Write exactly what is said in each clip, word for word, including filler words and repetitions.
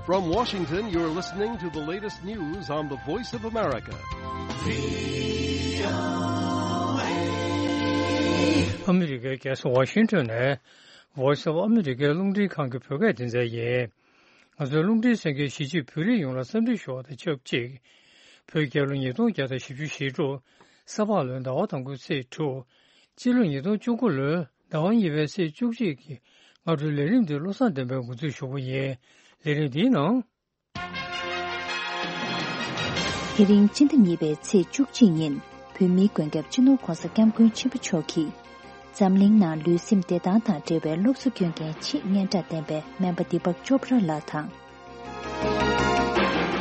From Washington, you're listening to the latest news on the Voice of America. ཨ་མི་རི་ཀའི་རྒྱལ་ས་ཝ་ཤིང་ཊོན་ནས་Voice of America རླུང་འཕྲིན་ཁང་གི་བོད་སྐད་སྡེ་ཚན་ཡིན། ང་ཚོའི་རླུང་འཕྲིན་གསན་མཁན་གཞིས་བྱེས་བོད་རིགས་ཡོངས་ལ་འཚམས་འདྲི་ཞུ་བ་དང་ཆབས་ཅིག་བོད་རྒྱལ་ལོ་ཉིས་སྟོང་བརྒྱ་དང་བཞི་བཅུ་ཞེ་དྲུག་ས་ཕག་ལོའི་ཟླ་བ་དང་པོའི་ཚེས་དྲུག་སྤྱི་ལོ་ཉིས་སྟོང་བཅུ་དགུ་ལོའི་ཟླ་བ་གཉིས་པའི་ཚེས་བཅུ་གཅིག་གི་སྔ་དྲོའི་ལས་རིམ་འདི་བློ་བཟང་བསྟན་པས་འགོ་འཛུགས་ཞུ་གི་ཡིན། ལས་རིམ་འདིའི་ནང་། དེ་རིང་སྤྱི་ཟླ་གཉིས་པའི་ཚེས་བཅུ་གཅིག་ཉིན་བོད་མིའི་མགོན་སྐྱབས་སྤྱི་ནོར་༸གོང་ས་༸སྐྱབས་མགོན་ཆེན་པོ་མཆོག་གིས་འཛམ་གླིང་ནང་ལུས་སེམས་བདེ་ཐང་དང་འབྲེལ་བའི་སློབ་གསོ་སྐྱོན་མཁན་ཆེས་སྙན་གྲགས་ལྡན་པའི་སྨན་པ་དི་པག་ཅོབ་ར་ལགས་དང་།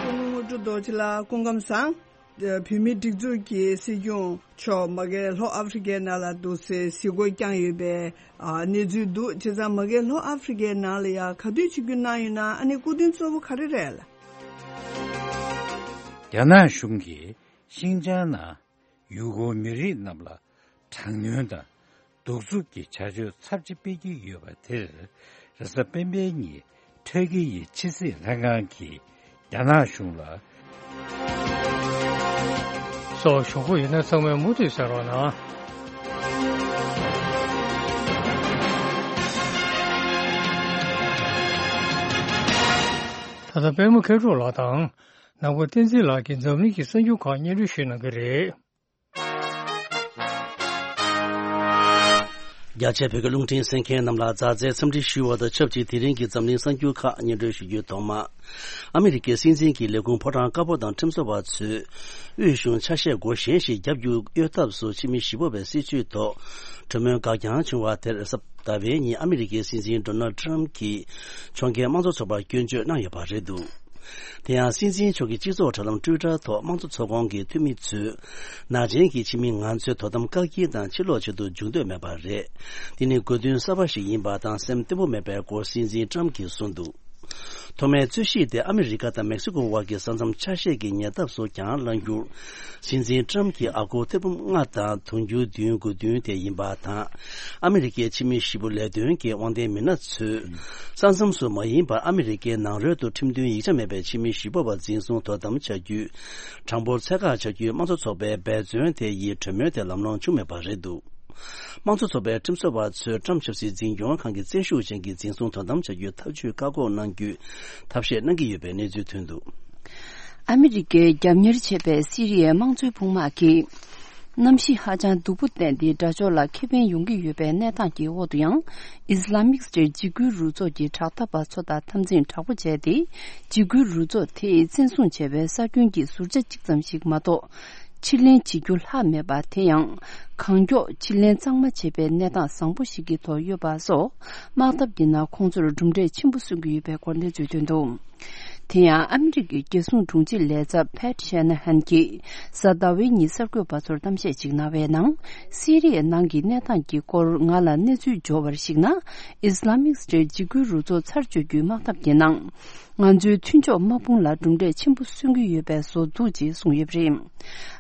སྐུ་ངོ་དངོས་གྲུབ་རྡོ་རྗེ་ལགས་སྐུ་ཁམས་བཟང་། བོད་མིའི་སྒྲིག་འཛུགས་ཀྱི་སྲིད་སྐྱོང་མཆོག་མ་གི་ལྷོ་ཨ་ཧྥེ་རི་ཁའི་ནང་ལ་འདུག་སའི་གཟིགས་སྐོར་བསྐྱངས་ཡོད་པའི་ཨ་གནས་ཚུལ་འདུག་བྱས་ཙང་མ་གི་ལྷོ་ཨ་ཧྥེ་རི་ཁའི་ནང་ལ་ཡང་ག་དུས་ཆིབས་བསྒྱུར་གནང་ཡོད་ན། ཨ་ནི་སྐུ་མདུན་གཙོ་བོ་ག་རེ་རེད་ལ། རྒྱ་ནག་གཞུང་གིས་ཤིན་ཅང་ནང་ཡུ་གུར་མི་རིགས་རྣམས་ལ་དྲག་གནོན་དང་གདུག་རྩུབ་ཀྱི་བྱ་སྤྱོད་ཚབས་ཆེ་སྤེལ་གྱི་ཡོད་པ་དེར། རེས་གཟའ་སྤེན་པའི་ཉིན་ཁྲ་ཀི་ཡི་ཕྱི་སྲིད་ལྷན་ཁང་གིས་རྒྱ་ནག་གཞུང་ལ། སོགས་ཞུ་གི་ཡོད་ན་ཚང་མས་མུ་མཐུད་གསན་རོགས་གནང་། ད་ལྟ་པད་མ་མཁས་གྲུབ་ལགས་དང་ནང་པ་བསྟན་འཛིན་ལགས་ཀྱིས་འཛམ་གླིང་གི་གསར་འགྱུར་ཁག་སྙན་སྒྲོན་ཞུ་གནང་གི་རེད། རྒྱ་ཆེ་བོད་ཀྱི་རླུང་འཕྲིན་གསན་མཁན་རྣམས་ལ་མཛའ་བརྩེའི་འཚམས་འདྲི་ཞུ་བ་དང་ཆབས་ཅིག་དེ་རིང་གི་འཛམ་གླིང་གསར་འགྱུར་ཁག་སྙན་སྒྲོན་ཞུ་རྒྱུའི་ཐོག་མ། ཨ་མི་རི་ཀའི་སྲིད་འཛིན་གྱི་ལས་ཁུངས་ཕོ་བྲང་དཀར་པོ་དང་ཁྲིམས་བཟོ་བ་ཚོས་དབུས་གཞུང་ཆ་ཤས་སྒོ་གཞན་ཞིག་རྒྱབ་རྒྱུ་གཡོལ་ཐབས་སུ་ཕྱི་མི་གཞིས་སྤོ་བའི་སྲིད་བྱུས་ཐོག་གྲོས་མོལ་འགག་རྐྱང་བྱུང་བ་དེར་གཟའ་ཟླ་བའི་ཉིན་ཨ་མི་རི་ཀའི་སྲིད་འཛིན་ཌོ་ནལ་ཌི་ཊརམ་གྱིས་ཕྱོགས་འགལ་དམངས་གཙོ་ཚོགས་པར་སྐྱོན་བརྗོད་གནང་ཡོད་པ་རེད་འདུག་དེ་ཡང་སྲིད་འཛིན་མཆོག་གི་སྤྱི་ཚོགས་དྲ་ལམ་ཊུའི་ཊར་ཐོག་དམངས་གཙོ་ཚོགས་ཁོངས་ཀྱི་འཐུས་མི་ཚོས་ནག་ཅན་གྱི་ཕྱི་མི་ང་ཚོའི་དོ་དམ་བཀག་སྐྱིལ་དང་ཕྱིར་ལོག་བྱེད་དུ་འཇུག་འདོད་མེད་པ་རེད། འདི་ནི་དགོས་འདུན་གསར་པ་ཞིག་ཡིན་པ་དང་སེམས་བརྟན་པོ་མེད་པའི་སྐོར་སྲིད་འཛིན་ཊརམ་གྱིས་གསུངས་འདུག་ཐོག་མའི་རྩོད་གཞི་དེ་ཨ་མི་རི་ཀ་དང་མེག་སི་ཀོ་དབར་གྱི་ས་མཚམས་ཆ་ཤས་ཀྱི་ཉེ་འདབས་སུ་གྱང་ལངས་རྒྱུར། སྲིད་འཛིན་ཊརམ་གྱི་ཨ་སྒོར་ཐེར་འབུམ་ལྔ་དང་དུང་ཕྱུར་བདུན་དགོས་འདུན་དེ་ཡིན་པ་དང་། ཨ་མི་རི་ཀའི་ཕྱི་མི་གཞིས་སྤོ་ལས་དོན་གྱི་དབང་ལྡན་མི་སྣ་ཚོས། ས་མཚམས་སུ་མ་ཡིན་པར་ཨ་མི་རི་ཀའི་ནང་རོལ་དུ་ཁྲིམས་མཐུན་ཡིག་ཆ་མེད་པའི་ཕྱི་མི་གཞིས་སྤོ་བ་འཛིན་བཟུང་དོ་དམ་བྱ་རྒྱུའི་གྲངས་འབོར་ཚད་བཀག་བྱ་རྒྱུའི་དམངས་གཙོ་ཚོགས་པའི་འབད་བརྩོན་དེ་ཡི་གྲོས་མོལ་དེ་ལམ་ལྷོང་བྱུང་མེད་པ་རེད་འདུག་དམངས་གཙོ་ཚོགས་པའི་ཁྲིམས་བཟོ་བ་ཚོས་ཊརམ་ཆབ་སྲིད་འཛིན་སྐྱོང་ཁང་གི་བཙན་ཤུགས་ཅན་གྱི་འཛིན་བཟུང་དོ་དམ་བྱ་རྒྱུའི་ཐབས་ཇུས་བཀག་འགོག་གནང་རྒྱུའི་ཐབས་ཤེས་གནང་གི་ཡོད་པའི་གནས་ཚུལ་ཐོན་འདུག་ཨ་མི་རི་ཀས་རྒྱབ་གཉེར་བྱས་པའི་སི་རི་ཡའི་དམངས་གཙོའི་དཔུང་དམག་གིས། གནམ་གཤིས་ཧ་ཅང་སྡུག་པོ་བསྟན་ཏེ་དགྲ་ཕྱོགས་ལ་ཁེ་ཕན་ཡོང་གི་ཡོད་པའི་གནས་སྟངས་ཀྱི་འོག་ཏུ་ཡང་། ཨིས་ལ་མིག་སི་ཊེཊ་འཇིགས་སྐུལ་རུ་ཚོགས་ཀྱི་དྲག་འཐབ་པ་ཚོ་དང་འཐབ་འཛིང་དྲག་པོ་བྱས་ཏེ། འཇིགས་སྐུལ་རུ་ཚོགས་དེས་བཙན་བཟུང་བྱས་པའི་ས་ཁྱོན་གྱི་ཟུར་ཆ་གཅིག་ཙམ་ཞིག་མ་གཏོགས། ཕྱིར་ལེན་བྱེད་རྒྱུ་ལྷག་མེད་པ་དེ་ཡང་། གང་མགྱོགས་ཕྱིར་ལེན་གཙང་མ་བྱེད་པའི་གནས་སྟངས་བཟང་པོ་ཞིག་གི་ཐོག་ཡོད་པ་སོགས། དམག་འཐབ་ཀྱི་ནང་ཁོང་ཚོར་གྲུབ་འབྲས་ཆེན་པོ་སོན་གྱི་ཡོད་པའི་སྐོར་གནས་ཚུལ་ཐོན་འདུག་དེ་ཡང་ཨ་མི་རི་ཀའི་རྒྱལ་སྲུང་དྲུང་ཆེ་ལས་ཚབ་ཕེཊ་ཤེ་ན་ཧན་གྱིས་གཟའ་ཟླ་བའི་ཉིན་གསར་འགོད་པ་ཚོར་གཏམ་བཤད་ཅིག་གནང་བའི་ནང་། སི་རི་ཡའི་ནང་གི་གནས་སྟངས་ཀྱི་སྐོར་ང་ལ་གནས་ཚུལ་འབྱོར་བར་གཞིགས་ན། ཨིས་ལ་མིག་སི་ཊེཊ་འཇིགས་སྐུལ་རུ་ཚོགས་ཚར་གཅོད་རྒྱུའི་དམག་འཐབ་ཀྱི་ནང་། ང་ཚོའི་མཐུན་ཕྱོགས་དམག་དཔུང་ལ་གྲུབ་འབྲས་ཆེན་པོ་སོན་གྱི་ཡོད་པའི་བཟོ་འདུག་ཅེས་གསུངས་ཡོད་པ་རེད།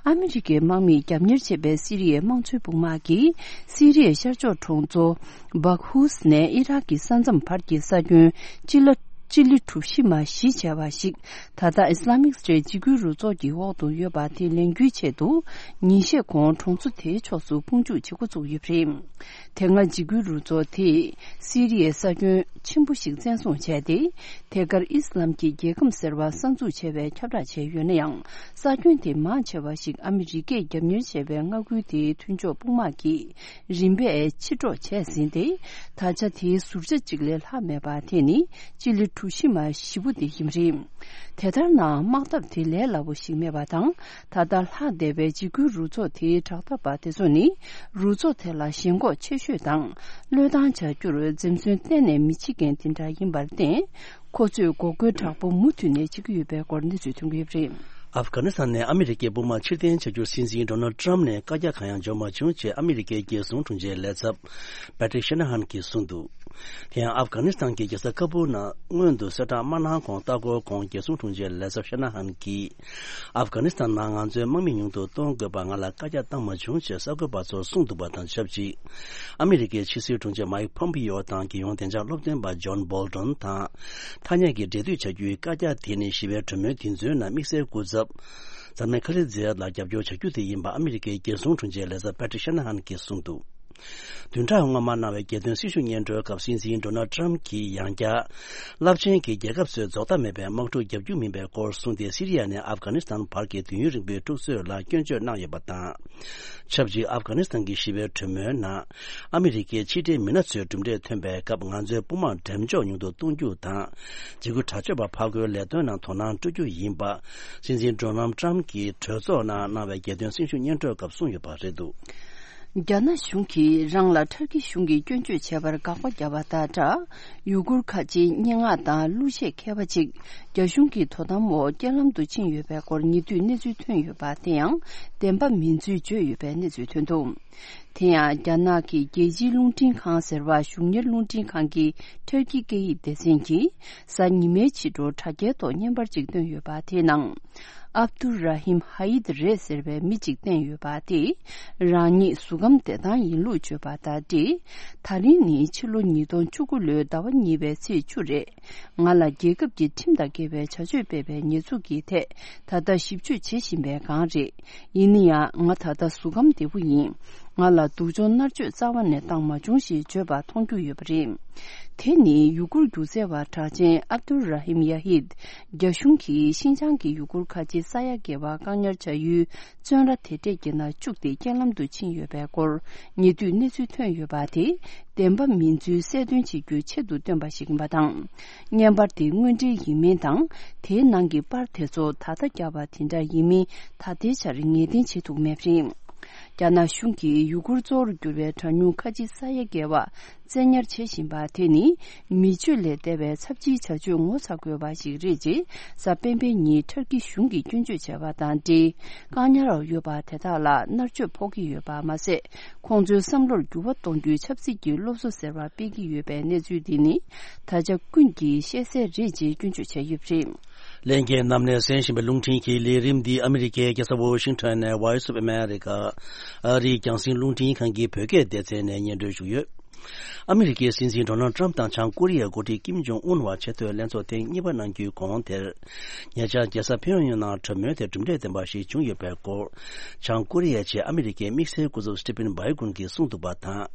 ཨ་མི་རི་ཀའི་དམག་མིས་རྒྱབ་གཉེར་བྱས་པའི་སི་རི་ཡའི་དམངས་གཙོའི་དཔུང་དམག་གིས་སི་རི་ཡའི་ཤར་ཕྱོགས་གྲོང་ཚོ་བག་ཧུས་ནས་ཨི་རག་གི་ས་མཚམས་བར་གྱི་ས་ཁྱོན་སྤྱི་ལ་སྤྱི་ལེ་གྲུ་བཞི་མ་བཞི་བྱས་པ་ཞིག་ད་ལྟ་ཨིས་ལ་མིག་སི་ཊེཊ་འཇིགས་སྐུལ་རུ་ཚོགས་ཀྱི་འོག་ཏུ་ཡོད་པ་དེ་ལེན་རྒྱུའི་ཆེད་དུ་ཉིན་ཤས་གོང་གྲོང་ཚོ་དེའི་ཕྱོགས་སུ་དཔུང་འཇུག་བྱེད་འགོ་བཙུགས་ཡོད་པ་རེད། དེ་སྔ་འཇིགས་སྐུལ་རུ་ཚོགས་དེས་སི་རི་ཡའི་ས་ཁྱོན་ཆེན་པོ་ཞིག་བཙན་བཟུང་བྱས་ཏེ། དེ་གར་ཨི་སི་ལམ་གྱི་རྒྱལ་ཁམས་ཟེར་བ་གསར་འཛུགས་བྱས་པའི་ཁྱབ་བསྒྲགས་བྱས་ཡོད་ན་ཡང་། ས་ཁྱོན་དེ་མང་ཆེ་བ་ཞིག་ཨ་མི་རི་ཀས་རྒྱབ་གཉེར་བྱས་པའི་མངའ་ཁུལ་དེའི་མཐུན་ཕྱོགས་དཔུང་དམག་གིས་རིམ་པས་ཕྱིར་སྒྲོག་བྱས་ཟིན་ཏེ། ད་ཆ་དེའི་ཟུར་ཆ་གཅིག་ལས་ལྷག་མེད་པ་དེ་ནི་སྤྱི་ལེ་གྲུ་བཞི་མ་བཞི་པོ་དེ་ཡིན་པ་རེད། དེ་ལྟར་ན་དམག་འཐབ་དེ་ལས་སླ་པོ་ཞིག་མེད་པ་དང་། ད་ལྟ་ལྷག་བསྡད་པའི་འཇིགས་སྐུལ་རུ་ཚོགས་དེའི་དྲག་འཐབ་པ་དེ་ཚོ་ནི། རུ་ཚོགས་དེ་ལ་ཞེན་ཁོག་ཆེ་ཤོས་དང་། བློས་བཏང་བྱ་རྒྱུར་འཛེམ་ཟོན་གཏན་ནས་མི་བྱེད་མཁན་དེ་འདྲ་ཡིན་པར་བརྟེན། ཁོ་ཚོས་འགོག་རྒོལ་དྲག་པོ་མུ་མཐུད་ནས་བྱེད་ཀྱི་ཡོད་པའི་སྐོར་གནས་ཚུལ་ཐོན་གྱི་ཡོད་པ་རེད། ཨབ་གྷ་ནི་སི་ཐན་ནས་ཨ་མི་རི་ཀའི་དཔུང་དམག་ཕྱིར་འཐེན་བྱ་རྒྱུར་སྲིད་འཛིན་ཌོ་ནལ་ཏྲམ་ནས་བཀའ་རྒྱ་གང་ཡང་འབྱོར་མ་བྱུང་ཅེས་ཨ་མི་རི་ཀའི་རྒྱལ་སྲུང་དྲུང་ཆེའི་ལས་ཚབ་པེ་ཏྲིག་ཤེ་ན་ཧན་གྱིས་གསུངས་འདུག་དེ་ཡང་ཨབ་གྷ་ནི་སི་ཐན་གྱི་རྒྱལ་ས་ཁ་བུར་ནང་སྔོན་དུ་གསལ་བསྒྲགས་མ་གནང་གོང་ལྟ་སྐོར་གོང་རྒྱལ་སྲུང་དྲུང་ཆེའི་ལས་ཚབ་ཤེ་ན་ཧན་གྱིས། ཨབ་གྷ་ནི་སི་ཐན་ནང་ང་ཚོའི་དམག་མི་ཉུང་དུ་གཏོང་དགོས་པ་ང་ལ་བཀའ་རྒྱ་བཏང་མ་བྱུང་ཅེས་གསར་འགོད་པ་ཚོར་གསུངས་འདུག་པ་དང་ཆབས་ཅིག་ཨ་མི་རི་ཀའི་ཕྱི་སྲིད་དྲུང་ཆེ་མཱིག་ཕོམ་པི་ཡོ་དང་རྒྱལ་ཡོངས་བདེ་འཇགས་སློབ་སྟོན་པ་ཇོན་བོལ་ཏོན་དང་། ཐ་སྙད་ཀྱི་འབྲེལ་མཐུད་བྱ་རྒྱུའི་བཀའ་རྒྱ་དེ་ནི་ཞི་བའི་གྲོས་མོལ་དེ་ཚོའི་ནང་དམིགས་བསལ་སྐུ་ཚབ། མཛད་མེད་ཁ་ལི་ཛེ་ལ་རྒྱབ་སྐྱོར་བྱ་རྒྱུ་དེ་ཡིན་པ་ཨ་མི་རི་ཀའི་རྒྱལ་སྲུང་དྲུང་ཆེའི་ལས་ཚབ་པེ་ཏྲིག་ཤེ་ན་ཧན་གྱིས་གསུངས་འདུག་བདུན་ཕྲག་སྔོན་མ་གནང་བའི་རྒྱལ་དོན་སྲི་ཞུ་སྙན་སྒྲོན་སྐབས་སྲིད་འཛིན་ཌོ་ནལ་ཏྲམ་གྱིས་ཡང་བསྐྱར། རླབས་ཆེན་གྱི་རྒྱལ་ཁབ་ཚོས་རྫོགས་མཐའ་མེད་པའི་དམག་འཁྲུག་བརྒྱབ་རྒྱུ་མིན་པའི་སྐོར་གསུངས་ཏེ། སི་རི་ཡ་ནས་ཨབ་གྷ་ནི་སི་ཐན་བར་གྱི་དུས་ཡུན་རིང་པོའི་འཁྲུག་རྩོད་ལ་སྐྱོན་བརྗོད་གནང་ཡོད་པ་དང་། ཆབས་ཅིག་ཨབ་གྷ་ནི་སི་ཐན་གྱི་ཞི་བའི་གྲོས་མོལ་ནང་། ཨ་མི་རི་ཀའི་ཕྱི་འབྲེལ་མི་སྣ་ཚོས་གྲུབ་འབྲས་ཐོན་པའི་སྐབས། ང་ཚོའི་དཔུང་དམག་འགྲེམས་འཇོག་ཉུང་དུ་གཏོང་རྒྱུ་དང་། འཇིགས་སྐུལ་དྲག་སྤྱོད་པ་ཕར་རྒོལ་ལས་དོན་ནང་དོ་སྣང་སྤྲོད་རྒྱུ་ཡིན་པ། སྲིད་འཛིན་ཌོ་ནལ་ཏྲམ་གྱིས་གྲོས་ཚོགས་ནང་གནང་བའི་རྒྱལ་དོན་སྲི་ཞུ་སྙན་སྒྲོན་སྐབས་གསུངས་ཡོད་པ་རེད་འདུག་རྒྱ་ནག་གཞུང་གིས་རང་ལ་ཐར་ཀི་གཞུང་གིས་སྐྱོན་བརྗོད་བྱས་པར་དགག་པ་བརྒྱབ་པ་དང་སྦྲགས། ཡུ་གུར་ཁ་ཆེའི་སྙན་ངག་དང་གླུ་གཞས་མཁས་པ་ཅིག་རྒྱ་གཞུང་གི་དོ་དམ་འོག་རྐྱེན་ལམ་དུ་ཕྱིན་ཡོད་པའི་སྐོར་ཉེ་དུས་གནས་ཚུལ་ཐོན་ཡོད་པ་དེ་ཡང་བདེན་པ་མིན་ཚུལ་བརྗོད་ཡོད་པའི་གནས་ཚུལ་ཐོན་འདུག་དེ་ཡང་རྒྱ་ནག་གི་རྒྱལ་སྤྱིའི་རླུང་འཕྲིན་ཁང་ཟེར་བ་གཞུང་གཉེར་རླུང་འཕྲིན་ཁང་གི་ཐར་ཀི་སྐད་ཡིག་སྡེ་ཚན་གྱིས་གཟའ་ཉི་མའི་ཕྱི་དྲོ་དྲ་རྒྱའི་ཐོག་བརྙན་པར་ཅིག་བཏོན་ཡོད་པ་དེའི་ནང་། ཨབ་དུ་ར་ཧིམ་ཧ་ཡིད་རེད་ཟེར་བའི་མི་གཅིག་བསྟན་ཡོད་པ་དེས། རང་ཉིད་གཟུགས་ཁམས་བདེ་ཐང་ཡིན་ལུགས་བརྗོད་པ་དང་འབྲེལ། ད་རིང་ནི་ཕྱི་ལོ་ཉིས་སྟོང་བཅུ་དགུ་ལོའི་ཟླ་བ་གཉིས་པའི་ཚེས་བཅུ་རེད། ང་ལ་རྒྱལ་ཁབ་ཀྱི་ཁྲིམས་དང་འགལ་བའི་བྱ་སྤྱོད་སྤེལ་བའི་ཉེས་འཛུགས་ཀྱི་ཐད་ད་ལྟ་ཞིབ་དཔྱོད་བྱེད་བཞིན་པའི་སྒང་རེད། ཡིན་ན་ཡང་ང་ད་ལྟ་གཟུགས་ཁམས་བདེ་པོ་ཡིན། ང་ལ་སྡུག་སྦྱོང་མནར་གཅོད་རྩ་བ་ནས་བཏང་མ་བྱུང་ཞེས་བརྗོད་པ་མཐོང་རྒྱུ་ཡོད་པ་རེད། དེ་ནི་ཡུ་གུར་སྒྱུ་རྩལ་བ་གྲགས་ཅན་ཨབ་དུ་ར་ཧིམ་ཡ་ཧིད། རྒྱ་གཞུང་གིས་ཤིན་ཅང་གི་ཡུ་གུར་ཁ་ཆེ་ས་ཡ་བརྒལ་བ་བཀག་ཉར་བྱ་ཡུལ་བཙོན་ར་དེ་འདྲས་ཀྱི་ནང་བཅུག་སྟེ་རྐྱེན་ལམ་དུ་ཕྱིན་ཡོད་པའི་སྐོར་ཉེ་དུས་གནས་ཚུལ་ཐོན་ཡོད་པ་དེ། བདེན་པ་མིན་ཚུལ་གསལ་སྟོན་བྱེད་རྒྱུའི་ཆེད་དུ་བཏོན་པ་ཞིག་ཡིན་པ་དང་། བརྙན་པར་དེ་དངོས་འབྲེལ་ཡིན་མིན་དང་། དེའི་ནང་གི་པར་དེ་ཚོ་ད་ལྟ་བརྒྱབ་པ་དེ་འདྲ་ཡིན་མིན་ད་ལྟའི་ཆར་ངེས་གཏན་བྱེད་ཐུབ་མེད་པ་རེད། རྒྱ་ནག་གཞུང་གིས་ཡུ་གུར་གཙོ་བོར་གྱུར་པའི་གྲངས་ཉུང་ཁ་ཆེ་ས་ཡ་བརྒལ་བ་བཙན་ཉར་བྱེད་བཞིན་པ་དེ་ནི་མི་སྤྱོད་ལས་འདས་པའི་ཚབས་ཆེའི་བྱ་སྤྱོད་ངོ་ཚ་དགོས་པ་ཞིག་རེད་ཅེས་གཟའ་སྤེན་པའི་ཉིན་ཐར་ཀི་གཞུང་གིས་སྐྱོན་བརྗོད་བྱས་པ་དང་འབྲེལ། བཀག་ཉར་འོག་ཡོད་པ་དེ་དག་ལ་མནར་གཅོད་ཕོག་གི་ཡོད་པ་མ་ཟད། ཁོང་ཚོའི་བསམ་བློར་འགྱུར་བ་གཏོང་རྒྱུའི་ཆབ་སྲིད་ཀྱི་སློབ་གསོ་ཟེར་བ་སྤེལ་གྱི་ཡོད་པའི་གནས་ཚུལ་འདི་ནི་ད་ཆ་ཀུན་གྱིས་ཤེས་གསལ་རེད་ཅེས་སྐྱོན་བརྗོད་བྱས་ཡོད་པ་རེད། ལྷན་རྒྱས་རྣམས་ནས་གསན་བཞིན་པའི་རླུང་འཕྲིན་གྱི་ལས་རིམ་འདི་ཨ་མི་རི་ཀའི་རྒྱལ་ས་ཝོ་ཤིང་ཊོན་ནས་Voice of America ཨ་རིའི་རྒྱང་སྲིང་རླུང་འཕྲིན་ཁང་གི་བོད་སྐད་སྡེ་ཚན་ནས་སྙན་སྒྲོན་ཞུས་ཡོད། ཨ་མི་རི་ཀའི་སྲིད་འཛིན་ཌོ་ནལ་ཏྲམ་དང་བྱང་ཀོ་རི་ཡའི་འགོ་ཁྲིད་ཀིམ་ཇོང་ཨུན་བར་ཆེས་མཐོའི་ལྷན་ཚོགས་ཐེངས་གཉིས་པ་གནང་རྒྱུའི་གོང་དེར། ཉེ་ཆར་རྒྱལ་ས་ཕིའུ་ཡང་ནང་གྲོས་མོལ་དེ་གྲུབ་འབྲས་ལྡན་པ་ཞིག་བྱུང་ཡོད་པའི་སྐོར། བྱང་ཀོ་རི་ཡའི་ཆེད་ཨ་མི་རི་ཀའི་དམིགས་བསལ་སྐུ་ཚབ་སི་ཏི་ཕིན་བྷའི་གུན་གྱིས་གསུངས་འདུག་པ་དང་།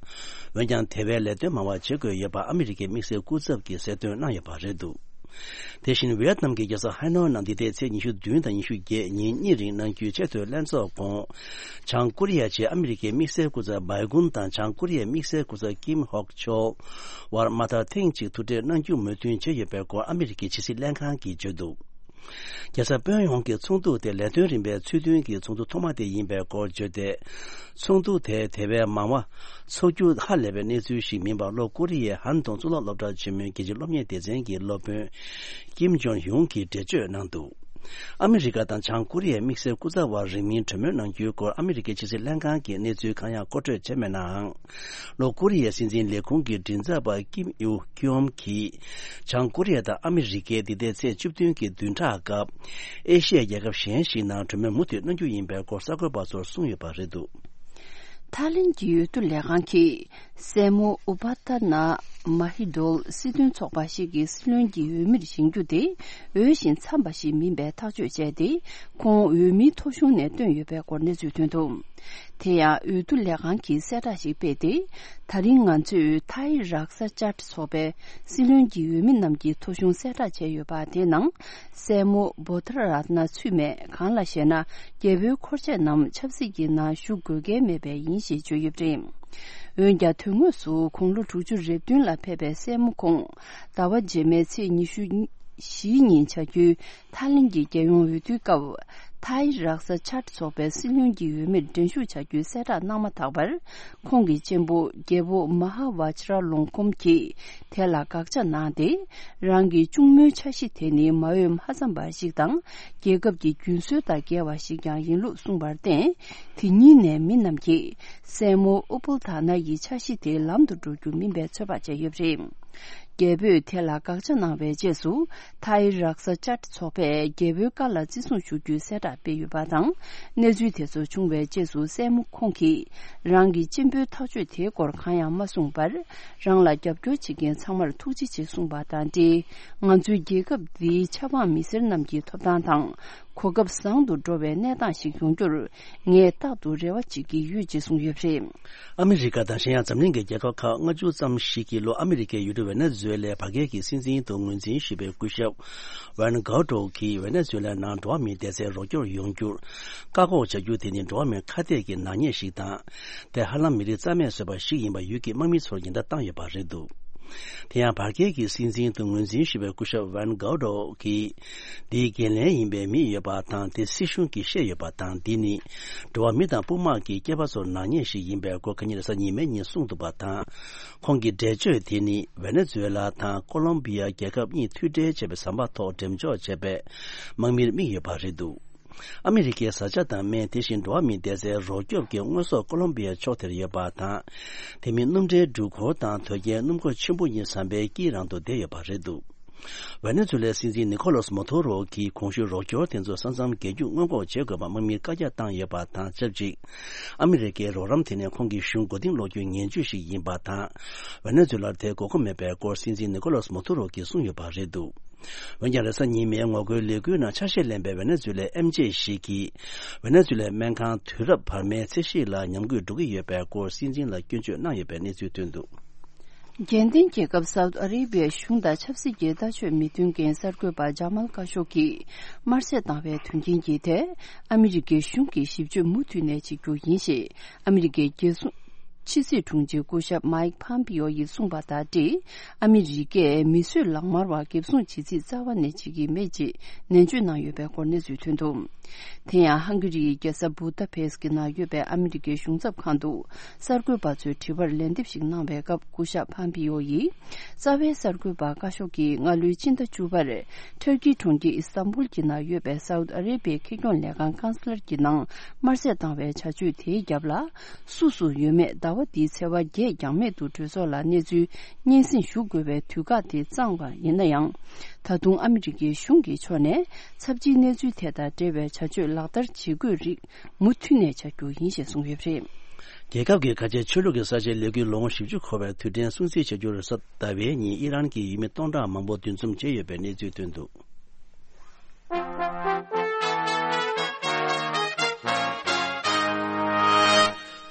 འོན་ཀྱང་དེ་བས་ལས་དོན་མང་བ་བྱེད་དགོས་ཡོད་པ་ཨ་མི་རི་ཀའི་དམིགས་བསལ་སྐུ་ཚབ་ཀྱིས་གསལ་སྟོན་གནང་ཡོད་པ་རེད་འདུག་དེ་བཞིན་ཝི་ཡེད་ནམ་གྱི་རྒྱལ་ས་ཧའེ་ནོའི་ནང་འདི་ཟླའི་ཚེས་ཉི་ཤུ་བདུན་དང་ཉི་ཤུ་བརྒྱད་ཉིན་གཉིས་རིང་གནང་རྒྱུའི་ཆེས་མཐོའི་ལྷན་ཚོགས་གོང་། བྱང་ཀོ་རི་ཡའི་ཆེད་ཨ་མི་རི་ཀའི་དམིགས་བསལ་སྐུ་ཚབ་བྷའི་གུན་དང་བྱང་ཀོ་རི་ཡའི་དམིགས་བསལ་སྐུ་ཚབ་ཀིམ་ཧོག་ཆོལ་བར་མ་མཐར་ཐེངས་གཅིག་ཐུག་འཕྲད་གནང་རྒྱུ་མོས་མཐུན་བྱས་ཡོད་པའི་སྐོར་ཨ་མི་རི་ཀའི་ཕྱི་སྲིད་ལྷན་ཁང་གིས་བརྗོད་འདུག་རྒྱལ་ས་ཕིའུ་ཡང་གི་ཚོགས་འདུ་དེ་ལས་དོན་རིམ་པའི་ཚུལ་མཐུན་གྱི་ཚོགས་འདུ་ཐོག་མ་དེ་ཡིན་པའི་སྐོར་བརྗོད་དེ། ཚོགས་འདུ་དེ་དེ་བས་མང་བ་ཚོགས་རྒྱུ་ཧ་ལས་པའི་གནས་ཚུལ་ཞིག་མིན་པར། ལྷོ་ཀོ་རི་ཡའི་ཧན་ཏུང་གཙུག་ལག་སློབ་གྲྭར་འབྱོར་མུས་རྒྱལ་སྤྱིའི་སློབ་གཉེར་སྡེ་ཚན་གྱི་སློབ་དཔོན་ཀིམ་ཇོན་ཡུང་གིས་འགྲེལ་བརྗོད་གནང་འདུག་ཨ་མི་རི་ཀ་དང་བྱང་ཀོ་རི་ཡའི་དམིགས་བསལ་སྐུ་ཚབ་བར་རིང་མིན་གྲོས་མོལ་གནང་རྒྱུའི་སྐོར་ཨ་མི་རི་ཀའི་ཕྱི་སྲིད་ལྷན་ཁང་གིས་གནས་ཚུལ་གང་ཡང་མཁོ་སྤྲོད་བྱས་མེད་ནའང་། ལྷོ་ཀོ་རི་ཡའི་སྲིད་འཛིན་ལས་ཁུངས་ཀྱི་མགྲིན་ཚབ་པ་ཀིམ་ཡུ་ཀྱོམ་གྱིས། བྱང་ཀོ་རི་ཡ་དང་ཨ་མི་རི་ཀས་འདི་ཟླའི་ཚེས་བཅུ་བདུན་གྱི་བདུན་ཕྲག་སྐབས། ཨེ་ཤི་ཡའི་རྒྱལ་ཁབ་གཞན་ཞིག་ནང་གྲོས་མོལ་མུ་མཐུད་གནང་རྒྱུ་ཡིན་པའི་སྐོར་གསར་འགོད་པ་ཚོར་གསུངས་ཡོད་པ་རེད་འདུག་ཐའི་ལེན་གྱི་འོས་བསྡུ་ལས་ཁང་གིས། སྲས་མོ་ཨུ་པ་ཏ་ན་མ་ཧི་ཌོལ་སྲིད་དོན་ཚོགས་པ་ཞིག་གི་སྲིད་བློན་གྱི་འོས་མིར་བཞེངས་རྒྱུ་དེ། འོས་ཤིང་འཚམས་པ་ཞིག་མིན་པའི་ཐག་གཅོད་བྱས་ཏེ། ཁོང་འོས་མིའི་ཐོ་གཞུང་ནས་བཏོན་ཡོད་པའི་སྐོར་གནས་ཚུལ་ཐོན་འདུག་དེ་ཡང་འོས་བསྡུ་ལས་ཁང་གིས་གསལ་བསྒྲགས་ཤིག་སྤེལ་ཏེ། ད་རིང་ང་ཚོས་ཐའི་རཀ་ས་ཅཱཊ་ཚོགས་པའི་སྲིད་བློན་གྱི་འོས་མི་རྣམས་ཀྱི་ཐོ་གཞུང་གསལ་བསྒྲགས་བྱས་ཡོད་པ་དེའི་ནང་། སྲས་མོ་བྷོ་དྷ་ར་ཏ་ན་ཚུད་མེད། གང་ལགས་ཤེ་ན། རྒྱལ་པོའི་འཁོར་ཆས་རྣམས་ཆབ་སྲིད་ཀྱི་ནང་ཞུགས་དགོས་གལ་མེད་པས་ཡིན་ཞེས་བརྗོད་ཡོད་པ་རེད། འོན་ཀྱང་དོན་དངོས་སུ་དགུང་ལོ་དྲུག་ཅུ་རེ་བདུན་ལ་ཕེབས་པའི་སྲས་མོ་ཁོང་ཟླ་བ་རྗེས་མའི་ཚེས་ཉི་ཤུ། བཞིའི་ཉིན་བྱ་རྒྱུའི་ཐའི་ལེན་གྱི་རྒྱལ་ཡོངས་འོས་བསྡུའི་སྐབས། ཐའི་རག་ས་ཅཱད་ཚོགས་པའི་སྲིད་བློན་གྱི་འོས་མིར་འགྲན་ཞུགས་བྱ་རྒྱུའི་གསལ་བསྒྲགས་གནང་མ་ཐག་པར། ཁོང་གི་གཅེན་པོ་རྒྱལ་པོ་མ་ཧཱ་ཝཱ་ཇི་ར་ལོང་ཀོམ་གྱིས་དེ་ལ་དགག་བྱ་གནང་སྟེ། རང་གི་གཅུང་མོའི་འཆར་གཞི་དེ་ནི་མ་འོས་མ་འཚམས་པ་ཞིག་དང་། རྒྱལ་ཁབ་ཀྱི་རྒྱུན་སྲོལ་དང་འགལ་བ་ཞིག་ཀྱང་ཡིན་ལུགས་གསུངས་པར་བརྟེན། དེ་ཉིན་ནས་མི་རྣམས་ཀྱིས་སྲས་མོ་ཨུ་པུལ་དྷ་ན་ཡི་འཆར་གཞི་དེ་ལམ་དུ་འགྲོ་རྒྱུ་མིན་པའི་ཚོད་དཔག་བྱས་ཡོད་པ་རེད། རྒྱལ་པོས་དེ་ལ་དགག་བྱ་གནང་བའི་རྗེས་སུ། ཐའི་རག་ས་ཅཱད་ཚོགས་པས་རྒྱལ་པོའི་བཀའ་ལ་བརྩི་སྲུང་ཞུ་རྒྱུའི་གསལ་བསྒྲགས་སྤེལ་ཡོད་པ་དང་། གནས་ཚུལ་དེ་ཚོ་བྱུང་བའི་རྗེས་སུ་སྲས་མོ་ཁོང་གིས་རང་གི་གཅེན་པོའི་ཐག་གཅོད་དེའི་སྐོར་གང་ཡང་མ་གསུངས་པར། རང་ལ་རྒྱབ་སྐྱོར་བྱེད་མཁན་ཚང་མར་ཐུགས་རྗེ་ཆེ་གསུངས་པ་དང་འབྲེལ། ང་ཚོའི་རྒྱལ་ཁབ་འདིའི་ཆབ་འབངས་མི་སེར་རྣམས་ཀྱི་ཐོབ་ཐང་དང་། གོ་སྐབས་བཟང་དུ་འགྲོ་བའི་གནས་སྟངས་ཤིག་ཡོང་རྒྱུར། ངས་རྟག་ཏུ་རེ་བ་བྱེད་ཀྱི་ཡོད་ཅེས་གསུངས་ཡོད་པ་རེད། ཨ་མི་རི་ཀ་དང་གཞན་ཡང་འཛམ་གླིང་གི་རྒྱལ་ཁབ་ཁག་ལྔ་བཅུ་ཙམ་ཞིག་གིས་ལྷོ་ཨ་མི་རི་ཀའི་ཡུལ་གྲུ་ཝེ་ནེ་ཛུ་ཝེ་ལའི་བར་བརྒལ་གྱི་སྲིད་འཛིན་དུ་ངོས་འཛིན་ཞུས་པའི་སྐུ་ཞབས་ཝན་གའོ་ཏོ་གིས་ཝེ་ནེ་ཛུ་ཝེ་ལའི་ནང་འགྲོ་བ་མིའི་བདེ་རྩའི་རོགས་སྐྱོར་ཡོང་རྒྱུར་བཀག་འགོག་བྱ་རྒྱུ་དེ་ནི་འགྲོ་བ་མིའི་ཁ་གཏད་ཀྱི་ནག་ཉེས་ཤིག་དང་། དེ་ཧ་ལམ་མི་རིགས་རྩ་མེད་བཟོས་པ་ཞིག་ཡིན་པ་ཡུལ་གྱི་དམག་མི་ཚོར་ཉེན་བརྡ་བཏང་ཡོད་པ་རེད་འདུག་དེ་ཡང་བར་བརྒལ་གྱི་སྲིད་འཛིན་དུ་ངོས་འཛིན་ཞུས་པའི་སྐུ་ཞབས་ཝན་གའོ་ཏོ་གིས། འདིའི་འགན་ལེན་ཡིན་པའི་མི་ཡོད་པ་དང་། དེ་སྲིད་གཞུང་གིས་བཤད་ཡོད་པ་དང་། འདི་ནི་འགྲོ་བ་མི་དང་དཔུང་དམག་གི་སྐྱེས་པ་ཚོར་ནག་ཉེས་ཤིག་ཡིན་པའི་སྐོར་ཁ་ཉིན་རེས་གཟའ་ཉི་མའི་ཉིན་གསུངས་འདུག་པ་དང་། ཁོང་གི་འགྲེལ་བརྗོད་དེ་ནི་ཝེ་ནེ་ཛུ་ཝེ་ལ་དང་ཀོ་ལོམ་བི་ཡ་རྒྱལ་ཁབ་གཉིས་མཐུད་འབྲེལ་བྱས་པའི་ཟམ་པ་ཐོག་འགྲེམས་འཇོག་བྱས་པའི་དམག་མིར་དམིགས་ཡོད་པ་རེད་འདུག་ཨ་མི་རི་ཀའི་བཟའ་བཅའ་དང་སྨན། དེ་བཞིན་འགྲོ་བ་མིའི་བདེ་རྩའི་རོགས་སྐྱོབ་ཀྱི་དངོས་ཟོག་ཀོ་ལོམ་བི་ཡ་ཕྱོགས་དེར་ཡོད་པ་དང་། དེ་མིན་སྣུམ་འདྲེན་འགྲུལ་འཁོར་དང་དོས་སྐྱེལ་སྣུམ་འཁོར་ཆེན་པོ་གཉིས་ཟམ་པའི་དཀྱིལ་རང་དུ་བསྡད་ཡོད་པ་རེད་འདུག་ཝེ་ནེ་ཛུ་ལའི་སྲིད་འཛིན་ནི་ཁོ་ལོ་སི་མ་དུ་རོ་གིས་གོང་ཞུས་རོགས་སྐྱོར་དེ་ཚོ་ས་མཚམས་བརྒལ་རྒྱུ་སྔོན་འགོག་བྱེད་དགོས་པ་དམག་མིར་བཀའ་རྒྱ་བཏང་ཡོད་པ་དང་ཆབས་ཅིག་ཨ་མི་རི་ཀའི་རོགས་རམ་དེ་ནི་ཁོང་གི་གཞུང་མགོ་རྟིང་སློག་རྒྱུའི་ངན་ཇུས་ཤིག་ཡིན་པ་དང་། ཝེ་ནེ་ཛུ་ལར་དེའི་དགོས་མཁོ་མེད་པའི་སྐོར་སྲིད་འཛིན་ནི་ཁོ་ལོ་སི་མ་དུ་རོ་གིས་གསུངས་ཡོད་པ་རེད་འདུག་འོན་ཀྱང་རེས་གཟའ་ཉི་མའི་ངོ་རྒོལ་ལས་འགུལ་ནང་ཆ་ཤས་ལེན་པའི་ཝེ་ནེ་ཛུ་ལའི་ཨེམ་ཆི་ཞིག་གིས་ཝེ་ནེ་ཛུ་ལའི་སྨན་ཁང་དུས་རབས་བར་མའི་ཚད་གཞི་ལ་ཉམས་རྒུད་འགྲོ་གི་ཡོད་པའི་སྐོར་སྲིད་འཛིན་ལ་སྐྱོན་བརྗོད་གནང་ཡོད་པའི་གནས་ཚུལ་ཐོན་འདུག་རྒྱལ་ལྡན་རྒྱལ་ཁབ་སའུ་ཏི་ཨ་རེ་བྷི་ཡའི་གཞུང་དང་ཆབ་སྲིད་ཀྱི་ལྟ་སྤྱོད་མི་མཐུན་རྐྱེན་གསར་འགོད་པ་ཇ་མལ་ཀ་ཤོ་གིས་དམར་གསོད་བཏང་བའི་དོན་རྐྱེན་གྱིས་ཏེ། ཨ་མི་རི་ཀའི་གཞུང་གིས་ཞིབ་དཔྱོད་མུ་མཐུད་ནས་བྱེད་རྒྱུ་ཡིན་ཞེས་ཨ་མི་རི་ཀའི་རྒྱལ་སྲུང་ཕྱི་སྲིད་དྲུང་ཆེ་སྐུ་ཞབས་མའིག་ཕམ་པིའོ་ཡིས་གསུངས་པ་དང་འབྲེལ། ཨ་མི་རི་ཀས་མི་གསོད་ལག་དམར་བ་འགེབས་སྲུང་བྱེད་རྩིས་རྩ་བ་ནས་བྱེད་ཀྱི་མེད་ཅེས་ནན་བརྗོད་གནང་ཡོད་པའི་སྐོར་གནས་ཚུལ་ཐོན་འདུག་དེ་ཡང་ཧང་གི་རིའི་རྒྱལ་ས་བུ་ད་ཕེས་ཀྱི་ནང་ཡོད་པའི་ཨ་མི་རི་ཀའི་གཞུང་ཚབ་ཁང་དུ་གསར་འགོད་པ་ཚོའི་དྲི་བར་ལན་འདེབས་ཤིག་གནང་བའི་སྐབས། སྐུ་ཞབས་ཕམ་པིའོ་ཡིས་རྩ་བའི་གསར་འགོད་པ་ཀ་ཤོ་གིས་སྔ་ལོའི་ཕྱི་ཟླ་བཅུ་པར་ཊར་ཀིའི་གྲོང་ཁྱེར་ཨི་སྟན་བུལ་གྱི་ནང་ཡོད་པའི་སའུ་ཏི་ཨ་རེ་བྷིའི་ཁེ་གྱོང་ལས་ཁང་ཀན་སི་ལར་གྱི་ནང་དམར་གསོད་བཏང་བའི་བྱ་སྤྱོད་དེའི་རྒྱབ་ལ་སུ་སུ་ཡོད་མེད་ཟླ་བ་འདིའི་ཚེས་པ་བརྒྱད་འགྱངས་མེད་དུ་གྲོས་ཚོགས་ལ་གནས་ཚུལ་སྙན་སེང་ཞུ་དགོས་པའི་དུས་བཀག་དེ་བརྩམས་པ་ཡིན་ན་ཡང་། ད་དུང་ཨ་མི་རི་ཀའི་གཞུང་གི་ཕྱོགས་ནས་ཚབས་ཆེའི་གནས་ཚུལ་དེ་དང་འབྲེལ་བའི་བྱ་སྤྱོད་ལག་བསྟར་བྱེད་དགོས་རིགས་མུ་མཐུད་ནས་བྱ་རྒྱུ་ཡིན་ཞེས་གསུངས་ཡོད་པ་རེད། རྒྱལ་ཁབ་ཀྱི་ཁ་ཆེའི་ཆོས་ལུགས་ཀྱི་ས་ཆའི་ལས་འགུལ་ལོ་ངོ་བཞི་བཅུ་འཁོར་བའི་དུས་དྲན་སྲུང་བརྩི་བྱ་རྒྱུར་གཟའ་ཟླ་བའི་ཉིན་ཨི་རན་གྱི་ཡུལ་མི་སྟོང་ཕྲག་མང་པོ་འདུ་འཛོམས་བྱས་ཡོད་པའི་གནས་ཚུལ་ཐོན་འདུག་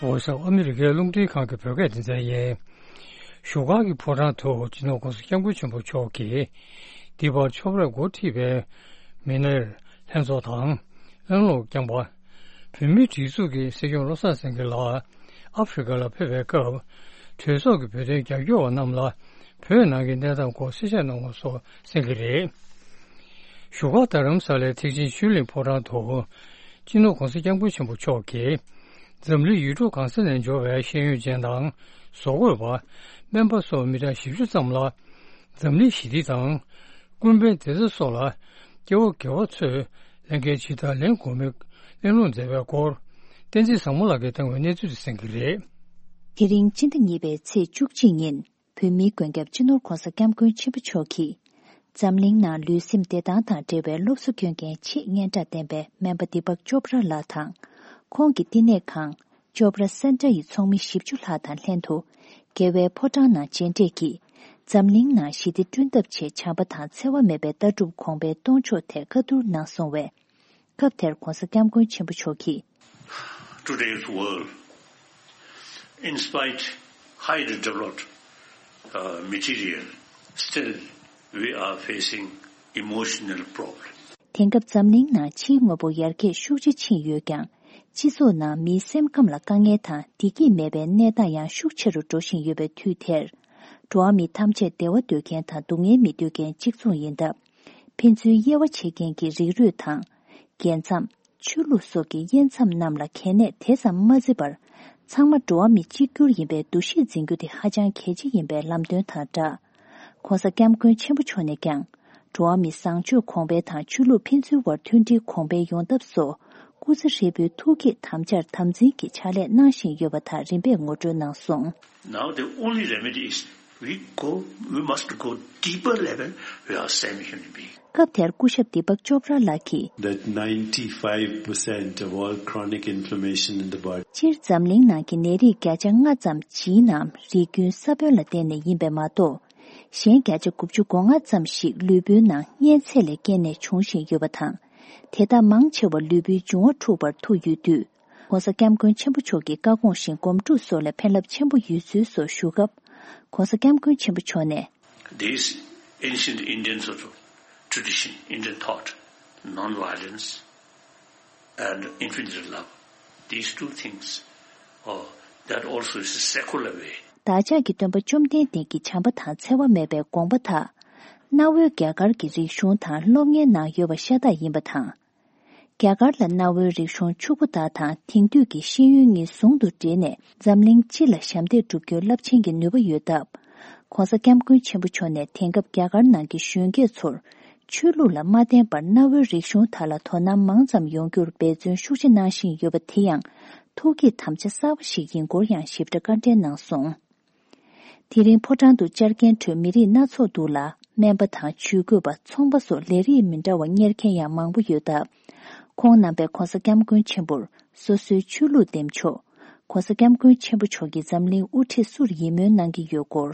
འོ་ས་ཨ་མི་རི་ཀའི་རླུང་འཕྲིན་ཁང་གི་བོད་སྐད་སྡེ་ཚན་ཡིན། བཞུགས་སྒར་གྱི་ཕོ་བྲང་དུ་སྤྱི་ནོར་༸གོང་ས་༸སྐྱབས་མགོན་ཆེན་པོ་མཆོག་གིས་འདི་བར་ཕྱོགས་རིས་འགོ་ཁྲིད་པའི་མི་སྣར་ལྷན་ཚོགས་དང་། གླེང་སློང་བསྐྱངས་པ། བོད་མིའི་སྒྲིག་འཛུགས་ཀྱི་སྲིད་སྐྱོང་བློ་བཟང་སེང་གེ་ལགས་ཨ་ཧྥེ་རི་ཁ་ལ་ཕེབས་པའི་སྐབས། གྲོས་ཚོགས་ཀྱི་བོད་དོན་རྒྱབ་སྐྱོར་བ་རྣམས་ལ་བོད་ནང་གི་གནས་སྟངས་སྐོར་གསལ་བཤད་གནང་བ་སོགས་གསན་གྱི་རེད། བཞུགས་སྒར་རྡ་རམ་ས་ལའི་ཐེག་ཆེན་ཆོས་གླིང་ཕོ་བྲང་དུ། སྤྱི་ནོར་༸གོང་ས་༸སྐྱབས་མགོན་ཆེན་པོ་མཆོག་གིས། འཛམ་གླིང་ཡུལ་གྲུ་གང་ས་ནས་འབྱོར་བའི་ཤེས་ཡོན་ཅན་དང་། བཟོ་བཀོད་པ། སྨན་པ་སོགས་མི་གྲངས་བཞི་བཅུ་ཙམ་ལ། འཛམ་གླིང་ཞི་བདེ་དང་། ཀུན་ཕན་བདེ་རྩ་སོགས་ལ་སྐྱེ་བོ་དགེ་བ་ཚོས་ལྷན་སྐྱེས་ཇི་ལྟར་ལེན་དགོས་མིན་གླེང་སློང་མཛད་པའི་སྐོར། བསྟན་འཛིན་བཟང་མོ་ལགས་ཀྱིས་བཏང་བའི་གནས་ཚུལ་དེ་གསན་གྱི་རེད། དེ་རིང་སྤྱི་ཟླ་གཉིས་པའི་ཚེས་བཅུ་གཅིག་ཉིན་བོད་མིའི་མགོན་སྐྱབས་སྤྱི་ནོར་༸གོང་ས་༸སྐྱབས་མགོན་ཆེན་པོ་མཆོག་གིས། འཛམ་གླིང་ནང་ལུས་སེམས་བདེ་ཐང་དང་འབྲེལ་བའི་སློབ་གསོ་སྐྱོན་མཁན་ཆེས་སྙན་གྲགས་ལྡན་པའི་སྨན་པ་དི་པག་ཅོབ་ར་ལགས་དང་། ཁོང་གི་བསྟི་གནས་ཁང་། ཅོབ་ར་སེན་ཊར་ཡི་ཚོགས་མི་བཞི་བཅུ་ལྷག་དང་ལྷན་དུ། རྒྱལ་བའི་ཕོ་བྲང་ནང་མཇལ་འཕྲད་ཀྱིས། འཛམ་གླིང་ནང་ཞི་བདེ་བསྐྲུན་ཐབས་ཆེད་བྱམས་པ་དང་འཚེ་བ་མེད་པའི་ལྟ་གྲུབ་གོང་འཕེལ་གཏོང་ཕྱོགས་ཐད་བཀའ་བསྡུར་གནང་སོང་བས། སྐབས་དེར་༸གོང་ས་༸སྐྱབས་མགོན་ཆེན་པོ་མཆོག་གིས། Today's world, in spite highly developed, uh, material, still we are facing emotional problem. དེང་སྐབས་འཛམ་གླིང་ནང་ཕྱིའི་དངོས་པོ་ཡར་རྒྱས་ཤུགས་ཆེ་ཕྱིན་ཡོད་ཀྱང་། སྤྱི་ཚོགས་ནང་མིའི་སེམས་ཁམས་ལ་དཀའ་ངལ་དང་བདེ་སྐྱིད་མེད་པའི་གནས་སྟངས་ཡང་ཤུགས་ཆེ་རུ་འགྲོ་བཞིན་ཡོད་པའི་དུས་དེར། འགྲོ་བ་མི་ཐམས་ཅད་བདེ་བ་འདོད་མཁན་དང་སྡུག་བསྔལ་མི་འདོད་མཁན་གཅིག་མཚུངས་ཡིན་སྟབས། ཕན་ཚུན་དབྱེ་བ་ཕྱེ་མཁན་གྱི་རིགས་རུས་དང་། རྒྱལ་མཚམས། ཆོས་ལུགས་སོགས་ཀྱི་དབྱེ་མཚམས་རྣམས་ལ་གལ་གནད་དེ་ཙམ་མ་བརྩི་བར། ཚང་མ་འགྲོ་བ་མི་གཅིག་གྱུར་ཡིན་པའི་འདུ་ཤེས་འཛིན་རྒྱུ་དེ་ཧ་ཅང་གལ་ཆེ་ཡིན་པའི་ལམ་སྟོན་དང་སྦྲགས། ྋགོང་ས་ྋསྐྱབས་མགོན་ཆེན་པོ་མཆོག་ནས་ཀྱང་། འགྲོ་བ་མི་བཟང་སྤྱོད་གོང་འཕེལ་དང་ཆོས་ལུགས་ཕན་ཚུན་དབར་མཐུན་སྒྲིལ་གོང་འཕེལ་ཡོང་ཐབས་སོགས། སྐུ་ཚེ་ཧྲིལ་པོའི་ཐུགས་བསྐྱེད་དམ་བཅའ་དམ་འཛིན་གྱི་ཕྱག་ལས་གནང་བཞིན་ཡོད་པ་དག་རིམ་པས་ངོ་སྤྲོད་གནང་སོང་། Now the only remedy is we go, we must go deeper level with our same human being. སྐབས་དེར་སྐུ་ཞབས་དི་པག་ཅོབ་ར་ལགས་ཀྱིས། That ninety-five percent of all chronic inflammation in the body. སྤྱིར་འཛམ་གླིང་ནང་གི་ནད་རིགས་བརྒྱ་ཆ་ལྔ་ཙམ་ཇིའི་ནམ་རིགས་རྒྱུན་ས་བོན་ལ་བརྟེན་ནས་ཡིན་པས་མ་གཏོགས། གཞན་བརྒྱ་ཆ་དགུ་བཅུ་གོ་ལྔ་ཙམ་ཞིག་ལུས་པོའི་ནང་གཉན་ཚད་ལས་སྐྱེས་ནས་འབྱུང་བཞིན་ཡོད་པ་དང་། དེ་དག་མང་ཆེ་བ་ལུས་པོའི་འབྱུང་བ་འཁྲུགས་པར་ཐུག་ཡོད་དུས། ྋགོང་ས་ྋསྐྱབས་མགོན་ཆེན་པོ་མཆོག་གི་བཀའ་དགོངས་བཞིན་སྒོམ་སྒྲུབ་སོགས་ལ་ཕན་རླབས་ཆེན་པོ་ཡོད་ཚུལ་སོགས་ཞུ་སྐབས། ྋགོང་ས་ྋསྐྱབས་མགོན་ཆེན་པོ་མཆོག་ནས། This ancient Indian sort of tradition, Indian thought, non-violence and infinite love, these two things, uh, that also is a secular way. བདག་ཅག་གི་སྟོན་པ་བཅོམ་ལྡན་འདས་ཀྱི་བྱམས་པ་དང་འཚེ་བ་མེད་པའི་དགོངས་པ་དག་གནའ་བོའི་རྒྱ་གར་གྱི་རིག་གཞུང་དང་སློབ་གཉེར་ནང་ཡོད་པ་ཤ་སྟག་ཡིན་པ་དང་། རྒྱ་གར་ལ་གནའ་བོའི་རིག་གཞུང་ཕྱུག་པོ་དག་དང་དེང་དུས་ཀྱི་ཤེས་ཡོན་གཉིས་ཟུང་དུ་འབྲེལ་ནས་འཛམ་གླིང་སྤྱི་ལ་ཞབས་འདེགས་སྒྲུབ་རྒྱུའི་རླབས་ཆེན་གྱི་ནུས་པ་ཡོད་སྟབས། ྋགོང་ས་ྋསྐྱབས་མགོན་ཆེན་པོ་མཆོག་ནས་དེང་སྐབས་རྒྱ་གར་ནང་གི་གཞོན་སྐྱེས་ཚོར་ཆོས་ལུགས་ལ་མ་བརྟེན་པར་གནའ་བོའི་རིག་གཞུང་དག་ལ་དོ་སྣང་མང་ཙམ་ཡོང་རྒྱུར་འབད་བརྩོན་ཤུགས་ཆེ་གནང་བཞིན་ཡོད་པ་དེ་ཡང་ཐུགས་བསྐྱེད་དམ་བཅའ་གསར་པ་ཞིག་ཡིན་སྐོར་ཡང་ཞིབ་ཕྲ་བཀའ་འགྲེལ་གནང་སོང་། དེ་རིང་ཕོ་བྲང་དུ་བཅར་མཁན་ཁྲོད་མི་རིགས་སྣ་ཚོགས་འདུ་ལ་སྨན་པ་དང་ཇུས་འགོད་པ། ཚོང་པ་སོགས་ལས་རིགས་མི་འདྲ་བ་གཉེར་མཁན་ཡང་མང་པོ་ཡོད་སྟབས། ཁོང་རྣམ་པས་ྋགོང་ས་ྋསྐྱབས་མགོན་ཆེན་པོར་སོ་སོའི་ཆོས་ལུགས་འདེམས་ཕྱོགས། ྋགོང་ས་ྋསྐྱབས་མགོན་ཆེན་པོ་མཆོག་གི་འཛམ་གླིང་དབུ་ཁྲིད་སུར་ཡིད་སྨོན་གནང་གི་ཡོད་སྐོར།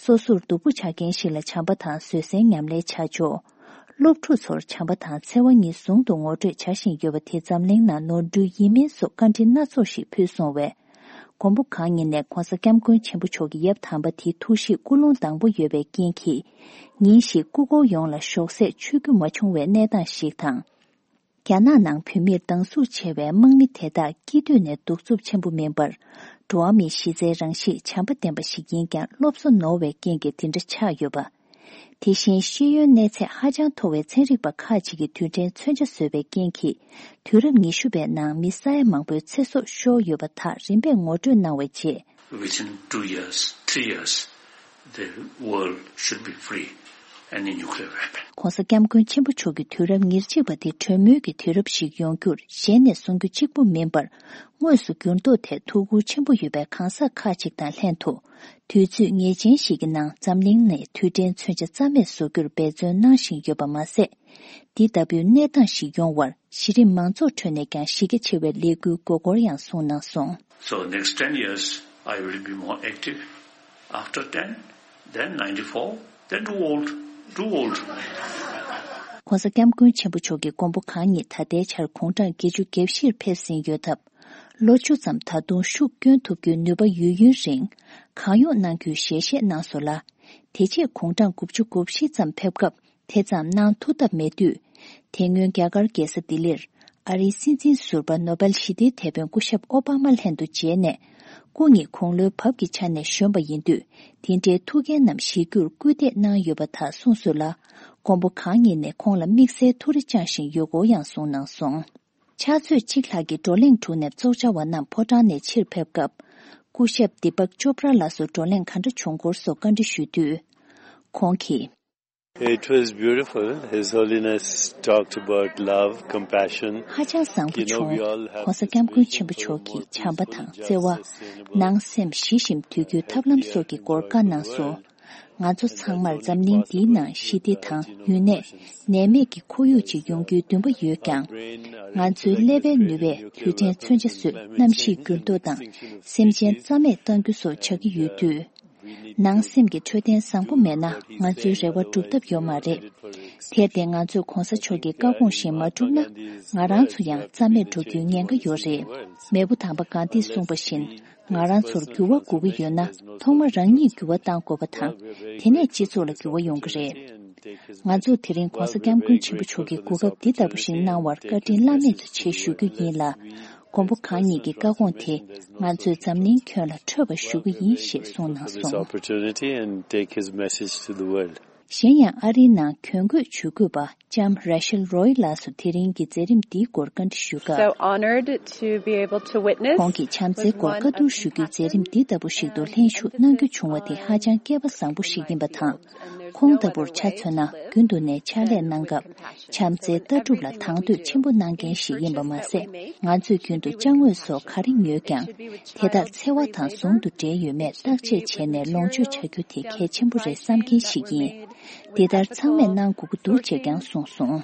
སོ་སོར་སྡུག་པོ་ཆགས་མཁན་ཞིག་ལ་བྱམས་པ་དང་བཟོད་བསྲན་ཉམས་ལེན་བྱ་ཕྱོགས། སློབ་ཕྲུག་ཚོར་བྱམས་པ་དང་འཚེ་བ་གཉིས་ཟུང་དུ་ངོ་སྤྲོད་བྱ་བཞིན་ཡོད་པ་དེ་འཛམ་གླིང་ནང་ནོར་འཁྲུལ་ཡིན་མིན་སོགས་བཀའ་འདྲི་སྣ་ཚོགས་ཤིག་ཕུལ་སོང་བས། མགོན་པོ་གང་ཉིད་ནས་ྋགོང་ས་ྋསྐྱབས་མགོན་ཆེན་པོ་མཆོག་གི་ཡབ་དམ་པ་དེ་ཐུགས་གཤིས་ཀུན་སློང་དྭངས་པོ་ཡོད་པའི་རྐྱེན་གྱིས། ཉིན་ཞིག་སྐུ་འཁོར་ཡོངས་ལ་ཞོགས་ཟས་མཆོད་རྒྱུ་མ་བྱུང་བའི་གནས་སྟངས་ཤིག་དང་། རྒྱ་ནག་ནང་བོད་མིར་སྡང་ཟུག་ཆེ་བའི་དམག་མི་དེ་དག་སྐྱིད་འདོད་ནས་གདུག་རྩུབ་ཆེན་པོ་མིན་པར། འགྲོ་བ་མིའི་གཞི་རྩའི་རང་གཤིས་བྱམས་པ་ལྡན་པ་ཞིག་ཡིན་ཀྱང་སློབ་གསོ་ནོར་བའི་རྐྱེན་གྱིས་དེ་འདྲ་ཆགས་ཡོད་པ། དེ་བཞིན་ཤེས་ཡོན་གནས་ཚད་ཧ་ཅང་མཐོ་བའི་ཚན་རིག་པ་ཁག་ཅིག་གིས་དུས་དྲན་མཚོན་ཆ་བཟོས་པའི་རྐྱེན་གྱིས། དུས་རབས་ཉི་ཤུ་པའི་ནང་མི་ས་ཡ་མང་པོའི་ཚེ་སྲོག་ཤོར་ཡོད་པ་དག་རིམ་པས་ངོ་སྤྲོད་གནང་བའི་རྗེས། Within two years, three years, the world should be free any nuclear weapon. ྋགོང་ས་ྋསྐྱབས་མགོན་ཆེན་པོ་མཆོག་གི་དུས་རབས་ཉེར་གཅིག་པ་དེ་གྲོས་མོལ་གྱི་དུས་རབས་ཤིག་ཡོང་རྒྱུར་ཞལ་ནས་གསུང་རྒྱུ་གཅིག་པུ་མིན་པར། དངོས་སུ་འགྱུར་ལྡོག་ཐད་ཐུགས་ཁུར་ཆེན་པོ་ཡོད་པའི་གང་ཟག་ཁག་ཅིག་དང་ལྷན་དུ། དུས་ཚོད་ངེས་ཅན་ཞིག་གི་ནང་འཛམ་གླིང་ནས་དུས་དྲན་མཚོན་ཆ་རྩ་མེད་བཟོ་རྒྱུར་འབད་བརྩོན་གནང་བཞིན་ཡོད་པ་མ་ཟད། འདི་ལྟ་བུའི་གནས་སྟངས་ཤིག་ཡོང་བར་གཞི་རིམ་མང་ཚོགས་ཁྲོད་ནས་ཀྱང་གཞི་རྒྱ་ཆེ་བའི་ལས་འགུལ་དགོས་སྐོར་ཡང་གསུངས་གནང་སོང་། So next ten years, I will be more active. After ten, then ninety-four, then too old, too old. ྋགོང་ས་ྋསྐྱབས་མགོན་ཆེན་པོ་མཆོག་གིས་མགོན་པོ་གང་ཉིད་ད་ལྟའི་ཆར་དགུང་གྲངས་བརྒྱད་ཅུ་གྱ་བཞིར་ཕེབས་ཟིན་ཡོད་སྟབས། ལོ་བཅུ་ཙམ་ད་དུང་ཤུགས་བསྐྱོན་ཐུབ་རྒྱུའི་ནུས་པ་ཡོད་ཡུན་རིང་གང་ཡོང་གནང་རྒྱུའི་ཞལ་བཞེས་གནང་སོང་ལ། དེ་རྗེས་དགུང་གྲངས་དགུ་བཅུ་གོ་བཞི་ཙམ་ཕེབས་སྐབས། དེ་ཙམ་གནང་ཐུབ་ཐབས་མེད་དུས། དེ་སྔོན་རྒྱ་གར་རྒྱལ་ས་ལྡི་ལིར་ཨ་རིའི་སྲིད་འཛིན་ཟུར་པ་ནོ་བེལ་ཞི་བདེའི་དེད་དཔོན་སྐུ་ཞབས་ཨོ་པ་མ་ལྷན་དུ་མཇལ་ནས། སྐུ་ཉིད་དགུང་ལོའི་བབ་ཀྱི་ཆ་ནས་གཞོན་པ་ཡིན་དུས། དེ་འདྲའི་ཐུགས་འགན་རྣམས་བཞེས་རྒྱུར་སྐུལ་འདེད་གནང་ཡོད་པ་དག་གསུངས་སོང་ལ། མགོན་པོ་གང་ཉིད་ནས་ཁོང་ལ་དམིགས་བསལ་ཐུགས་རེ་བཅངས་བཞིན་ཡོད་སྐོར་ཡང་གསུངས་གནང་སོང་། ཕྱག་ཚོད་གཅིག་ལྷག་གི་བགྲོ་གླེང་གྲུབ་ནས་ཚོགས་བཅར་བ་རྣམས་ཕོ་བྲང་ནས་ཕྱིར་ཕེབས་སྐབས། སྐུ་ཞབས་དི་པག་ཅོབ་ར་ལགས་སུ་བགྲོ་གླེང་ག་འདྲ་བྱུང་སྐོར་སོགས་བཀའ་འདྲི་ཞུས་དུས། ཁོང་གིས། It was beautiful. His Holiness talked about love, compassion. ཧ་ཅང་བཟང་པོ་བྱུང་། ྋགོང་ས་ྋསྐྱབས་མགོན་ཆེན་པོ་མཆོག་གིས་བྱམས་པ་དང་བརྩེ་བ། ནང་སེམས་ཞི་ཞིང་དུལ་རྒྱུའི་ཐབས་ལམ་སོགས་ཀྱི་སྐོར་བཀའ་གནང་སོང་། ང་ཚོ་ཚང་མར་འཛམ་གླིང་འདིའི་ནང་ཞི་བདེ་དང་ཡུན་གནས། ནད་མེད་ཀྱི་ཁོར་ཡུག་ཅིག་ཡོང་རྒྱུའི་འདུན་པ་ཡོད་ཀྱང་། ང་ཚོའི་ཀླད་པའི་ནུས་པས་དུས་དྲན་མཚོན་ཆ་བཟོས། གནམ་གཤིས་འགྱུར་ལྡོག་དང་སེམས་ཅན་རྩ་མེད་གཏང་རྒྱུ་སོགས་བྱ་གི་ཡོད་དུས། ནང་སེམས་ཀྱི་འཕྲོད་བསྟེན་བཟང་པོ་མེད་ན་ང་ཚོའི་རེ་བ་འགྲུབ་ཐབས་ཡོད་མ་རེད། དེར་བརྟེན་ང་ཚོས་གོང་ས་མཆོག་གི་བཀའ་དགོངས་བཞིན་མ་བསྒྲུབས་ན་ང་རང་ཚོ་ཡང་རྩ་མེད་འགྲོ་རྒྱུའི་ཉེན་ཁ་ཡོད་རེད། མེས་པོ་དམ་པ་གྷན་དྷིས་གསུངས་པ་བཞིན་ང་རང་ཚོར་འགྱུར་བ་དགོས་ཀྱི་ཡོད་ན་ཐོག་མ་རང་ཉིད་འགྱུར་བ་གཏང་དགོས་པ་དང་དེ་ནས་སྤྱི་ཚོགས་ལ་འགྱུར་བ་ཡོང་གི་རེད། ང་ཚོས་དེ་རིང་གོང་ས་སྐྱབས་མགོན་ཆེན་པོ་མཆོག་གི་གོ་སྐབས་འདི་ལྟ་བུ་ཞིག་གནང་བར་བཀའ་དྲིན་བླ་མེད་དུ་ཆེ་ཞུ་རྒྱུ་ཡིན་ལ། མགོན་པོ་གང་ཉིད་ཀྱི་བཀའ་དགོངས་དེ་ང་ཚོས་འཛམ་གླིང་ཁྱོན་ལ་འཕྲོད་པར་ཞུ་རྒྱུ་ཡིན་ཞེས་གསུངས་གནང་སོང་། This opportunity and take his message to the world. གཞན་ཡང་ཨ་རིའི་ནང་གྱོན་གོས་ཇུས་འགོད་པ་ལྕམ་Rachel Roy ལགས་སུ་དེ་རིང་གི་མཛད་རིམ་འདིའི་སྐོར་བཀའ་འདྲི་ཞུས་སྐབས། So honored to be able to witness ཁོང་གིས་བྱམས་བརྩེའི་སྐོར་བཀའ་བསྡུར་ཞུ་རྒྱུའི་མཛད་རིམ་འདི་ལྟ་བུ་ཞིག་ཏུ་ལྷན་ཞུགས་གནང་རྒྱུ་བྱུང་བ་དེ་ཧ་ཅང་སྐལ་པ་བཟང་པོ་ཞིག་ཡིན་པ་དང་། ཁོང་ལྟ་བུར་ཆ་མཚོན་ན་རྒྱུན་དུ་ནས་ཕྱག་ལས་གནང་སྐབས་བྱམས་བརྩེའི་ལྟ་གྲུབ་ལ་དང་དོད་ཆེན་པོ་གནང་མཁན་ཞིག་ཡིན་པ་མ་ཟད། ང་ཚོས་རྒྱུན་དུ་ཅ་དངོས་སོགས་ག་རེ་ཉོས་ཀྱང་། དེ་དག་འཚེ་བ་དང་ཟུང་དུ་འབྲེལ་ཡོད་མེད་བརྟག་དཔྱད་བྱས་ནས་ལོངས་སྤྱོད་བྱ་རྒྱུ་དེ་གལ་ཆེན་པོ་རེད་བསམ་མཁན་ཞིག་ཡིན། འདི་ལྟར་ཚང་མས་གནང་དགོས་ཀྱི་འདུག་ཅེས་ཀྱང་གསུངས་སོང་།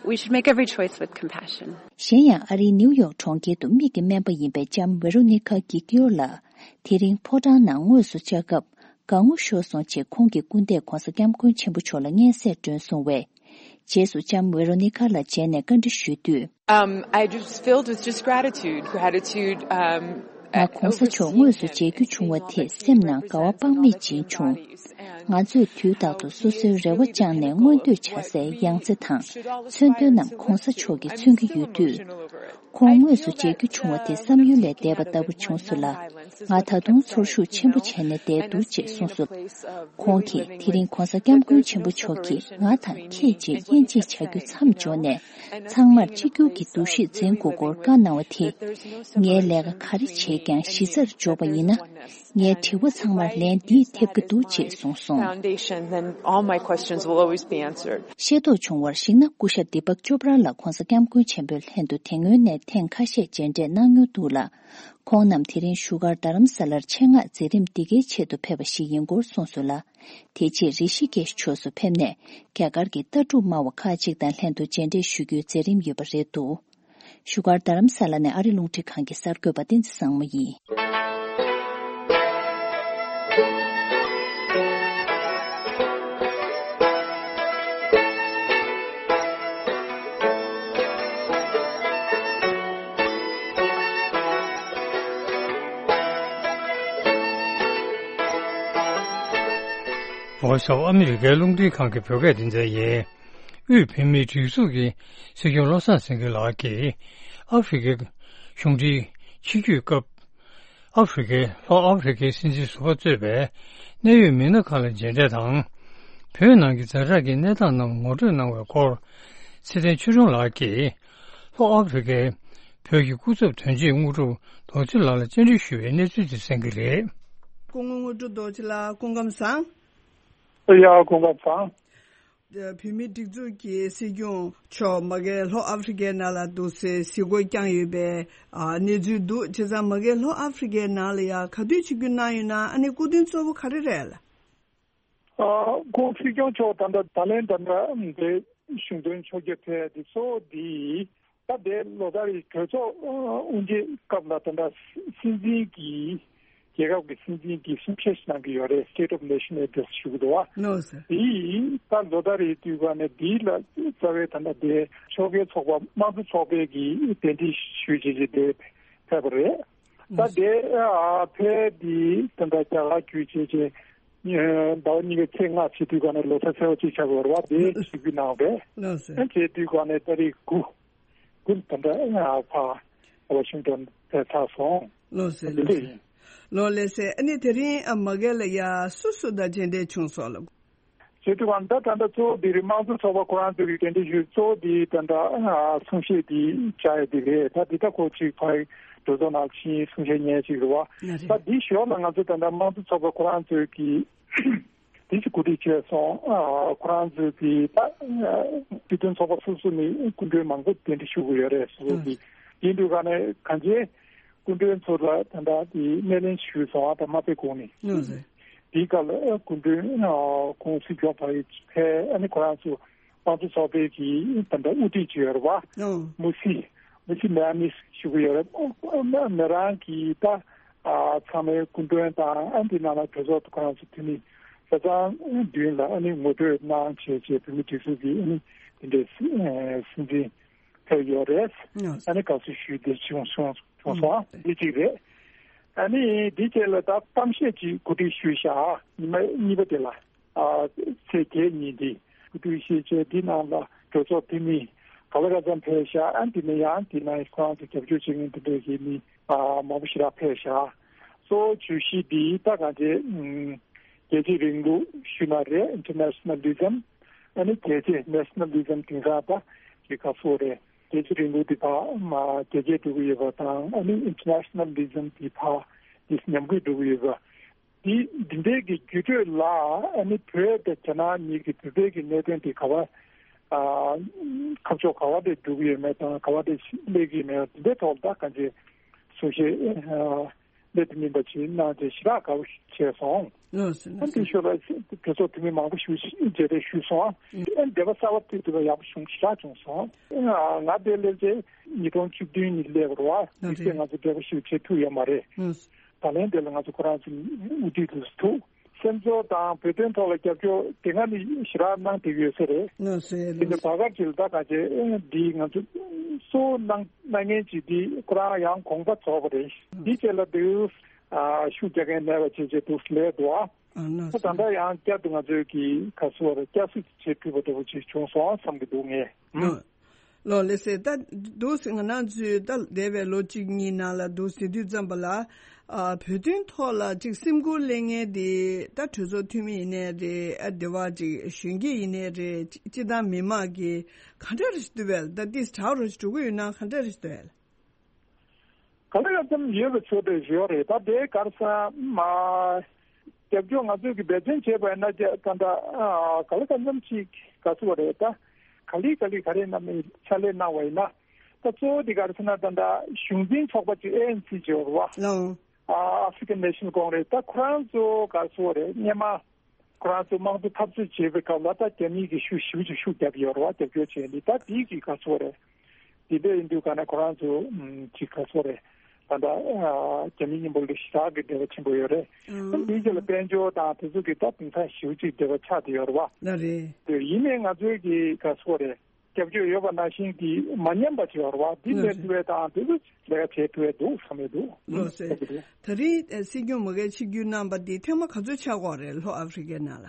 We should make every choice with compassion. གཞན་ཡང་ཨ་རིའི་ནིའུ་ཡོག་གྲོང་ཁྱེར་དུ་མིག་གི་སྨན་པ་ཡིན་པའི་ལྕམ་Veronica Guiglio ལགས་དེ་རིང་ཕོ་བྲང་ནང་དངོས་སུ་བཅར་སྐབས་དགའ་ངོ་ཤོར་སོང་ཅེས་ཁོང་གི་སྐུ་ཟླས་༧གོང་ས་༧སྐྱབས་མགོན་ཆེན་པོ་མཆོག་ལ་སྙན་སེང་བསྒྲོན་སོང་བས། རྗེས་སུ་ལྕམ་Veronica ལ་མཇལ་ནས་བཀའ་འདྲི་ཞུས་དུས། Um, I just filled with just gratitude, gratitude, um, ང་གོང་ས་མཆོག་དངོས་སུ་མཇལ་རྒྱུ་བྱུང་བ་དེས་སེམས་ནང་དགའ་བ་དཔག་མེད་སྦྱིན་བྱུང་། ང་ཚོས་དུས་རྟག་ཏུ་སོ་སོའི་རེ་བ་བཅངས་ནས་མངོན་འདོད་བྱ་སའི་ཡང་རྩེ་དང་མཚོན་དོན་རྣམས་གོང་ས་མཆོག་གིས་མཚོན་གྱི་ཡོད་དུས། ཁོང་དངོས་སུ་མཇལ་རྒྱུ་བྱུང་བ་དེ་བསམ་ཡུལ་ལས་འདས་པ་ལྟ་བུ་བྱུང་སོང་ལ། ང་ད་དུང་ཚོར་ཤུགས་ཆེན་པོ་བྱས་ནས་བསྡད་འདུག་ཅེས་གསུངས་སོང་། ཁོང་གིས་དེ་རིང་༧གོང་ས་༧སྐྱབས་མགོན་ཆེན་པོ་མཆོག་གིས་ང་དང་ཁྱེད་ཅེས་དབྱེ་འབྱེད་བྱ་རྒྱུ་མཚམས་འཇོག་ནས། ཚང་མར་གཅིག་གྱུར་གྱི་འདུ་ཤེས་འཛིན་དགོས་སྐོར་བཀའ་གནང་བ་དེས། ངའི་ལས་ཀ་ག་རེ་བྱས་ཀྱང་གཞི་རྩར་འཇོག་པ་ཡིན་ན། ངའི་དྲི་བ་ཚང་མར་ལན་འདིས་ཐེབས་ཀྱི་འདུག་ཅེས་གསུངས་སོང་། Foundation, then all my questions will always be answered. ཤེས་རྟོགས་བྱུང་བར་གཞིགས་ན། སྐུ་ཞབས་Deepak Chopra ལགས་༧གོང་ས་༧སྐྱབས་མགོན་ཆེན་པོའི་ལྷན་དུ་དེ་སྔོན་ནས་ཐེངས་ཁ་ཤས་མཇལ་འཕྲད་གནང་མྱོང་འདུག་ལ། ཁོང་རྣམས་དེ་རིང་བཞུགས་སྒར་རྡ་རམ་ས་ལར་ཆེད་མངགས་མཛད་རིམ་འདི་གའི་ཆེད་དུ་ཕེབས་པ་ཞིག་ཡིན་སྐོར་གསུངས་སོང་ལ། དེ་རྗེས་རི་ཤི་ཀེཤ་ཕྱོགས་སུ་ཕེབས་ནས། རྒྱ་གར་གྱི་ལྟ་གྲུབ་སྨྲ་བ་ཁག་ཅིག་དང་ལྷན་དུ་མཇལ་འཕྲད་ཞུ་རྒྱུའི་མཛད་རིམ་ཡོད་པ་རེད་འདུག་བཞུགས་སྒར་རྡ་རམ་ས་ལ་ནས་ཨ་རི་རླུང་འཕྲིན་ཁང་གི་གསར་འགོད་པ་བསྟན་འཛིན་བཟང་མོ་ཡིན། Voice of America རླུང་འཕྲིན་ཁང་གི་བོད་སྐད་སྡེ་ཚན་ཡིན། དབུས་བོད་མིའི་སྒྲིག་འཛུགས་ཀྱི་སྲིད་སྐྱོང་བློ་བཟང་སེང་གེ་ལགས་ཀྱིས་ཨ་ཧྥེ་རི་ཁའི་གཞུང་འབྲེལ་ཆིབས་བསྒྱུར་སྐབས། ཨ་ཧྥེ་རི་ཁའི་ལྷོ་ཨ་ཧྥེ་རི་ཁའི་སྲིད་འཛིན་ཟུར་པ་གཙོས་པའི་གནད་ཡོད་མི་སྣ་ཁག་ལ་མཇལ་འཕྲད་དང་། བོད་ནང་གི་ཛ་དྲག་གི་གནས་སྟངས་རྣམས་ངོ་སྤྲོད་གནང་བའི་སྐོར། ཚེ་བརྟན་ཆོས་སྒྲོན་ལགས་ཀྱིས་ལྷོ་ཨ་ཧྥེ་རི་ཁའི་བོད་ཀྱི་སྐུ་ཚབ་དོན་གཅོད་དངོས་གྲུབ་རྡོ་རྗེ་ལགས་ལ་བཅར་འདྲི་ཞུས་པའི་གནས་ཚུལ་དེ་གསན་གྱི་རེད། སྐུ་ངོ་དངོས་གྲུབ་རྡོ་རྗེ་ལགས་སྐུ་ཁམས་བཟང་། ཡ་སྐུ་ཁམས་བཟང་། བོད་མིའི་སྒྲིག་འཛུགས་ཀྱི་སྲིད་སྐྱོང་མཆོག་མ་གིར་ལྷོ་ཨ་ཧྥེ་རི་ཁའི་ནང་ལ་འདུག་སའི་གཟིགས་སྐོར་བསྐྱངས་ཡོད་པའི་ཨ་གནས་ཚུལ་འདུག་བྱས་ཙང་མ་གིར་ལྷོ་ཨ་ཧྥེ་རི་ཁའི་ནང་ལ་ཡ་ག་དུས་ཆིབས་བསྒྱུར་གནང་ཡོད་ན། ཨ་ནི་སྐུ་མདུན་གཙོ་བོ་ག་རེ་རེད་ལ། ཨ་ཁོང་སྲིད་སྐྱོང་མཆོག་ད་ལྟ་ད་ལན་ད་ལྟ་འདི་གཞུང་དོན་ཕྱོགས་བསྐྱོད་ཕེབས་འདི་ཚོ་འདི། ད་ལྟའི་ལོ་ལྟར་རེའི་གྲོས་ཚོགས་དབུ་འབྱེད་སྐབས་ལ་ད་ལྟ་སྲིད་འཛིན་གྱིས་རྒྱལ་ཁབ་ཀྱི་སྲིད་འཛིན་གྱིས་གསུང་བཤད་ཞིག་གནང་གི་ཡོད་རེད། State of Nation Address ཞུ་གི་འདུག་བ། ལགས་སོ། དེ་ད་ལོ་ལྟར་རེའི་དུས་སྐབས་ནས་འདི་ལ་རྩ་བའི་ད་ལྟ་དེ་ཕྱོགས་འགལ་ཚོགས་པ་དམངས་གཙོ་ཚོགས་པའི་གི་གདན་འདྲེན་ཞུས་བྱས་ཀྱི་དེ་ཕེབས་པ་རེད། ད་དེ་ཨ་ཕེབས་དེ་ད་ལྟ་རྒྱ་གར་བརྒྱུད་བྱས་ཀྱི་ཟླ་བ་གཉིས་ཀྱི་ཚེས་ལྔ་བྱེད་དུས་སྐབས་ནས་ལོ་ཚད་ཚེས་པ་གཅིག་ཆགས་པ་རེད་བ། དེ་ཞུ་རྒྱུ་གནང་བས། ལགས་སོ། ཨ་བྱེད་དུས་སྐབས་ནས་ད་རེས་དགུ། ཀུན་ད་ལྟ་ཕ་ཝ་ཤིང་ཏོན་དེ་ཚར་སོང་། ལགས་སོ། དེ་འདྲ་ཡིན། ལགས་ལགས་སེ། ཨ་ནི་དེ་རིང་ཨ་མ་གིར་ལ་ཡ་སུ་སུ་དང་མཇལ་འཕྲད་བྱུང་སོང་ལགས། བྱེད་དུས་གང་ད་ད་ལྟ་གཙོ་བོ་དེ་རིང་དམངས་གཙོ་ཚོགས་པ་ཁོ་རང་ཚོ་གི་གདན་འདྲེན་ཞུས། གཙོ་བོ་དེ་ད་ལྟ་གསུང་བཤད་དེ་བྱ་ཡ་དེ་རེད། ད་འདི་ད་ཁོ་ཅིག་ཕ་གི་གྲོས་ཚོགས་ནང་ཕྱིན་གསུང་བཤད་ཉན་ཅིག་རེད་བ། ད་འདི་ཞོར་ལ་ང་ཚོ་ད་ལྟ་དམངས་གཙོ་ཚོགས་པ་ཁོ་རང་ཚོ་གི་དེ་ཅིག་གོ་སྒྲིག་བྱས་སོང་། ཨ་ཁོ་རང་ཚོས་དེ་ད་སྤྱི་མཐུན་ཚོགས་པ་སོ་སོ་ནས་སྐུ་མགྲོན་མང་པོ་གདན་འདྲེན་ཞུ་གི་ཡོད་རེད། སོ་སོ་གི་ཡིན་དུས་ག་ནས་གང་ཅི་སྐུ་མགྲོན་ཚོ་ལ་ད་ལྟ་དེ་སྣེ་ལེན་ཞུས་སོང་། ཨ་ད་མ་ཕེབས་གོང་ནས་དེའི་སྐབས་ལ་སྐུ་མགྲོན་ཁོང་སྲིད་སྐྱོང་ཕ་གི་ཕེབས། ཨ་ནི་ཁོ་རང་ཚོ་དམངས་གཙོ་ཚོགས་པའི་གི་ད་ལྟ་དབུ་ཁྲིད་ཅིག་ཡོད་རེད་བ། མུ་སི་མུ་སི་མེ་ཨ་མིས་ཞུ་གི་ཡོད་རེད། མི་རང་གི་ད་ཚང་མའི་སྐུ་མགྲོན་དང་ཨ་འདི་ནང་ལ་གྲོས་ཚོགས་ཁོ་རང་ཚོ་འཐུས་མི་ཆ་ཚང་མདུན་ལ་ཨ་ནི་ངོ་སྤྲོད་གནང་བྱས་བྱས་བོད་མི་སྒྲིག་འཛུགས་ཀྱི་ཨ་ནི་དེ་འདྲའི་སྲིད་འཛིན་ཕེབས་ཡོད་རེད། ཨ་ནི་དགའ་བསུ་ཞུས་ཏེ་བྱུང་སོང་བྱུང་སོང་། འདི་གཅིག་རེད། ཨ་ནི་འདི་བཅས་ལ་ད་གཏམ་བཤད་ཅིག་གོ་སྒྲིག་ཞུས་ཤག་ཉི་མ་གཉིས་པ་དེ་ལ། ཨ་ཚེས་བརྒྱད་ཉིན་འདི་སྐུ་དུས་ཤེས་བྱའི་འདི་ནང་ལ་གྲོས་ཚོགས་འཐུས་མི་ག་ལ་ག་ཚང་ཕེབས་ཤག་ཨ་འདི་ནས་ཡང་འདི་ནང་ཁོ་རང་ཚོ་རྒྱབ་སྐྱོར་བྱེད་མཁན་འདི་འདྲ་གི་མི་ཨ་མང་པོ་ཞེ་དྲག་ཕེབས་ཤག་གཙོ་བོ་བརྗོད་གཞི་འདི་ད་གང་ཅི་ཨམ་ རྒྱལ་གཅེས་རིང་ལུགས་ཞུས་ན་རེད། Internationalism། ཨ་ནི་རྒྱལ་གཅེས་Nationalism། དེང་སང་ད་ཅིག་ག་སོགས་རེད། རྒྱལ་གཅེས་རིང་ལུགས་དེ་ཕར་མ་རྒྱལ་གཅེས་འགྲོ་གི་ཡོད་པ་དང་། ཨ་ནི་Internationalism། དེ་ཕར་དེ་ཉམས་རྒུད་འགྲོ་གི་ཡོད་པ། དེ་འདི་འདྲའི་གི་འགྱུར་འགྲོས་ལ། ཨ་ནི་བོད་དང་རྒྱ་ནག་གཉིས་ཀྱི་བོད་པའི་གི་གནད་དོན་དེ་ག་བ་ཨ་ཁ་ཕྱོགས་ག་བ་དེ་འགྲོ་གི་ཡོད་མེད་དང་། ག་བ་དེ་སླེབས་ཀྱི་ཡོད་མེད། དེ་འདྲའི་ཐོག་ལ་ད་གང་ཅི་གསུང་བཤད་ཨ་སླེབས་དུ་མིན་པ་ཅིག་གནང་བྱས་ཞེ་དྲག་དགའ་པོ་བྱས་སོང་། ལགས་སོ། ཨ་ལགས་འདི་སོ། ཞོར་ལ་གྲོས་ཚོགས་འཐུས་མི་མང་པོ་ཞིག་མཇལ་འཕྲད་ཞུས་སོང་། ཨ་འདས་པ་གསར་པ་དེ་དུས་ལ་ཡག་པོ་བྱུང་། ཞེ་དྲག་བྱུང་སོང་། ང་དེ་སླེབས་རྗེས་ཉིས་སྟོང་བཅུ་བདུན་ནས་སླེབས་པ་རེད་བ། ལགས་དེ་རེད། དུས་ང་ཚོ་འབྲེལ་བ་ཞིག་བྱེད་ཐུབ་ཡོད་མ་རེད། ལགས་སོ། ད་ལན་དེ་ལ་ང་ཚོ་ཁོ་རང་ཚོ་དབུ་ཁྲིད་དུ་ཐུག་སེམས་ཚོར་དང་བོད་དོན་ཐོག་ལ་རྒྱབ་སྐྱོར་དེ་སྔ་ནས་ཞེ་དྲག་གནང་བསྡད་ཡོད་ས་རེད། ལགས་སོ། དེ་ནས་ལགས་སོ། བར་སྐབས་ཅིག་ལ་ད་ག་ཅེ་འདི་ང་ཚོ་གཙོ་བོ་གནང་གནང་མཁན་ཅིག་འདི་ཁོ་རང་ཡང་དགོངས་པ་རྫོགས་པ་རེད། འདི་རྗེས་ལ་དུས་ཨ་ཤུགས་རྒྱག་མཁན་མེད་པ་བྱས་བྱས་འདུག་ལས་འདུག་ཨ། ཨ་ལགས་ད་སོ། ད་ལྟ་ཡང་བསྐྱར་དུ་ང་ཚོས་ཀྱི་ག་སོ་རེད། བསྐྱར་གསོ་བྱེད་ཐུབ་པ་འདྲ་པོ་ཅིག་བྱུང་སོང་བསམ་གྱི་འདུག་ངས། ཨ། ལགས་ལགས་སེ། ད་འདུག་སེ་ང་རང་ཚོས་ད་འདས་པའི་ལོ་གཅིག་གཉིས་ནང་ལ་འདུག་ཟེར་དུས་ཙམ་པ་ལ། ཨ་བོད་དོན་ཐོག་ལ་ཅིག་སེམས་ཁུར་གླེང་མཁན་དེ་ད་གྲོས་ཚོགས་འཐུས་མི་ཡིན་ནའི་རེད། ཨ་འདི་བ་ཅིག་གཞོན་སྐྱེས་ཡིན་ནའི་རེད། སྤྱི་བཏང་མི་མང་གིས་ག་འདྲ་རེ་ཞིག་འདུག་བས། ད་ཏིས་དྲག་རུ་ཞིག་འགྲོ་གི་ཡོད་ན་ག་འདྲ་རེ་ཞིག་འདུག་བས། ག་ལ་ག་ཙམ་ཡོད་པའི་ཚོད་དེ་ཡོད་རེད། ད་དེ་གར་སོང་མ་རྒྱབ་སྐྱོར་ང་ཚོས་ཀྱི་འབད་བརྩོན་བྱས་པ་ཡིན་ན། ད་ད་ད་ག་ལ་ག་ཙམ་ཅིག་ག་ཚོད་རེད། ད་ག་ལེ་ག་ལེ་ག་རེ་གནང་མིན་ཕྱག་ལས་གནང་བ་ཡིན་ན། ད་གཙོ་བོ་དེ་གར་སོང་ན་ད་ད་གཞུང་འཛིན་ཚོགས་པ་ཅིག་ཨེ་ཨེན་སི་ཅིག་ཡོད་རེད་བ། ལགས། ཨ་ཨ་ཧྥི་ཀན་ནེ་ཤན་ལ་ཀོང་རེས། ད་ཁོ་རང་ཚོ་ག་ཚོད་རེད། སྔོན་མ་ཁོ་རང་ཚོ་དམངས་གཙོ་འཐབ་རྩོད་བྱེད་པའི་སྐབས་ལ་ད་རྒྱ་མི་གིས་ཤུགས་ཞེ་པོ་ཅིག་ཤུགས་བརྒྱབ་ཡོད་རེད་བ། རྒྱབ་སྐྱོར་བྱས་ནས། ད་དེའི་གི་ག་ཚོད་རེད། དེ་འདྲ་ཡིན་དུས་ག་ནས་ཁོ་རང་ཚོ་ཨམ་ཅིག་ག་ཚོད་རེད། ད་ལྟ་ཨ་རྒྱ་མི་མཉམ་པོ་ལ་ཞེ་དྲག་གི་འབྲེལ་བ་ཆེན་པོ་ཡོད་རེད། ཨ་དེའི་རྗེས་ལ་དཔལ་འབྱོར་དང་དེ་ཚོ་གི་ད་དེང་སང་ཞེ་པོ་ཅིག་འབྲེལ་བ་ཆགས་བསྡད་ཡོད་རེད་བ། ལགས་རེད། དེ་ཡིན་ནའི་ང་ཚོའི་གི་ག་ཚོད་རེད། རྒྱབ་སྐྱོར་ཡོད་པ་ནང་བཞིན་གྱི་མ་ཉམས་པ་ཅིག་ཡོད་རེད་བ། འདི་ལས་ཐུབ་པའི་དང་དེ་ཚོ་ལས་ཀ་བྱེད་ཐུབ་པའི་འདུག་བསམ་ཡོད་འདུག་ལགས་སེ། ད་རིང་ཨ་སྲིད་སྐྱོང་མུ་གེ་ཆིབས་བསྒྱུར་གནང་པ་འདི་ཐེངས་མ་ག་ཚོད་ཆགས་ཀྱི་ཡོད་རེད། ལྷོ་ཨ་ཧྥི་རི་ཀའི་ནང་ལ།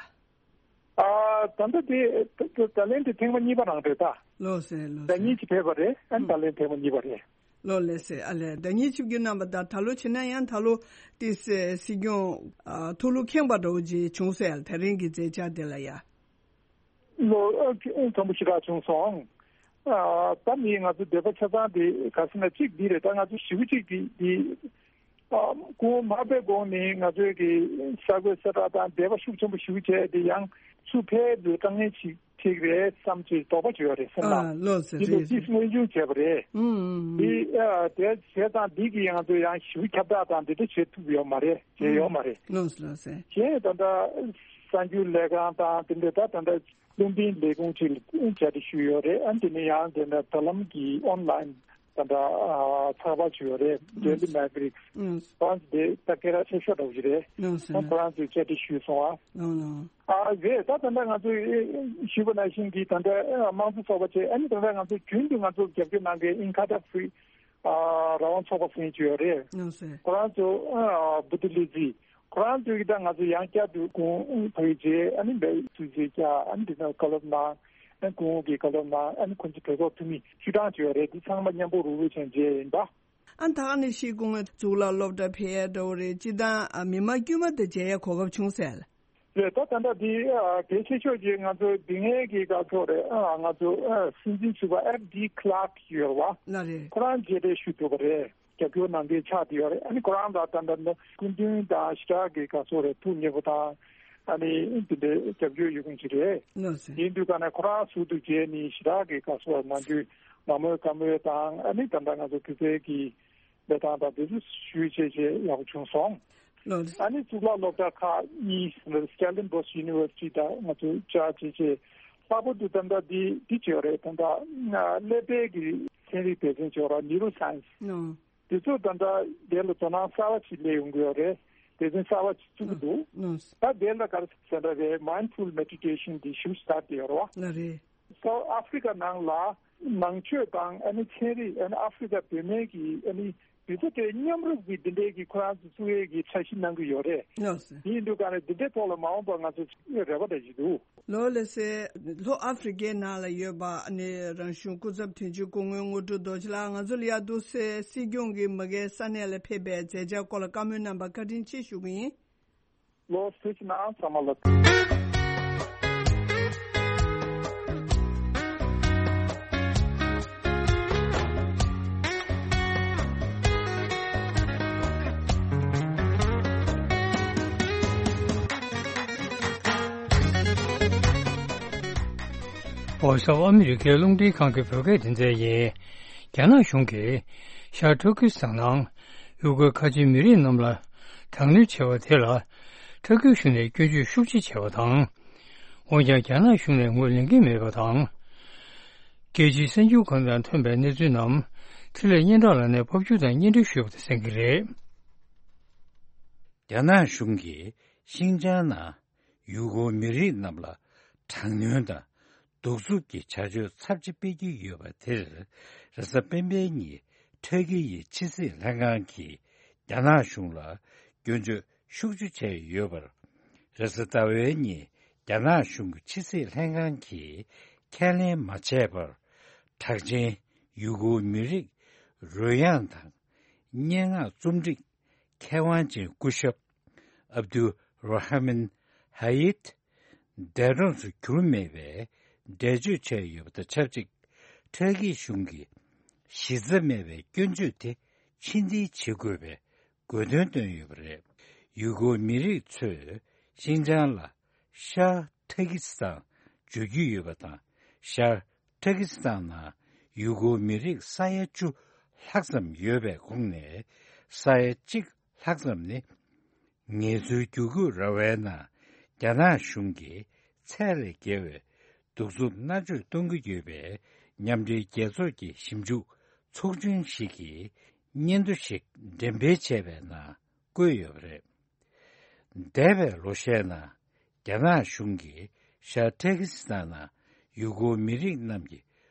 ཨ་ད་ལྟ་དེ་ད་ད་ལན་དེ་ཐེངས་མ་གཉིས་པ་རང་རེད་ད། ལགས་སེ། ལགས་ཟླ་སེ། གཉིས་ཅིག་ཕེབས་པ་རེད། ཨ་ནི་ད་ལན་ཐེངས་མ་གཉིས་པ་རེད། ལགས་ལགས་སེ། ཨ་ལས་ཟླ་གཉིས་ཆིབས་བསྒྱུར་གནང་པ་དང་ད་ལོ་བྱས་ན་ཡང་ད་ལོ་ཏི་སེ་སྲིད་སྐྱོང་ཨ་ཐུགས་ལུགས་ཁེངས་པ་འདྲ་བོ་ཅིག་བྱུང་སོང་ཡ། དེ་རིང་གི་མཛད་འཆར་དེ་ལ་ཡ། ལོ་ཨ་ཁྲོམ་པོ་ཞེ་དྲག་བྱུང་སོང་། ཨ་ད་ནི་ང་ཚོ་འདོད་པ་ཆ་ཚང་དེ་ག་ཟེར་ན་གཅིག་འདི་རེད། ད་ང་ཚོ་ཞེ་པོ་གཅིག་གི་འདི་ཨ་སྐུ་ངོ་མར་པའི་གོང་ནས་ང་ཚོའི་གི་གསར་འགོད་གསལ་བསྒྲགས་དང་འབྲེལ་བ་ཤུགས་ཆེན་པོ་ཞེ་པོ་བྱས་ཏེ། ཡང་ཚུར་ཕེབས་དུས་དཀའ་ངལ་ཞིག་འཕྲད་ཀྱི་རེད་བསམ་ཅིག་དོགས་པ་ཅིག་ཡོད་རེད་སེམས་ལ། ཨ་ལགས་སེ། འདི་ལོ་རེད་ཏིས་རེད། སྔོན་བྱུང་བྱས་པ་རེད། ཨུམ་ཨུམ་ཨུམ། འདི་ཨ་དེ་བྱས་ཙང་འདི་གི་ང་ཚོ་ཡང་ཞེ་པོ་ཁྱབ་བསྒྲགས་དང་འདི་འདྲ་བྱེད་ཐུབ་ཡོད་མ་རེད། བྱས་ཡོད་མ་རེད། ལགས་སོ་ལགས་སོ། གཞན་ད་ལྟ་གསར་འགྱུར་ལས་ཁང་དང་དེ་འདྲ་ད་ད་ལྟ་ལུང་པའི་ལས་ཁུངས་ཅིག་ལ་བཅར་འདྲི་ཞུས་ཡོད་རེད། ཨ་དེ་ནས་ཡང་དེ་འདྲ་དྲ་ལམ་གྱི་ཨོན་ལན་ད་ལྟ་ཨ་ཚགས་པར་ཅིག་ཡོད་རེད། ཨུམ། Daily Maverick། ཨུམ། ཁོ་རང་ཚོ་དེ་ད་སྐད་གྲགས་ཆེ་ཤོས་འདྲ་བོ་ཞིག་རེད། ལགས་སོ། ཨ་ཁོ་རང་ཚོས་བཅར་འདྲི་ཞུས་སོང་ཨ། ལགས་ལགས། ཨ་རེད། ད་ད་ལྟ་ང་ཚོས་ཞུས་པ་ནང་བཞིན་གྱི་ད་ལྟ་དམངས་གཙོ་ཚོགས་པ་བཅས། ཨ་ནི་ད་ལྟ་ང་ཚོ་རྒྱུན་དུ་ང་ཚོ་རྒྱབ་སྐྱོར་གནང་མཁན་ཨིན་ཁ་ཏ་ཧྥི་རི་ཨ་རང་དབང་ཚོགས་པ་ཟེར་གྱི་ཡོད་རེད། ལགས་སོ། ཁོ་རང་ཚོ་ཨ་བུ་ཏི་ལི་ཛི། ཁོ་རང་ཚོས་ཀྱི་ད་ང་ཚོ་ཡང་བསྐྱར་དུ་སྐུ་ངོ་ཕ་གི་མཇལ། ཨ་ནི་འབའ་ཐུགས་རྗེ་ཆེ། ཨ་ནི་འདི་ན་བཀའ་སློབ་གནང་། ཨ་ནི་སྐུ་ངོ་གིས་བཀའ་སློབ་གནང་། ཨ་ནི་ཁོ་ཚོ་གྲོས་ཚོགས་འཐུས་མི་བཅུ་གྲངས་ཅིག་ཡོད་རེད། འདི་ཚང་མ་མཉམ་པོ་རུ་རུ་བྱས་མཇལ་ཡིན་པ། ཨ་ད་ག་ནས་ཤི་སྐུ་ངོ་གཙུག་ལག་སློབ་གྲྭ་ཕེབས་ཡ་འདྲ་བོ་རེད། སྤྱི་བཏང་ཨ་མི་མང་དཀྱུས་མ་དང་མཇལ་ཡ་གོ་སྐབས་བྱུང་ཟེར། རེད། ད་ད་ལྟ་འདི་ཨ་གལ་ཆེ་ཤོས་ཀྱི་ང་ཚོ་འདི་སྔའི་གི་སྐབས་ཐོག་རེད། ཨ་ང་ཚོ་ཨ་སྲིད་འཛིན་ཟུར་པ་ཨེབ་ཌི་ཁི་ལར་ཡོད་རེད་བ། ལགས་རེད། ཁོ་རང་མཇལ་འཕྲད་ཞུས་འདུག་པ་རེད། རྒྱབ་སྐྱོར་གནང་མཁན་ཆགས་བསྡད་ཡོད་རེད། ཨ་ནི་ཁོ་རང་ལ་ད་ལྟ་ནི་སྐུ་མདུན་དང་ཞེ་དྲག་གི་ག་ཚོད་རེད། ཐུགས་མཉེས་པོ་དང་ཨ་ནི་འདི་འདྲའི་རྒྱབ་སྐྱོར་ཡོད་མཁན་ཅིག་རེད། ལགས་སོ། ཡིན་དུས་ག་ནས་ཁོ་རང་ཟུར་དུ་མཇལ་ནས་ཞེ་དྲག་གི་ག་ཚོད་ནམ་རྒྱུན་མ་མོས་དགའ་མོས་དང་། ཨ་ནི་ད་ལྟ་ང་ཚོ་བོད་པའི་གི་ལས་སྟངས་དང་དེ་ཚོ་ཞུས་བྱས་བྱས་ཡག་པོ་བྱུང་སོང་། ལགས་སོ། ཨ་ནི་གཙུག་ལག་སློབ་གྲྭ་ཁག་གཉིས། Stellenbosch University། དང་ང་ཚོ་བཅར་བྱས་བྱས་ལྷག་པར་དུ་ད་ལྟ་འདི་འདི་བྱས་ཡོད་རེད། ད་ལྟ་ཀླད་པའི་གི་ཚན་རིག་སྡེ་ཚན་བྱས་ཡོད་རེད། Neuroscience། ཨོ། དེ་ཚོ་ད་ལྟ་དེ་ལ་དོ་སྣང་གསར་པ་ཞིག་སླེབས་ཡོང་གི་ཡོད་རེད། སྡེ་ཚན་གསར་པ་ཞིག་བཙུགས་ཀྱི་འདུག་ཨོ། ད་དེ་ལ་ག་རེ་ཟེར་འདྲ་རེད། Mindful Meditation། འདི་ཞུ་སྟེ་ཡོད་རེད་བ། ལགས་རེད། South Africa ནང་ལ་ནང་ཆོས་དང་ཨ་ནི་ཚན་རིག། ཨ་ནི་ཨ་ཧྥི་རི་ཀ་བོད་སྨན་གྱི་ཨ་ནི་དེ་ཚོ་དེ་མཉམ་རུབ་ཀྱི་འདི་འདྲའི་གི་ཁོ་རང་ཚོ་བཙུགས་ཡས་ཀྱི་འཆར་གཞི་གནང་གི་ཡོད་རེད། ལགས་སོ། དེ་ཡིན་དུས་ག་ནས་འདི་འདྲའི་ཐོག་ལ་མ་འོངས་པ་ང་ཚོ་རེ་བ་འདྲ་ཞིག་འདུག་ལགས་ལགས་སེ། ལྷོ་ཨ་ཧྥི་རི་ཀའི་ནང་ལ་ཡོད་པ་ཨ་ནི་རང་གཞུང་སྐུ་ཚབ་དོན་གཅོད་སྐུ་ངོ་དངོས་གྲུབ་རྡོ་རྗེ་ལགས། ང་ཚོ་ལ་ཡ་འདུག་སེ་སྲིད་སྐྱོང་གིས་མ་གིའི་ས་གནས་ལ་ཕེབས་པའི་མཛད་འཆར་སྐོར་ལ་བཀའ་མོལ་གནང་བར་བཀའ་དྲིན་ཆེ་ཞུ་གི་ཡིན། ལོ་སུ་ཅི་ན་ཨང་ཚང་མ་ལ། བྷོ་ཡིས་ཨོཕ་ཨ་མི་རི་ཀའི་རླུང་འཕྲིན་ཁང་གི་བོད་སྐད་སྡེ་ཚན་ཡིན། རྒྱ་ནག་གཞུང་གིས་ཤར་ཏུར་ཀི་སི་ཐན་ནང་ཡུ་གུར་ཁ་ཆེའི་མི་རིགས་རྣམས་ལ་དྲག་གནོན་བྱས་པ་དེ་ལ་ཏུར་ཀི་གཞུང་ནས་སྐྱོན་བརྗོད་ཤུགས་ཆེ་བྱས་པ་དང་། འོན་ཀྱང་རྒྱ་ནག་གཞུང་ནས་ངོས་ལེན་གྱི་མེད་པ་དང་། རྒྱལ་སྤྱིའི་གསར་འགྱུར་ཁང་དང་ཐོན་པའི་གནས་ཚུལ་རྣམས་འཕྲིན་ལས་སྙན་གྲགས་ལགས་ནས་ཕབ་སྒྱུར་དང་སྙན་སྒྲོན་ཞུས་པ་དང་གསན་གྱི་རེད། རྒྱ་ནག་གཞུང་གིས་ཤིན་ཅང་ནང་ཡུ་གུར་མི་རིགས་རྣམས་ལ་དྲག་གནོན་དང་གདུག་རྩུབ་ཀྱི་བྱ་སྤྱོད་ཚབས་ཆེ་སྤེལ་གྱི་ཡོད་པ་དེར། རེས་གཟའ་སྤེན་པའི་ཉིན་ཏུར་ཀི་ཡི་ཕྱི་སྲིད་ལྷན་ཁང་གིས་རྒྱ་ནག་གཞུང་ལ་སྐྱོན་བརྗོད་ཤུགས་ཆེ་བྱས་ཡོད་པར། རེས་གཟའ་ཟླ་བའི་ཉིན་རྒྱ་ནག་གཞུང་གི་ཕྱི་སྲིད་ལྷན་ཁང་གིས་ཁས་ལེན་མ་བྱས་པར། གྲགས་ཅན་ཡུ་གུར་མི་རིགས་རོལ་དབྱངས་དང་སྙན་ངག་རྩོམ་སྒྲིག་མཁས་དབང་ཅན་སྐུ་ཞབས་ཨབ་དུལ་ར་ཧ་མན་ཧ་ཡིད་འདས་གྲོངས་སུ་གྱུར་མེད་པའི་འགྲེལ་བརྗོད་བྱས་ཡོད་པ་དང་ཆབས་ཅིག་ཏུར་ཀི་གཞུང་གིས་གཞི་རྩ་མེད་པའི་སྐྱོན་བརྗོད་དེ་ཕྱིར་འཐེན་བྱེད་དགོས་པའི་དགོས་འདུན་བཏོན་ཡོད་པ་རེད། ཡུ་གུར་མི་རིགས་ཚོས་ཤིན་ཅང་ལ་ཤར་ཏུར་ཀི་སི་ཐན་བརྗོད་ཀྱི་ཡོད་པ་དང་། ཤར་ཏུར་ཀི་སི་ཐན་ནང་ཡུ་གུར་མི་རིགས་ས་ཡ་བཅུ་ལྷག་ཙམ་ཡོད་པའི་ཁོངས་ནས་ས་ཡ་གཅིག་ལྷག་ཙམ་ནི་ངལ་རྩོལ་བསྒྱུར་བཀོད་ར་བའི་ནང་རྒྱ་ནག་གཞུང་གིས་ཚད་ལས་བརྒལ་བའི་གདུག་རྩུབ་མནར་གཅོད་གཏོང་གི་ཡོད་པའི་མཉམ་འབྲེལ་རྒྱལ་ཚོགས་ཀྱི་ཞིབ་འཇུག་ཚོགས་ཆུང་ཞིག་གིས་སྙན་ཐོ་ཞིག་འགྲེམས་སྤེལ་བྱས་པའི་ནང་བཀོད་ཡོད་པ་རེད། འདས་པའི་ལོ་ཤས་ནང་རྒྱ་ནག་གཞུང་གིས་ཤར་ཏུར་ཀི་སི་ཐན་ནང་ཡུ་གུར་མི་རིགས་རྣམས་ཀྱི་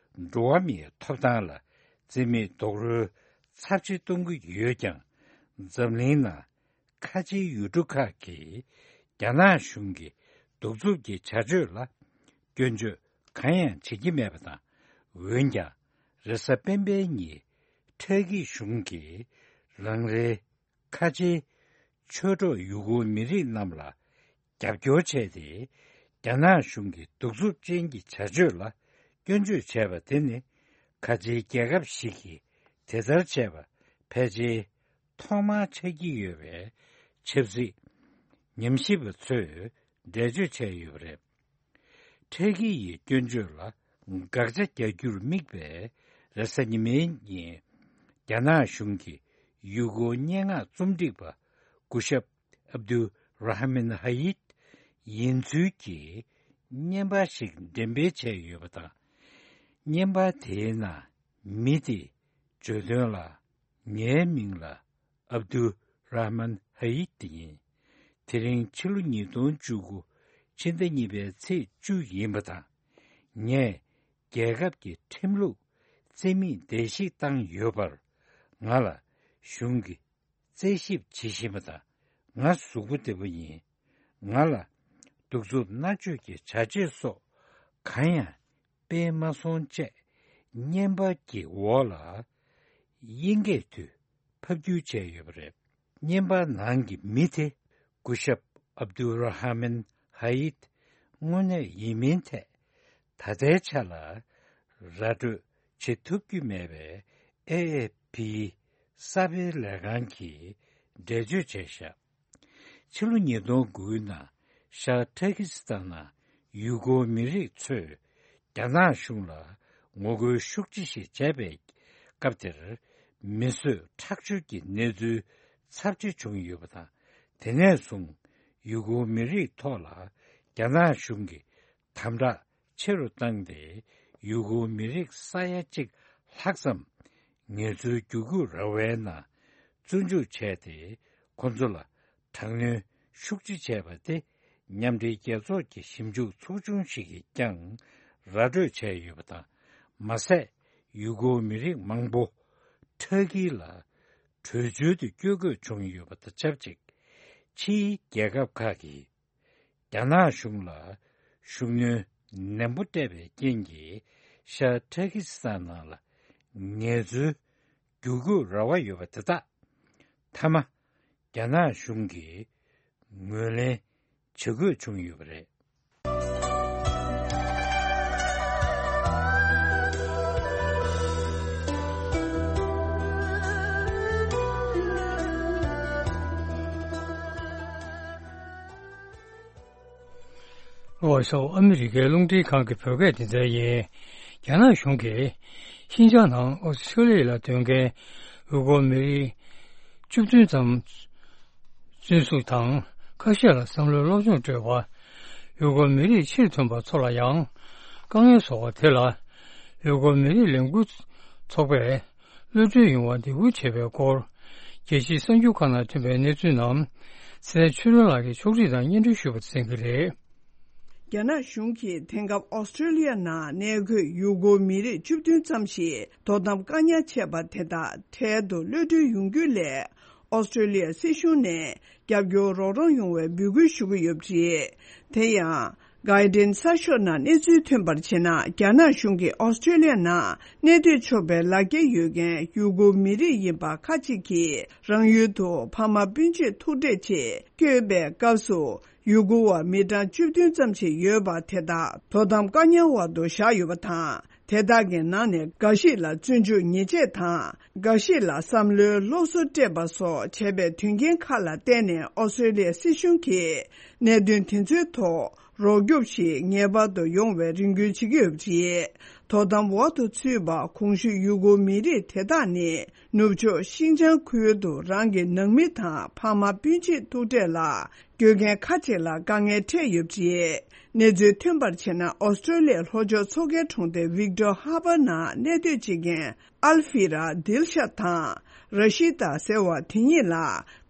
འགྲོ་བ་མིའི་ཐོབ་ཐང་ལ་བརྩི་མེད་རྡོག་རོལ་ཚབས་ཆེ་གཏོང་གི་ཡོད་ཀྱང་། འཛམ་གླིང་ནང་ཁ་ཆེའི་ཡུལ་གྲུ་ཁག་གིས་རྒྱ་ནག་གཞུང་གི་གདུག་རྩུབ་ཀྱི་བྱ་སྤྱོད་ལ་སྐྱོན་བརྗོད་གང་ཡང་བྱེད་ཀྱི་མེད་པ་དང་། འོན་ཀྱང་རེས་གཟའ་སྤེན་པའི་ཉིན་ཏུར་ཀི་གཞུང་གིས་རང་རེའི་ཁ་ཆེའི་ཆོས་གྲོགས་ཡུ་གུར་མི་རིགས་རྣམས་ལ་རྒྱབ་སྐྱོར་བྱས་ཏེ། རྒྱ་ནག་གཞུང་གི་གདུག་རྩུབ་ཅན་གྱི་བྱ་སྤྱོད་ལ་སྐྱོན་བརྗོད་བྱས་པ་དེ་ནི། ཁ་ཆེའི་རྒྱལ་ཁབ་ཞིག་གིས་དེ་ལྟར་བྱས་པ་ཕལ་ཆེར་ཐོག་མར་ཆགས་ཀྱི་ཡོད་པའི་ཆབ་སྲིད་ཉམས་ཞིབ་པ་ཚོས་འགྲེལ་བརྗོད་བྱས་ཡོད་པ་རེད། ཏུར་ཀི་ཡི་སྐྱོན་བརྗོད་ལ་དགག་བྱ་རྒྱག་རྒྱུར་དམིགས་པའི་རེས་གཟའ་ཉི་མའི་ཉིན། རྒྱ་ནག་གཞུང་གི་ཡུ་གུར་སྙན་ངག་རྩོམ་སྒྲིག་པ་སྐུ་ཞབས་ཨབ་དུལ་ར་ཧ་མན་ཧ་ཡིད་ཡིན་ཚུལ་གྱི་བརྙན་པར་ཞིག་འགྲེམས་སྤེལ་བྱས་ཡོད་པ་དང་། བརྙན་པར་དེའི་ནང་མི་དེས་བརྗོད་དོན་ལ། ངའི་མིང་ལ་ཨབ་དུལ་ར་ཧ་མན་ཧ་ཡིད་ཡིན། དེ་རིང་ཕྱི་ལོ་ཉིས་སྟོང་བཅུ་དགུ་ཕྱི་ཟླ་གཉིས་པའི་ཚེས་བཅུ་ཡིན་པ་དང་། ངས་རྒྱལ་ཁབ་ཀྱི་ཁྲིམས་ལུགས་རྩིས་མེད་བརྡལ་བཤིག་བཏང་ཡོད་པར། ང་ལ་གཞུང་གིས་རྩད་ཞིབ་བྱེད་བཞིན་པ་དང་། ང་གཟུགས་པོ་བདེ་པོ་ཡིན། ང་ལ་གདུག་རྩུབ་མནར་གཅོད་ཀྱི་བྱ་སྤྱོད་སོགས་གང་ཡང་སྤེལ་མ་སོང་བཅས། བརྙན་པར་གྱི་འོག་ལ་དབྱིན་སྐད་དུ་ཕབ་བསྒྱུར་བྱས་ཡོད་པ་རེད། བརྙན་པར་ནང་གི་མི་དེ་སྐུ་ཞབས་ཨབ་དུལ་ར་ཧ་མན་ཧ་ཡིད་དངོས་གནས་ཡིན་མིན་ཐད། ད་ལྟའི་ཆ་ལ་ར་སྤྲོད་བྱེད་ཐུབ་ཀྱི་མེད་པའི་ཨེ་ཨེ་ཕིའི་གསར་སྤེལ་ལས་ཁང་གིས་འགྲེལ་བརྗོད་བྱས་བཞག་ཕྱི་ལོ་ཉིས་སྟོང་དགུའི་ནང་ཤར་ཏུར་ཀི་སི་ཐན་ནང་ཡུ་གུར་མི་རིགས་ཚོས་རྒྱ་ནག་གཞུང་ལ་ངོ་རྒོལ་ཤུགས་ཆེ་ཞིག་བྱས་པའི་སྐབས་དེར། མི་གསོད་ཁྲག་སྦྱོར་གྱི་གནས་ཚུལ་ཚབས་ཆེ་བྱུང་ཡོད་པ་དང་། དེ་ནས་བཟུང་ཡུ་གུར་མི་རིགས་ཐོག་ལ་རྒྱ་ནག་གཞུང་གིས་དམ་དྲག་ཆེ་རུ་བཏང་སྟེ། ཡུ་གུར་མི་རིགས་ས་ཡ་གཅིག་ལྷག་ཙམ་ངལ་རྩོལ་བསྒྱུར་བཀོད་ར་བའི་ནང་བཙོན་འཇུག་བྱས་ཏེ། ཁོ་ཚོ་ལ་དྲག་གནོན་ཤུགས་ཆེ་བྱས་པ་དེ། མཉམ་འབྲེལ་རྒྱལ་ཚོགས་ཀྱི་ཞིབ་འཇུག་ཚོགས་ཆུང་ཞིག་གིས་ཀྱང་ར་སྤྲོད་བྱས་ཡོད་པ་དང་། མ་ཟད། ཡུ་གུར་མི་རིགས་མང་པོ་ཏུར་ཀི་ལ་བྲོས་བྱོལ་དུ་བསྐྱོད་དགོས་བྱུང་ཡོད་པ་དང་ཆབས་ཅིག་ཕྱིའི་རྒྱལ་ཁབ་ཁག་གིས་རྒྱ་ནག་གཞུང་ལ་ཤུགས་སྣོན་ནན་པོ་སྤྲད་པའི་རྐྱེན་གྱིས། ཤར་ཏུར་ཀི་སི་ཐན་ནང་ལ་ངལ་རྩོལ་བསྒྱུར་བཀོད་ར་བ་ཡོད་པ་དེ་དག་མཐའ་མ་རྒྱ་ནག་གཞུང་གིས་ ངོས་ལེན་བྱེད་དགོས་བྱུང་ཡོད་པ་རེད། ལྷོ་ཕྱོགས་ཨ་མི་རི་ཀའི་རླུང་འཕྲིན་ཁང་གི་བོད་སྐད་སྡེ་ཚན་ཡིན། རྒྱ་ནག་གཞུང་གིས་ཤིན་ཅང་ནང་ཨོ་སི་ཁྲུ་ལི་ཡ་ལ་སྡོད་མཁན་ཡུ་གུར་མི་རིགས་བཅུ་བདུན་ཙམ་བཙོན་འཇུག་དང་ཁ་ཤས་ལ་བསམ་བློའི་སློབ་སྦྱོང་སྤྲོད་པ། ཡུ་གུར་མི་རིགས་ཕྱིར་ཐོན་པ་ཚོ་ལ་ཡང་དཀའ་ངལ་བཟོ་བ་དེ་ལ་ཡུ་གུར་མི་རིགས་ལས་འགུལ་ཚོགས་པས། གློད་གྲོལ་ཡོང་བར་འདེད་འགུལ་བྱས་པའི་སྐོར། རྒྱལ་སྤྱིའི་གསར་འགྱུར་ཁག་ནང་ཐོན་པའི་གནས་ཚུལ་རྣམས་ཚེ་རིང་ཆོས་སྒྲོན་ལགས་ཀྱིས་ཕྱོགས་སྒྲིག་དང་སྙན་སྒྲོན་ཞུས་པ་གསན་གྱི་རེད། རྒྱ་ནག་གཞུང་གིས་དེང་སྐབས་ཨོ་སི་ཁྲུ་ལི་ཡ་ནང་གནས་འཁོད་ཡུ་གུར་མི་རིགས་བཅུ་བདུན་ཙམ་ཞིག་དོ་དམ་བཀག་ཉར་བྱས་པ་དེ་དག་འཕྲལ་དུ་གློད་གྲོལ་ཡོང་རྒྱུའི་སླད། ཨོ་སི་ཁྲུ་ལི་ཡ་སྲིད་གཞུང་ནས་རྒྱབ་སྐྱོར་རོགས་རམ་ཡོང་བའི་འབོད་སྐུལ་ཞུ་གི་ཡོད་པ་རེད། དེ་ཡང་། གྷར་ཌེན་གསར་ཤོག་ནང་གནས་ཚུལ་ཐོན་པར་བྱས་ན། རྒྱ་ནག་གཞུང་གིས་ཨོ་སི་ཁྲུ་ལི་ཡ་ནང་གནས་སྡོད་ཆོག་པའི་ལག་འཁྱེར་ཡོད་མཁན་ཡུ་གུར་མི་རིགས་ཡིན་པ་ཁག་ཅིག་གིས་རང་ཡུལ་དུ་ཕ་མ་སྤུན་མཆེད་ཐུག་འཕྲད་ཆེད་བསྐྱོད་པའི་སྐབས་སུ། ཡུ་གུར་བ་མི་གྲངས་བཅུ་བདུན་ཙམ་ཞིག་ཡོད་པ་དེ་དག་དོ་དམ་བཀག་ཉར་འོག་ཏུ་བཞག་ཡོད་པ་དང་། དེ་དག་གི་ནང་ནས་འགའ་ཞིག་ལ་བཙོན་འཇུག་ཉེས་ཆད་དང་། འགའ་ཞིག་ལ་བསམ་བློའི་སློབ་གསོ་སྤྲད་པ་སོགས་བྱས་པའི་དོན་རྐྱེན་ཁག་ལ་བརྟེན་ནས། ཨོ་སི་ཁྲུ་ལི་ཡ་སྲིད་གཞུང་གིས་གནད་དོན་དེ་ཚོའི་ཐོག་རོགས་སྐྱོབ་ཞིག་ངེས་པར་དུ་ཡོང་བའི་རེ་སྐུལ་བྱེད་ཀྱི་ཡོད་པ་རེད། དོ་དམ་འོག་ཏུ་ཚུད་པ་གོང་ཞུས་ཡུ་གུར་མི་རིགས་དེ་དག་ནི། ནུབ་ཕྱོགས་ཤིན་ཅང་ཁུལ་དུ་རང་གི་ནང་མི་དང་ཕ་མ་སྤུན་མཆེད་ཐུག་འཕྲད་ལ། སྐྱོད་མཁན་ཁག་ཅིག་ལ་དཀའ་ངལ་འཕྲད་ཡོད་པ་རེད། གནས་ཚུལ་ཐོན་པར་བྱས་ན། ཨོ་སི་ཀྲོ་ལི་ཡའི་ལྷོ་ཕྱོགས་མཚོ་ཁའི་གྲོང་རྡལ་ཝིག་ཏོར་ཧར་པར་ནང་གནས་སྡོད་བྱེད་མཁན་ཨལ་ཧྥི་ར་དིལ་ཤ་དང་ར་ཤི་ཏཱ་ཟེར་བ་དེ་གཉིས་ལ།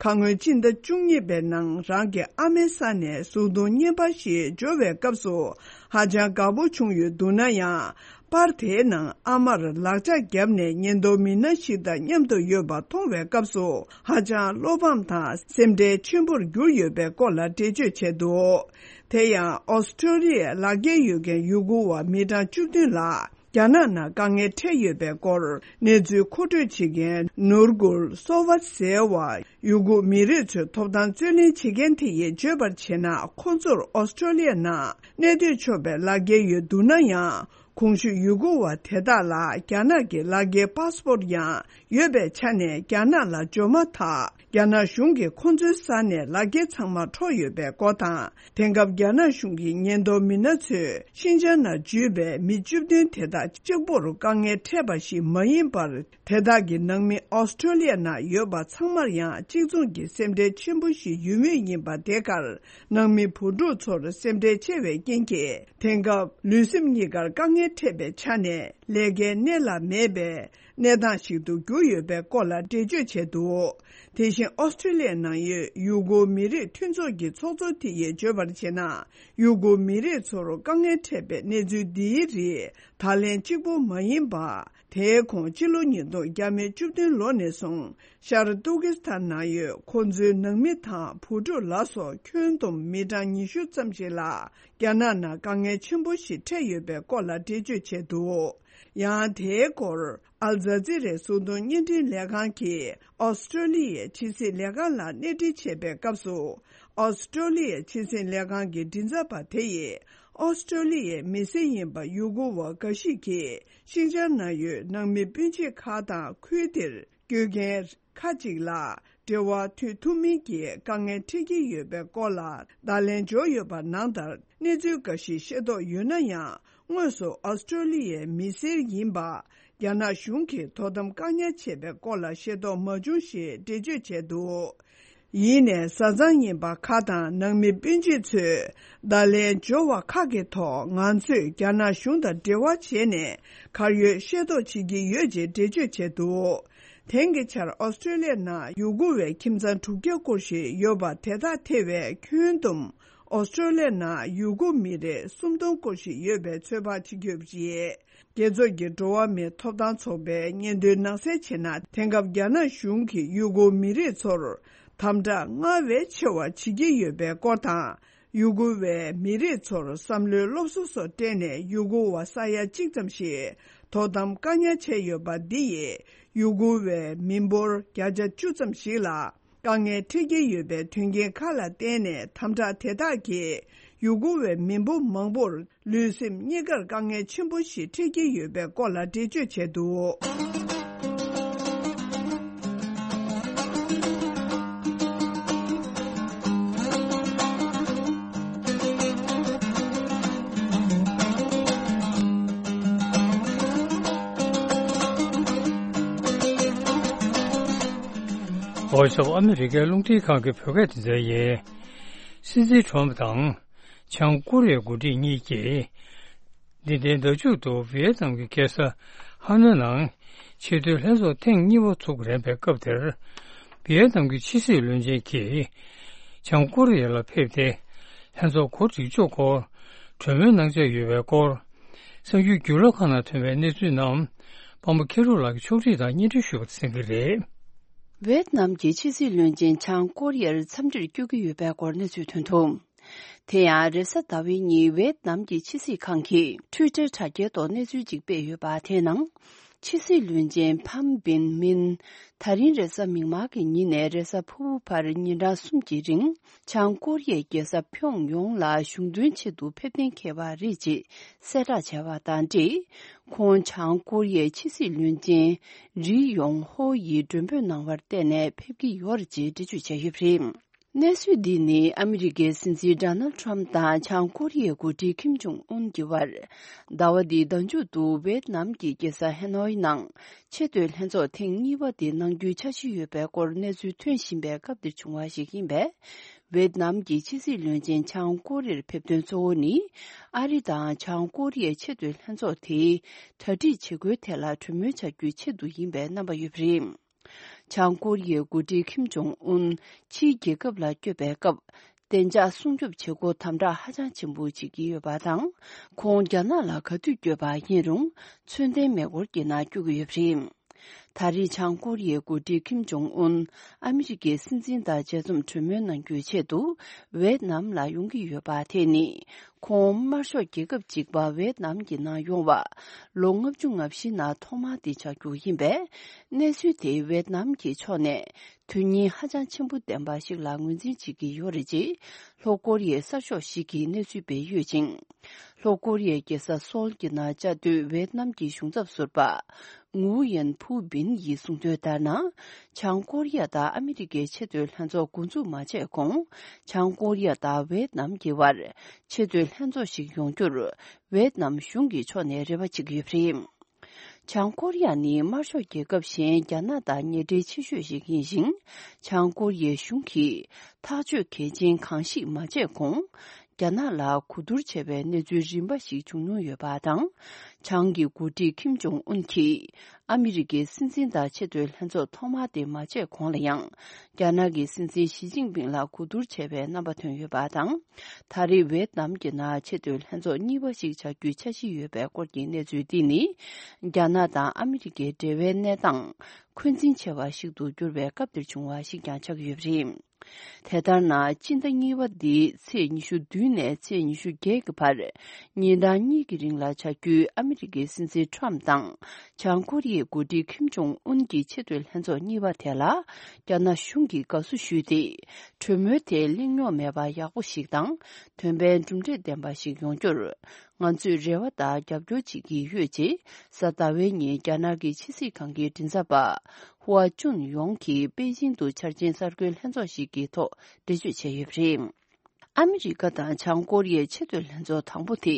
ཁ་སྔོན་སྤྱི་ཟླ་བཅུ་གཉིས་པའི་ནང་། རང་གི་ཨ་མའི་ས་ནས་གཟུགས་མཐོང་བརྙན་པར་ཞིག་འབྱོར་བའི་སྐབས་སུ། ཧ་ཅང་དགའ་པོ་བྱུང་ཡོད་འདུག་ན་ཡང་། པར་དེའི་ནང་ཨ་མར་ལག་ལྕགས་བརྒྱབ་ནས་ཉེན་རྟོག་མི་སྣ་ཞིག་དང་མཉམ་དུ་ཡོད་པ་མཐོང་བའི་སྐབས་སུ། ཧ་ཅང་བློ་ཕམ་དང་སེམས་ཁྲལ་ཆེན་པོར་གྱུར་ཡོད་པའི་སྐོར་ལ་འགྲེལ་བརྗོད་བྱས་འདུག་དེ་ཡང་། ཨོ་སི་ཀྲོ་ལི་ཡའི་ལག་འཁྱེར་ཡོད་མཁན་ཡུ་གུར་བ་མི་གྲངས་བཅུ་བདུན་ལ། རྒྱ་ནག་ནང་དཀའ་ངལ་འཕྲད་ཡོད་པའི་སྐོར། གནས་ཚུལ་མཁོ་སྤྲོད་བྱེད་མཁན་ནུར་གུལ་སོ་ཝཱད་ཟེར་བ། ཡུ་གུར་མི་རིགས་ཚོའི་ཐོབ་ཐང་རྩོད་ལེན་བྱེད་མཁན་དེ་ཡིས་བརྗོད་པར་བྱས་ན། ཁོ་ཚོར་ཨོ་སི་ཀྲོ་ལི་ཡ་ནང་གནས་སྡོད་ཆོག་པའི་ལག་འཁྱེར་ཡོད་འདུག་ན་ཡང་། གོང་ཞུས་ཡུ་གུར་བ་དེ་དག་ལ་རྒྱ་ནག་གི་ལག་འཁྱེར་པཱ་སི་པོར་ཡང་ཡོད་པའི་ཆ་ནས། རྒྱ་ནག་ལ་འབྱོར་མ་ཐག་རྒྱ་ནག་གཞུང་གིས་ཁོ་ཚོའི་ས་ནས་ལག་འཁྱེར་ཚང་མ་འཕྲོག་ཡོད་པའི་སྐོར་དང་། དེང་སྐབས་རྒྱ་ནག་གཞུང་གིས་ཉེན་རྟོག་མི་སྣ་ཚོས་ཤིན་ཅང་ནང་འཇུས་པའི་མི་བཅུ་བདུན་དེ་དག་གཅིག་པོར་དཀའ་ངལ་འཕྲད་པ་ཞིག་མ་ཡིན་པར། དེ་དག་གི་ནང་མི་ཨོ་སི་ཀྲོ་ལི་ཡ་ནང་ཡོད་པ་ཚང་མར་ཡང་གཅིག་མཚུངས་ཀྱི་སེམས་ཁྲལ་ཆེན་པོ་ཞིག་ཡོད་མུས་ཡིན་པ། དེ་གར་ནང་མི་བུ་ཕྲུག་ཚོར་སེམས་ཁྲལ་ཆེ་བའི་རྐྱེན་གྱིས། དེང་སྐབས་ལུས་སེམས་གཉིས་ཀར་དཀའ་ངལ་འཕྲད་པའི་ཆ་ནས། ལས་ཀའི་གནས་ལ་མེད་པའི་གནས་སྟངས་ཤིག་ཏུ་གྱུར་ཡོད་པའི་སྐོར་ལ་འགྲེལ་བརྗོད་བྱས་འདུག་དེ་བཞིན་ཨོ་སི་ཀྲོ་ལི་ཡའི་ནང་ཡོད་ཡུ་གུར་མི་རིགས་མཐུན་ཚོགས་ཀྱི་ཚོགས་གཙོ་དེ་ཡིས་བརྗོད་པར་བྱས་ན། ཡུ་གུར་མི་རིགས་ཚོར་དཀའ་ངལ་འཕྲད་པའི་གནས་ཚུལ་འདིའི་རིགས་ད་ལན་གཅིག་པོ་མ་ཡིན་པ། དེའི་གོང་སྤྱི་ལོ་ཉིས་སྟོང་བརྒྱ་མེད་བཅུ་བདུན་ལོ་ནས་བཟུང་ཤར་ཏུར་ཀི་སི་ཐན་ནང་ཡོད་ཁོ་ཚོའི་ནང་མི་དང་བུ་ཕྲུག་ལ་སོགས་ཁྱོན་བསྡོམས་མི་གྲངས་ཉི་ཤུ་ཙམ་ཞིག་ལ་རྒྱ་ནག་ནང་དཀའ་ངལ་ཆེན་པོ་ཞིག་འཕྲད་ཡོད་པའི་སྐོར་ལ་འགྲེལ་བརྗོད་བྱས་འདུག་ཡང་དེའི་སྐོར་ཨལ་ཛ་ཛི་རའི་གཟུགས་མཐོང་བརྙན་འཕྲིན་ལས་ཁང་གིས་ཨོ་སི་ཀྲོ་ལི་ཡའི་ཕྱི་སྲིད་ལས་ཁང་ལ་གནས་འདྲི་བྱས་པའི་སྐབས་སུ། ཨོ་སི་ཀྲོ་ལི་ཡའི་ཕྱི་སྲིད་ལས་ཁང་གི་མགྲིན་ཚབ་པ་དེ་ཡིས་ཨོ་སི་ཀྲོ་ལི་ཡའི་མི་སེར་ཡིན་པ་ཡུ་གུར་བ་འགའ་ཞིག་གིས་ཤིན་ཅང་ནང་ཡོད་ནང་མི་སྤུན་མཆེད་ཁག་དང་ཁུལ་དེར་སྐྱོད་མཁན་ཁག་ཅིག་ལ་འབྲེལ་བ་མཐུད་ཐུབ་མིན་གྱི་དཀའ་ངལ་འཕྲད་ཀྱི་ཡོད་པའི་སྐོར་ལ་བརྡ་ལན་འབྱོར་ཡོད་པ་ནང་ལྟར། གནས་ཚུལ་འགའ་ཞིག་ཤེས་རྟོགས་ཡོད་ན་ཡང་། དངོས་སུ་ཨོ་སི་ཀྲོ་ལི་ཡའི་མི་སེར་ཡིན་པ། རྒྱ་ནག་གཞུང་གིས་དོ་དམ་བཀག་ཉར་བྱས་པའི་སྐོར་ལ་ཤེས་རྟོགས་མ་བྱུང་ཞེས་འགྲེལ་བརྗོད་བྱས་འདུག་ཡིན་ནའི་བཟའ་ཚང་ཡིན་པ་ཁག་དང་ནང་མི་སྤུན་མཆེད་ཚོས་བརྡ་ལན་འབྱོར་བ་ཁག་གི་ཐོག་ང་ཚོས་རྒྱ་ནག་གཞུང་དང་འབྲེལ་བ་བྱས་ནས་གར་ཡོད་ཤེས་རྟོགས་བྱེད་ཀྱི་ཡོད་ཅེས་འགྲེལ་བརྗོད་བྱས་འདུག་དེང་གི་ཆར་ཨོ་སི་ཀྲོ་ལི་ཡ་ནང་ཡུ་གུར་བའི་ཁྱིམ་ཚང་དྲུག་བརྒྱ་སྐོར་ཞིག་ཡོད་པ་དེ་དག་ཐེ་བའི་ཁྱོན་བསྡོམས་ཨོ་སི་ཀྲོ་ལི་ཡ་ནང་ཡུ་གུར་མི་རེ་སུམ་སྟོང་སྐོར་ཞིག་ཡོད་པའི་ཚོད་དཔག་བྱེད་ཀྱི་ཡོད་པ་རེད། རྒྱལ་ཚོགས་ཀྱི་འགྲོ་བ་མིའི་ཐོབ་ཐང་ཚོགས་པའི་སྙན་ཐོའི་ནང་གསལ་བྱས་ན། དེང་སྐབས་རྒྱ་ནག་གཞུང་གིས་ཡུ་གུར་མི་རིགས་ཚོར་དམ་དྲག་སྔར་བས་ཆེ་བ་བྱེད་ཀྱི་ཡོད་པའི་སྐོར་དང་། ཡུ་གུར་བའི་མི་རིགས་ཚོར་བསམ་བློའི་སློབ་གསོ་སོགས་སྤྲད་ནས་ཡུ་གུར་བ་ས་ཡ་གཅིག་ཙམ་ཞིག་དོ་དམ་བཀག་ཉར་བྱས་ཡོད་པ་འདི་ཡིས་ཡུ་གུར་བའི་མི་འབོར་བརྒྱ་ཆ་བཅུ་ཙམ་ཞིག་ལ། དཀའ་ངལ་འཕྲད་ཀྱི་ཡོད་པའི་དོན་རྐྱེན་ཁག་ལ་བརྟེན་ནས། དམ་དྲག་དེ་དག་གིས་ཡུ་གུར་བའི་མི་འབོར་མང་པོར་ལུས་སེམས་གཉིས་ཀར་དཀའ་ངལ་ཆེན་པོ་ཞིག་འཕྲད་ཀྱི་ཡོད་པའི་སྐོར་ལ་འགྲེལ་བརྗོད་བྱས་འདུག། བྷོ་ཡིས་ཨོཕ་ཨ་མི་རི་ཀའི་རླུང་འཕྲིན་ཁང་གི་བོད་སྐད་སྡེ་ཚན་ཡིན། སྲིད་འཛིན་ཁྲོམ་དང་། བྱང་ཀོ་རི་ཡའི་འགོ་ཁྲིད་གཉིས་ཀྱིས། འདི་ཟླའི་ཟླ་མཇུག་ཏུ་ཝི་ཡེད་ནམ་གྱི་རྒྱལ་ས་ཧ་ནོའི་ནང་ཆེས་མཐོའི་ལྷན་ཚོགས་ཐེངས་གཉིས་པ་ཚུགས་རན་པའི་སྐབས་དེར། ཝི་ཡེད་ནམ་གྱི་ཕྱི་སྲིད་བློན་ཆེན་གྱིས་བྱང་ཀོ་རི་ཡ་ལ་ཕེབས་ཏེ། ལྷན་ཚོགས་གོ་སྒྲིག་ཕྱོགས་སྐོར་གྲོས་མོལ་གནང་འཆར་ཡོད་པའི་སྐོར། གསར་འགྱུར་བརྒྱུད་ལམ་ཁག་ནང་ཐོན་པའི་གནས་ཚུལ་རྣམས། པང་པོ་མཁྱེན་རབ་ལགས་ཀྱིས་ཕྱོགས་སྒྲིག་དང་སྙན་སྒྲོན་ཞུས་པ་གསན་གྱི་རེད། ཝེད་ནམ་གྱི་ཕྱི་སྲིད་བློན་ཆེན་བྱང་ཀོ་རི་ཡར་འཚམས་འདྲིར་བསྐྱོད་ཀྱི་ཡོད་པའི་སྐོར་གནས་ཚུལ་ཐོན་འདུག། དེ་ཡང་རེས་གཟའ་ཟླ་བའི་ཉིན་ཝེད་ནམ་གྱི་ཕྱི་སྲིད་ཁང་གིས་ཊུའི་ཊར་དྲ་རྒྱའི་ཐོག་གནས་ཚུལ་ཅིག་སྤེལ་ཡོད་པ་དེའི་ནང་། ཕྱི་སྲིད་བློན་ཆེན་ཕམ་བིན་མིན། ད་རིང་རེས་གཟའ་མིག་དམར་གྱི་ཉིན་ནས་རེས་གཟའ་ཕུར་བུ་བར་ཉིན་གྲངས་གསུམ་གྱི་རིང་། བྱང་ཀོ་རི་ཡའི་རྒྱལ་ས་ཕྱོང་ཡོང་ལ་གཞུང་དོན་ཆེད་དུ་ཕེབས་གཏན་འཁེལ་བ་རེད་ཅེས་གསལ་བསྒྲགས་བྱས་པ་དང་འབྲེལ། ཁོང་བྱང་ཀོ་རི་ཡའི་ཕྱི་སྲིད་བློན་ཆེན་རི་ཡོང་ཧོ་ཡིས་མགྲོན་འབོད་གནང་བར་བརྟེན་ནས་ཕེབས་ཀྱི་ཡོད་རེད་ཅེས་འགྲེལ་བརྗོད་བྱས་ཡོད་པ་རེད། གནས་ཚུལ་འདི་ནི་ཨ་མི་རི་ཀའི་སྲིད་འཛིན་ཌོ་ནལ་ཊམ་དང་བྱང་ཀོ་རི་ཡའི་འགོ་ཁྲིད་ཁིམ་ཇོང་ཨུན་གྱི་དབར། ཟླ་བ་འདིའི་ཟླ་མཇུག་ཏུ་ཝེད་ནམ་གྱི་རྒྱལ་ས་ཧེ་ནོའི་ནང་ཆེས་མཐོའི་ལྷན་ཚོགས་ཐེངས་གཉིས་པ་དེ་གནང་རྒྱུའི་འཆར་གཞི་ཡོད་པའི་སྐོར་གནས་ཚུལ་ཐོན་བཞིན་པའི་སྐབས་འདིར་བྱུང་བ་ཞིག་ཡིན་པས། ཝེད་ནམ་གྱི་ཕྱི་སྲིད་བློན་ཆེན་བྱང་ཀོ་རི་ཡར་ཕེབས་དོན་གཙོ་བོ་ནི། ཨ་རི་དང་བྱང་ཀོ་རི་ཡའི་ཆེས་མཐོའི་ལྷན་ཚོགས་དེའི་གྲ་སྒྲིག་བྱེད་སྒོའི་ཐད་ལ་གྲོས་མོལ་བྱ་རྒྱུའི་ཆེད་དུ་ཡིན་པའི་རྣམ་པ་ཡོད་པ་རེད། བྱང་ཀོ་རི་ཡའི་འགོ་ཁྲིད་ཁིམ་ཇོང་ཨུན་ཕྱིའི་རྒྱལ་ཁབ་ལ་བསྐྱོད་པའི་སྐབས། བདེ་འཇགས་སྲུང་སྐྱོབ་བྱེད་སྒོ་དམ་དྲག་ཧ་ཅང་ཆེན་པོ་བྱེད་ཀྱི་ཡོད་པ་དང་། ཁོང་རྒྱ་ནག་ལ་ག་དུས་བསྐྱོད་པ་ཡིན་རུང་། མཚོན་ལྡན་མེ་འཁོར་གྱི་ནང་བསྐྱོད་ཀྱི་ཡོད་པ་རེད། ད་རེས་བྱང་ཀོ་རི་ཡའི་འགོ་ཁྲིད་ཁིམ་ཇོང་ཨུན་ཨ་མི་རི་ཀའི་སྲིད་འཛིན་དང་མཇལ་འཛོམས་གྲོས་མོལ་གནང་རྒྱུའི་ཆེད་དུ་ཝེད་ནམ་ལ་ཡོང་གི་ཡོད་པ་དེ་ནི། ཁོང་དམར་ཤོག་རྒྱལ་ཁབ་གཅིག་པ་ཝེད་ནམ་གྱི་ནང་ཡོང་བ་ལོ་ལྔ་བཅུ་ང་བཞི་ནང་ཐོག་མ་དེ་ཆགས་རྒྱུ་ཡིན་པས། གནས་ཚུལ་དེ་ཝེད་ནམ་གྱི་ཕྱོགས་ནས་དོན་སྙིང་ཧ་ཅང་ཆེན་པོ་ལྡན་པ་ཞིག་ལ་ངོས་འཛིན་བྱེད་ཀྱི་ཡོད་རེད་ཅེས་ལྷོ་ཀོ་རི་ཡའི་གསར་ཤོག་ཞིག་གིས་གནས་ཚུལ་སྤེལ་ཡོད་ཅིང་། ལྷོ་ཀོ་རི་ཡའི་རྒྱལ་ས་སོལ་གྱི་ནང་བཅའ་སྡོད་ཝེད་ནམ་གྱི་གཞུང་ཚབ་ཟུར་པ། ངུའུ་ཡན་ཕུའུ་བིན་ཡིས་གསུངས་དོན་ལྟར་ན། བྱང་ཀོ་རི་ཡ་དང་ཨ་མི་རི་ཀའི་ཆེས་མཐོའི་ལྷན་ཚོགས་འགོ་འཛུགས་མ་བྱས་གོང་། བྱང་ཀོ་རི་ཡ་དང་ཝེད་ནམ་གྱི་དབར་ཆེས་མཐོའི་ལྷན་ཚོགས་ཤིག་ཡོང་རྒྱུར་ཝེད་ནམ་གཞུང་གི་ཕྱོགས་ནས་རེ་བ་བྱེད་ཀྱི་ཡོད་པ་རེད། བྱང་ཀོ་རི་ཡ་ནི་དམར་ཤོག་རྒྱལ་ཁབ་གཞན་རྒྱ་ནག་དང་ཉེ་འབྲེལ་ཆེ་ཤོས་ཤིག་ཡིན་ཞིང་། བྱང་ཀོ་རི་ཡའི་གཞུང་གིས་ཐག་གཅོད་གལ་ཆེན་གང་ཞིག་མ་བྱས་གོང་། རྒྱ་ནག་ལ་གོ་བསྡུར་བྱས་པའི་གནས་ཚུལ་རིམ་པ་ཞིག་བྱུང་མྱོང་ཡོད་པ་དང་། བྱང་གི་འགོ་ཁྲིད་ཁིམ་ཇོང་ཨུན་གྱིས་ཨ་མི་རི་ཀའི་སྲིད་འཛིན་དང་ཆེས་མཐོའི་ལྷན་ཚོགས་ཐོག་མ་དེ་མ་བྱས་གོང་ལ་ཡང་། རྒྱ་ནག་གི་སྲིད་འཛིན་ཞི་ཅིན་ཕིང་ལ་གོ་བསྡུར་བྱས་པའི་རྣམ་པ་ཐོན་ཡོད་པ་དང་། ད་རེས་ཝེད་ནམ་གྱི་ནང་ཆེས་མཐོའི་ལྷན་ཚོགས་གཉིས་པ་ཞིག་བྱ་རྒྱུའི་འཆར་གཞི་ཡོད་པའི་སྐོར་གྱི་གནས་ཚུལ་འདི་ནི། རྒྱ་ནག་དང་ཨ་མི་རི་ཀའི་འབྲེལ་བའི་གནས་སྟངས་འཁོན་འཛིན་ཆེ་བ་ཞིག་ཏུ་གྱུར་བའི་སྐབས་འདིར་བྱུང་བ་ཞིག་ཀྱང་ཆགས་ཀྱི་ཡོད་པ་རེད། དེ་ལྟར་ན། སྤྱི་ཟླ་གཉིས་པ་འདིའི་ཚེས་ཉི་ཤུ་བདུན་ནས་ཚེས་ཉི་ཤུ་བརྒྱད་ཀྱི་བར། ཉིན་གྲངས་གཉིས་ཀྱི་རིང་ལ་བྱ་རྒྱུའི་ཨ་མི་རི་ཀའི་སྲིད་འཛིན་ཁྲོམ་དང་། བྱང་ཀོ་རི་ཡའི་འགོ་ཁྲིད་ཁིམ་ཇོང་ཨུན་གྱི་ཆེས་མཐོའི་ལྷན་ཚོགས་གཉིས་པ་དེ་ལ། རྒྱ་ནག་གཞུང་གིས་དགའ་བསུ་ཞུས་ཏེ། གྲོས་མོལ་དེ་གླེང་རྙོག་མེད་པ་ཡག་པོ་ཞིག་དང་། དོན་ཕན་གྲུབ་འབྲས་ལྡན་པ་ཞིག་ཡོང་རྒྱུར། ང་ཚོས་རེ་བ་དང་རྒྱབ་སྐྱོར་བྱེད་ཀྱི་ཡོད་ཅེས། གཟའ་ཟླ་བའི་ཉིན་རྒྱ་ནག་གི་ཕྱི་སྲིད་ཁང་གི་མགྲིན་ཚབ་པ། ཧུའ་ཅུན་ཡོང་གིས་པེ་ཅིང་དུ་འཆར་ཅན་གསར་འགོད་ལྷན་ཚོགས་ཤིག་གི་ཐོག་འགྲེལ་བརྗོད་བྱས་ཡོད་པ་རེད། ཨ་མི་རི་ཀ་དང་བྱང་ཀོ་རི་ཡའི་ཆེས་མཐོའི་ལྷན་ཚོགས་དང་པོ་དེ།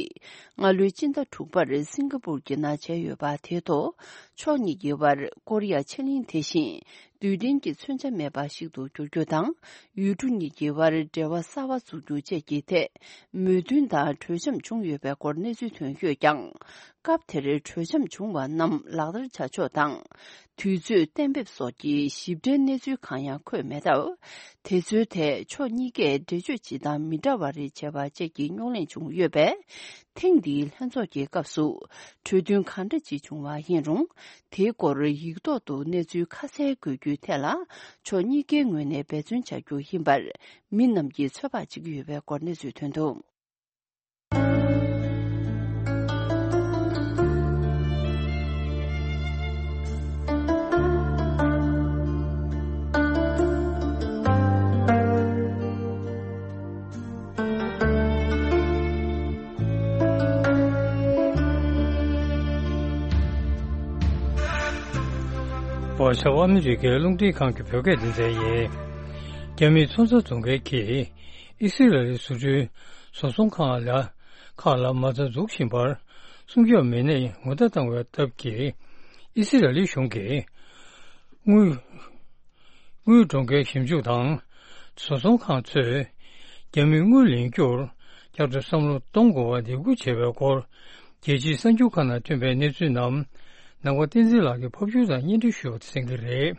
སྔ་ལོའི་སྤྱི་ཟླ་དྲུག་པར་སིང་ག་པུར་གྱི་ནང་བྱས་ཡོད་པ་དེའི་ཐོག་ཕྱོགས་གཉིས་ཀྱི་དབར་ཀོ་རི་ཡ་ཕྱེད་གླིང་དེ་བཞིན། རྡུལ་ཕྲན་གྱི་མཚོན་ཆ་མེད་པ་ཞིག་ཏུ་འགྱུར་རྒྱུ་དང་། ཡུལ་གྲུ་གཉིས་ཀྱི་དབར་འབྲེལ་བ་གསར་བ་འཛུགས་རྒྱུ་བཅས་ཀྱི་ཐད། མོས་མཐུན་དང་གྲོས་འཆམ་བྱུང་ཡོད་པའི་སྐོར་གནས་ཚུལ་ཐོན་ཡོད་ཀྱང་། སྐབས་དེར་གྲོས་འཆམ་བྱུང་བ་རྣམས་ལག་བསྟར་བྱ་ཕྱོགས་དང་། དུས་ཚོད་གཏན་འབེབས་སོགས་ཀྱི་ཞིབ་ཕྲའི་གནས་ཚུལ་གང་ཡང་འཁོད་མེད་སྟབས། དེ་ཚོའི་ཐད་ཕྱོགས་གཉིས་ཀས་འགྲེལ་བརྗོད་ཇི་ལྟར་མི་འདྲ་བ་རེ་བྱས་པ་བཅས་ཀྱི་རྙོག་གླེང་བྱུང་ཡོད་པས། ཐེངས་འདིའི་ལྷན་ཚོགས་ཀྱི་སྐབས་སུ་གྲོས་མཐུན་གང་འདྲ་ཅིག་བྱུང་བ་ཡིན་རུང་། དེའི་སྐོར་ཡིག་ཐོག་ཏུ་གནས་ཚུལ་ཁ་གསལ་དགོས་རྒྱུའི་ཐད་ལ། ཕྱོགས་གཉིས་ཀའི་ངོས་ནས་འབད་བརྩོན་བྱ་རྒྱུ་ཡིན་པར། མི་རྣམས་ཀྱིས་ཚོད་དཔག་བྱེད་ཀྱི་ཡོད་པའི་སྐོར་གནས་ཚུལ་ཐོན་འདུག། བར་ཤ་ཨ་མི་རི་ཀའི་རླུང་འཕྲིན་ཁང་གི་བོད་སྐད་སྡེ་ཚན་ཡིན། རྒྱ་མིའི་མཚོན་རྩྭ་བཙོང་མཁན་གྱིས་ཨི་སི་རལ་ལི་བཟོ་སྐྲུན་བཟོ་ཚོང་ཁང་ལ་ཁག་ལ་མ་རྩ་འཛུགས་བཞིན་པར་སྲུང་སྐྱོབ་མི་སྣས་ངོ་བརྡ་བཏང་བའི་སྟབས་ཀྱིས། ཨི་སི་རལ་ལི་གཞུང་གིས་དངུལ་དངུལ་གྲོང་ཁྱེར་ཞིབ་འཇུག་དང་བཟོ་ཚོང་ཁང་ཚོས་རྒྱ་མིའི་དངུལ་ལེན་རྒྱུར་བསྐྱར་དུ་བསམ་བློ་གཏོང་དགོས་པར་འདེད་སྐུལ་བྱས་པའི་སྐོར། རྒྱལ་སྤྱིའི་གསར་འགྱུར་ཁག་ནང་ཐོན་པའི་གནས་ཚུལ་རྣམས་ནང་པ་བསྟན་འཛིན་ལགས་ཀྱིས་ཕབ་སྒྱུར་དང་སྙན་སྒྲོན་ཞུ་བ་གསན་གྱི་རེད།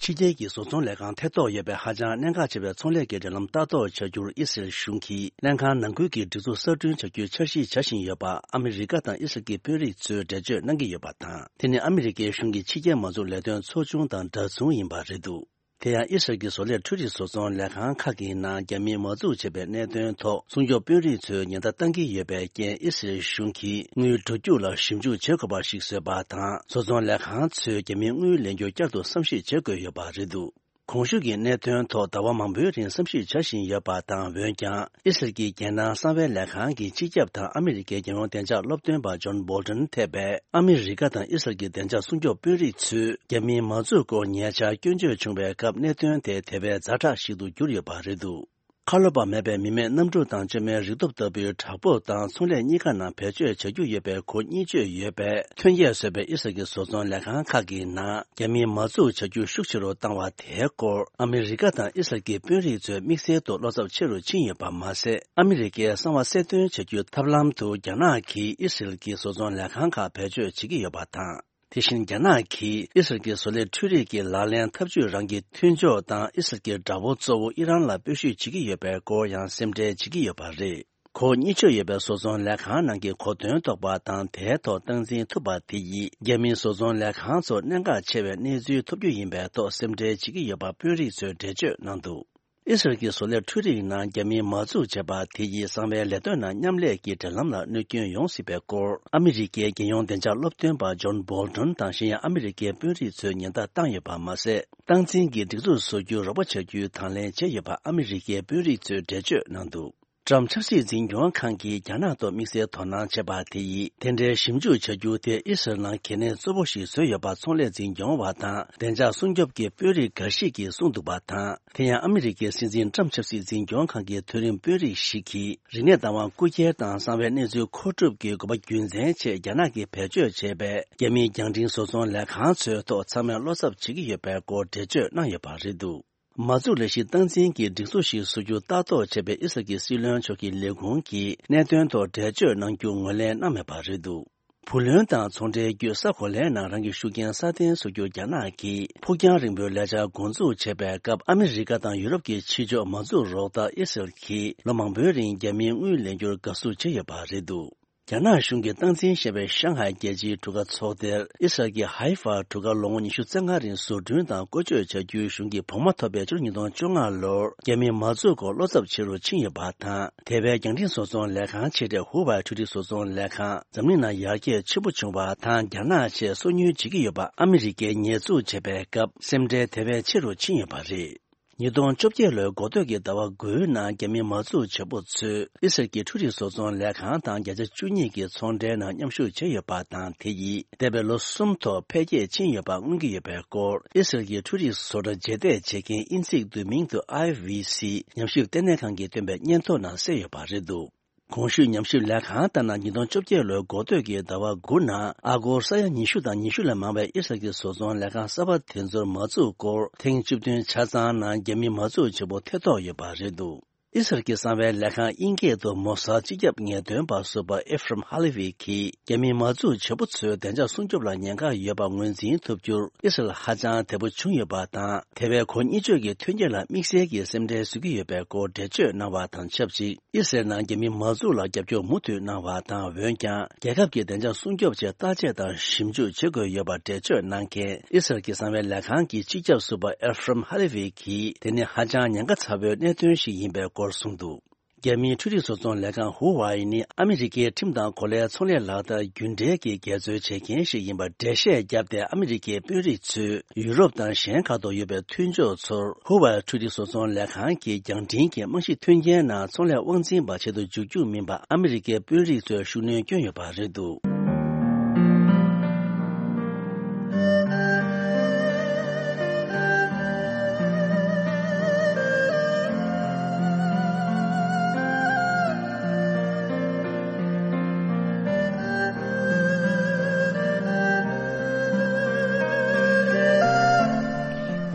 ཕྱི་རྒྱལ་གྱི་བཟོ་ཚོང་ལས་ཁང་ཐེ་གཏོགས་ཡོད་པའི་ཧ་ཅང་གནད་འགག་ཆེ་བའི་ཚོང་ལས་ཀྱི་འབྲེལ་ལམ་ལྟ་རྟོག་བྱ་རྒྱུར་ཨི་སི་རལ་གཞུང་གིས་ལྷན་ཁང་ནང་ཁུལ་གྱི་སྒྲིག་འཛུགས་གསར་སྐྲུན་བྱ་རྒྱུའི་འཆར་གཞི་བྱ་བཞིན་ཡོད་པ་ཨ་མི་རི་ཀ་དང་ཨི་སི་རལ་གྱི་དཔོན་རིགས་ཚོས་འགྲེལ་བརྗོད་གནང་གི་ཡོད་པ་དང་། དེ་ནི་ཨ་མི་རི་ཀའི་གཞུང་གི་ཕྱི་རྒྱལ་མ་འཛུགས་ལས་དོན་ཚོགས་ཆུང་དང་འདྲ་མཚུངས་ཡིན་པ་རེད་འདུག་དེ་ཡང་ཨི་སི་རལ་གྱི་བཟོ་ལས་འཕྲུལ་རིག་བཟོ་ཚོང་ལས་ཁང་ཁག་གི་ནང་རྒྱ་མིས་མ་འཛུགས་བྱས་པའི་གནད་དོན་ཐོག་སྲུང་སྐྱོབ་དཔོན་རིགས་ཚོས་ཉེན་བརྡ་བཏང་གི་ཡོད་པའི་རྐྱེན། ཨི་སི་རལ་གཞུང་གིས་དངུལ་བསྒྲུབ་རྒྱུ་ལ་ཞིབ་འཇུག་བྱེད་དགོས་པ་ཞིག་བཟོས་པ་དང་། བཟོ་ཚོང་ལས་ཁང་ཚོས་རྒྱ་མིའི་དངུལ་ལེན་རྒྱུ་བསྐྱར་དུ་བསམ་གཞིག་བྱེད་དགོས་ཡོད་པ་རེད་འདུག་གོང་ཞུས་ཀྱི་གནད་དོན་ཐོག་ཟླ་བ་མང་པོའི་རིང་བསམ་གཞིག་བྱ་བཞིན་ཡོད་པ་དང་། འོན་ཀྱང་ཨི་སི་རལ་གྱི་རྒྱལ་ནང་གསང་བའི་ལས་ཁང་གི་སྤྱི་ཁྱབ་དང་ཨ་མི་རི་ཀའི་རྒྱལ་ཡོངས་བདེ་འཇགས་སློབ་སྟོན་པ་ཇོན་བོལ་ཏོན་ཐེ་བས། ཨ་མི་རི་ཀ་དང་ཨི་སི་རལ་གྱི་བདེ་འཇགས་སྲུང་སྐྱོབ་དཔོན་རིགས་ཚོས་རྒྱ་མིའི་མ་འཛུགས་སྐོར་ཉེ་ཆར་སྐྱོན་བརྗོད་བྱུང་བའི་སྐབས། གནད་དོན་དེ་དེ་བས་ཛ་དྲག་ཞིག་ཏུ་གྱུར་ཡོད་པ་རེད་འདུག་ཁ་ལོ་པ་མེད་པའི་མི་མེད་གནམ་གྲུ་དང་བཅོས་མའི་རིག་སྟོབས་ལྟ་བུའི་བྲག་ཕུག་དང་ཚོང་ལས་གཉིས་ཀ་ནང་བེད་སྤྱོད་བྱ་རྒྱུ་ཡོད་པའི་གོ་གཉིས་བཅོས་ཡོད་པའི་ཐོན་སྐྱེད་བཟོས་པའི་ཨི་སི་རལ་གྱི་བཟོ་ཚོང་ལས་ཁང་ཁག་གི་ནང་རྒྱ་མིས་མ་འཛུགས་བྱ་རྒྱུ་ཤུགས་ཆེ་རུ་བཏང་བ་དེའི་སྐོར། ཨ་མི་རི་ཀ་དང་ཨི་སི་རལ་གྱི་དཔོན་རིགས་ཚོའི་དམིགས་བསལ་དུ་བློ་འཚབ་ཆེ་རུ་ཕྱིན་ཡོད་པ་མ་ཟད། ཨ་མི་རི་ཀའི་གསང་བ་གསལ་སྟོན་བྱ་རྒྱུའི་ཐབས་ལམ་དུ་རྒྱ་ནག་གིས་ཨི་སི་རལ་གྱི་བཟོ་ཚོང་ལས་ཁང་ཁག་བེད་སྤྱོད་བྱེད་ཀྱི་ཡོད་པ་དང་། དེ་བཞིན་རྒྱ་ནག་གིས་ཨི་སི་རལ་གྱི་བཟོ་ལས་འཕྲུལ་རིག་གི་ལག་ལེན་འཐབ་ཇུས་རང་གི་མཐུན་ཕྱོགས་དང་ཨི་སི་རལ་གྱི་དགྲ་བོ་གཙོ་བོ་ཨི་རན་ལ་སྤོས་ཤུགས་བྱེད་ཀྱི་ཡོད་པའི་སྐོར་ཡང་སེམས་ཁྲལ་བྱེད་ཀྱི་ཡོད་པ་རེད། གོ་གཉིས་བཅོས་ཡོད་པའི་བཟོ་ཚོང་ལས་ཁང་ནང་གི་གོ་དོན་རྟོགས་པ་དང་། དེའི་ཐོག་སྟངས་འཛིན་ཐུབ་པ་དེ་ཡིས་རྒྱ་མིའི་བཟོ་ཚོང་ལས་ཁང་ཚོར་གནད་འགག་ཆེ་བའི་གནས་ཚུལ་ཐོབ་རྒྱུ་ཡིན་པའི་ཐོག་སེམས་ཁྲལ་བྱེད་ཀྱི་ཡོད་པ་དཔོན་རིགས་ཚོས་འགྲེལ་བརྗོད་གནང་འདུག་ཨི་སི་རལ་གྱི་བཟོ་ལས་འཕྲུལ་རིག་ནང་རྒྱ་མིས་མ་འཛུགས་བྱས་པ་དེ་ཡིས་གསང་བའི་ལས་དོན་ནང་མཉམ་ལས་ཀྱི་འབྲེལ་ལམ་ལ་གནོད་སྐྱོན་ཡོང་སྲིད་པའི་སྐོར། ཨ་མི་རི་ཀའི་རྒྱལ་ཡོངས་བདེ་འཇགས་སློབ་སྟོན་པ་ཇོན་བོལ་ཏོན་དང་། གཞན་ཡང་ཨ་མི་རི་ཀའི་དཔོན་རིགས་ཚོས་ཉེན་བརྡ་བཏང་ཡོད་པ་མ་ཟད། སྟངས་འཛིན་གྱི་སྒྲིག་འཛུགས་བཟོ་རྒྱུར་རོགས་པ་བྱ་རྒྱུའི་དང་ལེན་བྱས་ཡོད་པ་ཨ་མི་རི་ཀའི་དཔོན་རིགས་ཚོས་འགྲེལ་བརྗོད་གནང་འདུག་ཊམ་ཆབ་སྲིད་འཛིན་སྐྱོང་ཁང་གིས་རྒྱ་ནག་ཐོག་དམིགས་བསལ་དོ་སྣང་བྱས་པ་དེ་ཡིས། དེ་འདྲའི་ཞིབ་འཇུག་བྱ་རྒྱུ་དེ་ཨི་སི་རལ་ནང་གལ་གནད་གཙོ་བོ་ཞིག་བཟོས་ཡོད་པ་ཚོང་ལས་འཛིན་སྐྱོང་བ་དང་བདེ་འཇགས་སྲུང་སྐྱོབ་ཀྱི་དཔོན་རིགས་འགའ་ཞིག་གིས་གསུངས་འདུག་པ་དང་། དེ་ཡང་ཨ་མི་རི་ཀའི་སྲིད་འཛིན་ཊམ་ཆབ་སྲིད་འཛིན་སྐྱོང་ཁང་གི་མཐོ་རིམ་དཔོན་རིགས་ཤིག་གིས། རིག་གནས་བདག་དབང་རྐུ་འཁྱེར་དང་གསང་བའི་གནས་ཚུལ་མཁོ་སྒྲུབ་ཀྱི་དགོས་པ་རྒྱུ་མཚན་ཆེད་རྒྱ་ནག་གིས་བེད་སྤྱོད་བྱས་པའི་རྒྱ་མིའི་རྒྱང་འཕྲིན་བཟོ་ཚོང་ལས་ཁང་ཚོའི་ཐོག་ཚང་མས་བློ་འཚབ་བྱེད་ཀྱི་ཡོད་པའི་སྐོར་འགྲེལ་བརྗོད་གནང་ཡོད་པ་རེད་འདུག་མ་འཛུགས་ལས་གཞི་སྟངས་འཛིན་གྱི་སྒྲིག་འཛུགས་ཤིག་བཟོ་རྒྱུ་ལྟ་རྟོག་བྱས་པའི་ཨི་སི་རལ་གྱི་སྲིད་བློན་མཆོག་གི་ལས་ཁུངས་ཀྱིས་གནད་དོན་ཐོག་འགྲེལ་བརྗོད་གནང་རྒྱུ་ངོས་ལེན་གནང་མེད་པ་རེད་འདུག་བུ་ལོན་དང་ཚོང་འབྲེལ་བརྒྱུད་ས་གོ་ལའི་ནང་རང་གི་ཤུགས་རྐྱེན་སྲ་བརྟན་བཟོ་རྒྱུར་རྒྱ་ནག་གིས་ཕུགས་རྒྱང་རིང་པོའི་ལས་འཆར་འགོ་འཛུགས་བྱས་པའི་སྐབས། ཨ་མི་རི་ཀ་དང་ཡུ་རོབ་ཀྱི་ཕྱི་ཕྱོགས་མ་འཛུགས་རོགས་ལྟར་ཨི་སི་རལ་གྱིས་ལོ་མང་པོའི་རིང་རྒྱ་མིའི་དངུལ་ལེན་རྒྱུར་དགའ་བསུ་བྱས་ཡོད་པ་རེད་འདུག་རྒྱ་ནག་གཞུང་གིས་སྟངས་འཛིན་བྱས་པའི་ཤང་ཧའེ་རྒྱལ་སྤྱིའི་གྲུ་ཁ་ཚོགས་སྡེར་ཨི་སི་རལ་གྱི་ཧའི་ཧྥ་གྲུ་ཁ་ལོ་ངོ་ཉི་ཤུ་རྩ་ལྔ་རིང་བཟོ་སྐྲུན་དང་བཀོལ་སྤྱོད་བྱ་རྒྱུའི་གཞུང་གི་བོགས་མ་ཐོབ་པའི་ཕྱི་ལོ་ཉིས་སྟོང་བཅོ་ལྔ་ལོར་རྒྱ་མིས་མ་འཛུགས་སྐོར་བློ་འཚབ་ཆེ་རུ་ཕྱིན་ཡོད་པ་དང་། དེ་བས་རྒྱང་འཕྲིན་བཟོ་ཚོང་ལས་ཁང་ཆེ་གྲས་ཧུ་ཝའེ་འཕྲུལ་རིག་བཟོ་ཚོང་ལས་ཁང་འཛམ་གླིང་ནང་ཡར་རྒྱས་ཆེན་པོ་བྱུང་བ་དང་། རྒྱ་ནག་ཆེད་སོ་ཉུལ་བྱེད་ཀྱི་ཡོད་པ་ཨ་མི་རི་ཀས་ཉེས་འཛུགས་བྱས་པའི་སྐབས་སེམས་ཁྲལ་དེ་བས་ཆེ་རུ་ཕྱིན་ཡོད་པ་རེད། ཉིས་སྟོང་བཅོ་བརྒྱད་ལོའི་འགོ་སྟོད་ཀྱི་ཟླ་བ་དགུའི་ནང་རྒྱ་མི་མ་འཛུགས་བྱེད་པོ་ཚོས་ཨི་སི་རལ་གྱི་འཕྲུལ་རིག་བཟོ་ཚོང་ལས་ཁང་དང་བརྒྱ་ཆ་བཅུ་གཉིས་ཀྱི་ཚོང་འབྲེལ་ནང་མཉམ་ཞུགས་བྱས་ཡོད་པ་དང་། དེ་ཡིས་འདས་པའི་ལོ་གསུམ་ཐོག་འཕེལ་རྒྱས་ཕྱིན་ཡོད་པ་མངོན་གྱི་ཡོད་པའི་སྐོར། ཨི་སི་རལ་གྱི་འཕྲུལ་རིག་བཟོ་གྲྭ་རྗེས་འདེད་བྱེད་མཁན་ཨིན་ཚིག་བསྡུས་མིང་དུ་ཨའི་ཝི་སི་ཉམས་ཞིབ་ལྟེ་གནས་ཁང་གིས་བཏོན་པའི་སྙན་ཐོ་ནང་གསལ་ཡོད་པ་རེད་འདུག་གོང་ཞུས་ཉམས་ཞིབ་ལས་ཁང་ལྟར་ན། ཉིས་སྟོང་བཅོ་བརྒྱད་ལོའི་འགོ་སྟོད་ཀྱི་ཟླ་བ་དགུ་ནང་ཨ་སྒོར་ས་ཡ་ཉི་ཤུ་དང་ཉི་ཤུ་ལས་མང་བའི་ཨི་སི་རལ་གྱི་བཟོ་ཚོང་ལས་ཁང་གསར་པ་དེ་ཚོར་མ་འཛུགས་སྐོར་ཐེངས་བཅུ་བདུན་ཆ་ཚང་ནང་རྒྱ་མིས་མ་འཛུགས་བྱེད་པོ་ཐེ་གཏོགས་ཡོད་པ་རེད་འདུག་ཨི་སི་རལ་གྱི་གསང་བའི་ལས་ཁང་དབྱིན་སྐད་དུ་མོ་སཱད་སྤྱི་ཁྱབ་ངེས་སྟོན་པ་ཟུར་པ་ཨེ་ཧྥི་རམ་ཧ་ལེ་ཝི་གིས་རྒྱ་མིས་མ་འཛུགས་བྱེད་པོ་ཚོའི་བདེ་འཇགས་སྲུང་སྐྱོབ་ལ་ཉེན་ཁ་ཡོད་པ་ངོས་འཛིན་ཐུབ་རྒྱུར་ཨི་སི་རལ་ཧ་ཅང་དལ་པོ་བྱུང་ཡོད་པ་དང་། དེ་བས་གོ་གཉིས་བཅོས་ཀྱི་ཐོན་སྐྱེད་ལ་དམིགས་བསལ་གྱི་སེམས་ཁྲལ་བཟོ་གི་ཡོད་པའི་སྐོར་འགྲེལ་བརྗོད་གནང་བ་དང་ཆབས་ཅིག་ཨི་སི་རལ་ནང་རྒྱ་མི་མ་འཛུགས་ལ་རྒྱབ་སྐྱོར་མུ་མཐུད་གནང་བ་དང་། འོན་ཀྱང་རྒྱལ་ཁབ་ཀྱི་བདེ་འཇགས་སྲུང་སྐྱོབ་ཆེད་བརྟག་དཔྱད་དང་ཞིབ་འཇུག་བྱེད་དགོས་ཡོད་པ་འགྲེལ་བརྗོད་གནང་མཁན་ཨི་སི་རལ་གྱི་གསང་བའི་ལས་ཁང་གི་སྤྱི་ཁྱབ་ཟུར་པ་ཨེ་ཧྥི་རམ་ཧ་ལེ་ཝི་གིས་དེ་ནི་ཧ་ཅང་ཉེན་ཁ་ཚ་བོའི་གནད་དོན་ཞིག་ཡིན་པའི་སྐོར་གསུངས་འདུག་རྒྱ་མིའི་འཕྲུལ་རིག་བཟོ་ཚོང་ལས་ཁང་ཧུ་ཝའེ་ནི་ཨ་མི་རི་ཀའི་ཁྲིམས་དང་གོ་ལའི་ཚོང་ལས་ལག་བསྟར་རྒྱུན་འབྲེལ་གྱི་འགལ་འཛོལ་བྱེད་མཁན་ཞིག་ཡིན་པར་འགྲེལ་བཤད་བརྒྱབ་སྟེ། ཨ་མི་རི་ཀའི་དཔོན་རིགས་ཚོས་ཡུ་རོབ་དང་གཞན་ཁག་ཏུ་ཡོད་པའི་མཐུན་ཕྱོགས་ཚོར་ཧུ་ཝའེ་འཕྲུལ་རིག་བཟོ་ཚོང་ལས་ཁང་གི་རྒྱང་འཕྲིན་གྱི་རྨང་གཞི་མཐུན་རྐྱེན་ནང་ཚོང་ལས་དབང་འཛིན་པ་བྱེད་དུ་འཇུག་རྒྱུ་མིན་པ་ཨ་མི་རི་ཀའི་དཔོན་རིགས་ཚོས་ཤུགས་སྣོན་བསྐྱོན་ཡོད་པ་རེད་འདུག་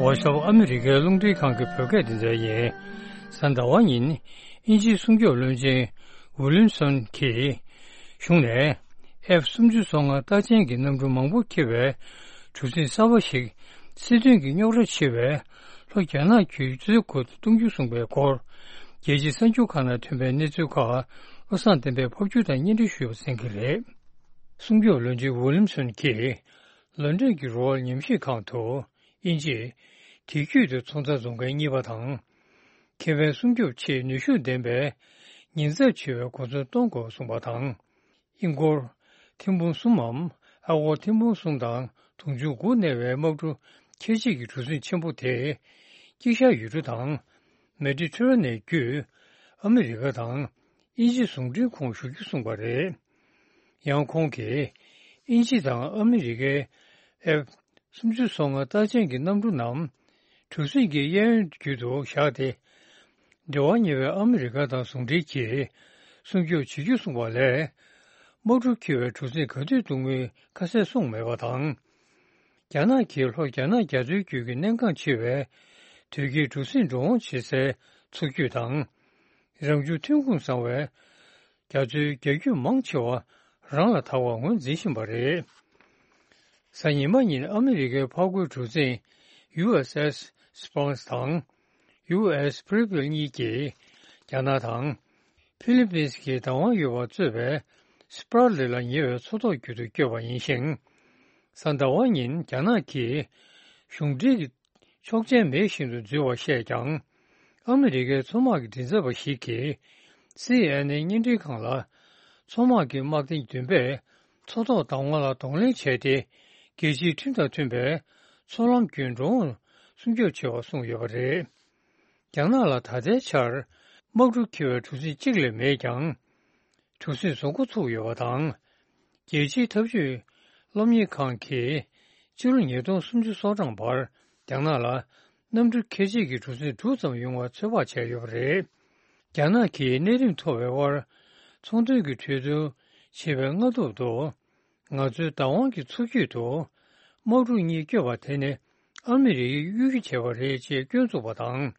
ཝ་ཤོ་ཨ་མི་རི་ཀའི་རླུང་འཕྲིན་ཁང་གི་བོད་སྐད་སྡེ་ཚན་ཡིན། གཟའ་ཟླ་བ་ཉིན་དབྱིན་ཇིའི་སྲུང་སྐྱོབ་བློན་ཆེན་ཝི་ལིམ་སོན་གྱིས་གཞུང་ནས་ཨེཕ་སུམ་ཅུ་སོ་ལྔ་རྟགས་ཅན་གྱི་གནམ་གྲུ་མང་པོ་འཁྱེར་བའི་གྲུ་གཟིངས་གསར་པ་ཞིག་སྲིད་དོན་གྱི་རྙོག་དྲ་ཆེ་བའི་ལྷོ་རྒྱ་ནག་གི་གཙོས་འགོ་གཏོང་རྒྱུ་གསུངས་པའི་སྐོར། རྒྱལ་སྤྱིའི་གསར་འགྱུར་ཁག་ནང་ཐོན་པའི་གནས་ཚུལ་ཁག་བློ་བཟང་བསྟན་པས་ཕབ་སྒྱུར་དང་སྙན་སྒྲོན་ཞུས་པ་གསན་གྱི་རེད། སྲུང་སྐྱོབ་བློན་ཆེན་ཝི་ལིམ་སོན་གྱིས་ལོན་ཌོན་གྱི་རོ་ཡལ་ཉམས་ཞིབ་ཁང་དུ་དབྱིན་ཇིས་དེང་དུས་ཀྱི་ཚོང་རྫས་བཟོ་མཁན་གཉིས་པ་དང་། ཁེ་ཕན་སྲུང་སྐྱོབ་ཆེད་ནུས་ཤུགས་ལྡན་པའི་ཉེན་ཚབས་ཆེ་བའི་གོ་མཚོན་གཏོང་དགོས་གསུངས་པ་དང་། ཧིན་སྒོར་ཐེར་འབུམ་གསུམ་མམ་ཨ་སྒོར་ཐེར་འབུམ་གསུམ་དང་དུང་ཕྱུར་དགུ་གནས་པའི་དམག་གྲུ་ཁྱད་ཆོས་ཀྱི་གྲུ་གཟིངས་ཆེན་པོ་དེ་དཀྱིལ་ཤར་ཡུལ་གྲུ་དང་མེ་ཌི་ཊེ་རེ་ནི་ཡན་བརྒྱུད་ཨ་མི་རི་ཀ་དང་དབྱིན་ཇི་ཟུང་འབྲེལ་ཁོངས་ཞུགས་རྒྱུ་གསུངས་པ་རེད། ཡང་ཁོང་གིས་དབྱིན་ཇི་དང་ཨ་མི་རི་ཀའི་ཨེཕ་སུམ་ཅུ་སོ་ལྔ་རྟགས་ཅན་གྱི་གནམ་གྲུ་རྣམས་གྲུ་གཟིངས་ཀྱི་གཡས་གཡོན་བརྒྱུད་དུ་བཞག་སྟེ། འབྲེལ་བ་ཉེ་བའི་ཨ་མི་རི་ཀ་དང་ཟུང་འབྲེལ་གྱིས་སྲུང་སྐྱོབ་བྱེད་རྒྱུ་གསུངས་པ་ལས། དམག་གྲུ་འཁྱེར་བའི་གྲུ་གཟིངས་ག་དུས་གཏོང་མིན་ཁ་གསལ་གསུངས་མེད་པ་དང་། རྒྱ་ནག་གིས་ལྷོ་རྒྱ་ནག་རྒྱ་མཚོའི་རྒྱུད་ཀྱི་གནད་འགག་ཆེ་བའི་དོས་སྐྱེལ་གྲུ་གཟིངས་འགྲོ་འོང་བྱེད་སའི་མཚོ་རྒྱུད་དང་། རང་བྱུང་ཐོན་ཁུངས་བཟང་བའི་རྒྱ་མཚོའི་རྒྱ་རྒྱུད་མང་ཆེ་བ་རང་ལ་དར་བར་ངོས་འཛིན་བཞིན་པ་རེད། གཟའ་ཉི་མ་ཉིན་ཨ་མི་རི་ཀའི་འཕགས་རྒོད་གྲུ་གཟིངས་ཡུ་ཨེས་ཨེས་སི་པཱ་རེ་སི་དང་ཡུ་ཨེས་པི་རི་ཕིལ་གཉིས་ཀྱིས་རྒྱ་ནག་དང་ཕི་ལི་པིན་སི་གི་བདག་དབང་ཡོད་པ་གཙོས་པའི་སི་པ་ར་ལི་ལ་ཉེ་བའི་མཚོ་ཐོག་བརྒྱུད་དུ་བསྐྱོད་པ་ཡིན་ཞིང་། གཟའ་ཟླ་བ་ཉིན་རྒྱ་ནག་གིས་གཞུང་འབྲེལ་གྱི་ཆོག་མཆན་མེད་བཞིན་དུ་འཛུལ་བ་བཤད་ཀྱང་། ཨ་མི་རི་ཀའི་མཚོ་དམག་གི་མགྲིན་ཚབ་པ་ཞིག་གིས་སི་ཨེན་ཨེན་བརྙན་འཕྲིན་ཁང་ལ། མཚོ་དམག་གི་དམག་སྡེ་བདུན་པས་མཚོ་ཐོག་བདག་དབང་ལ་གདོང་ལེན་བྱས་ཏེ། རྒྱལ་སྤྱིའི་ཁྲིམས་དང་མཐུན་པའི་མཚོ་ལམ་བརྒྱུད་འགྲོ་འོང་སྲུང་སྐྱོབ་བྱེད་པར་གསུངས་ཡོད་པ་རེད། རྒྱ་ནག་ལ་ད་ལྟའི་ཆར་དམག་གྲུ་འཁྱེར་བའི་གྲུ་གཟིངས་གཅིག་ལས་མེད་ཀྱང་། གྲུ་གཟིངས་བཟོ་འགོ་ཚུགས་ཡོད་པ་དང་། རྒྱལ་སྤྱིའི་འཐབ་ཇུས་སློབ་གཉེར་ཁང་གིས་ཕྱི་ལོ་ཉིས་སྟོང་སུམ་ཅུ་སོ་གྲངས་བར་རྒྱ་ནག་ལ་གནམ་གྲུ་ཁྱད་ཆོས་ཀྱི་གྲུ་གཟིངས་དྲུག་ཙམ་ཡོང་བར་ཚོད་དཔག་བྱས་ཡོད་པ་རེད། རྒྱ་ནག་གིས་གནས་རིམ་མཐོ་བའི་དབར་ཚོང་དོན་གྱི་གྲོས་བསྡུར་བྱེད་པའི་སྔ་ཐོག་ཏུ། ང་ཚོའི་བདག་དབང་གི་མཚོ་རྒྱུད་དུ་དམག་གྲུ་གཉིས་བསྐྱོད་པ་དེ་ནི་ཨ་མི་རི་ཡས་གཡོ་སྒྱུ་བྱས་པ་རེད་ཅེས་སྐྱོན་བཙུགས་པ་དང་།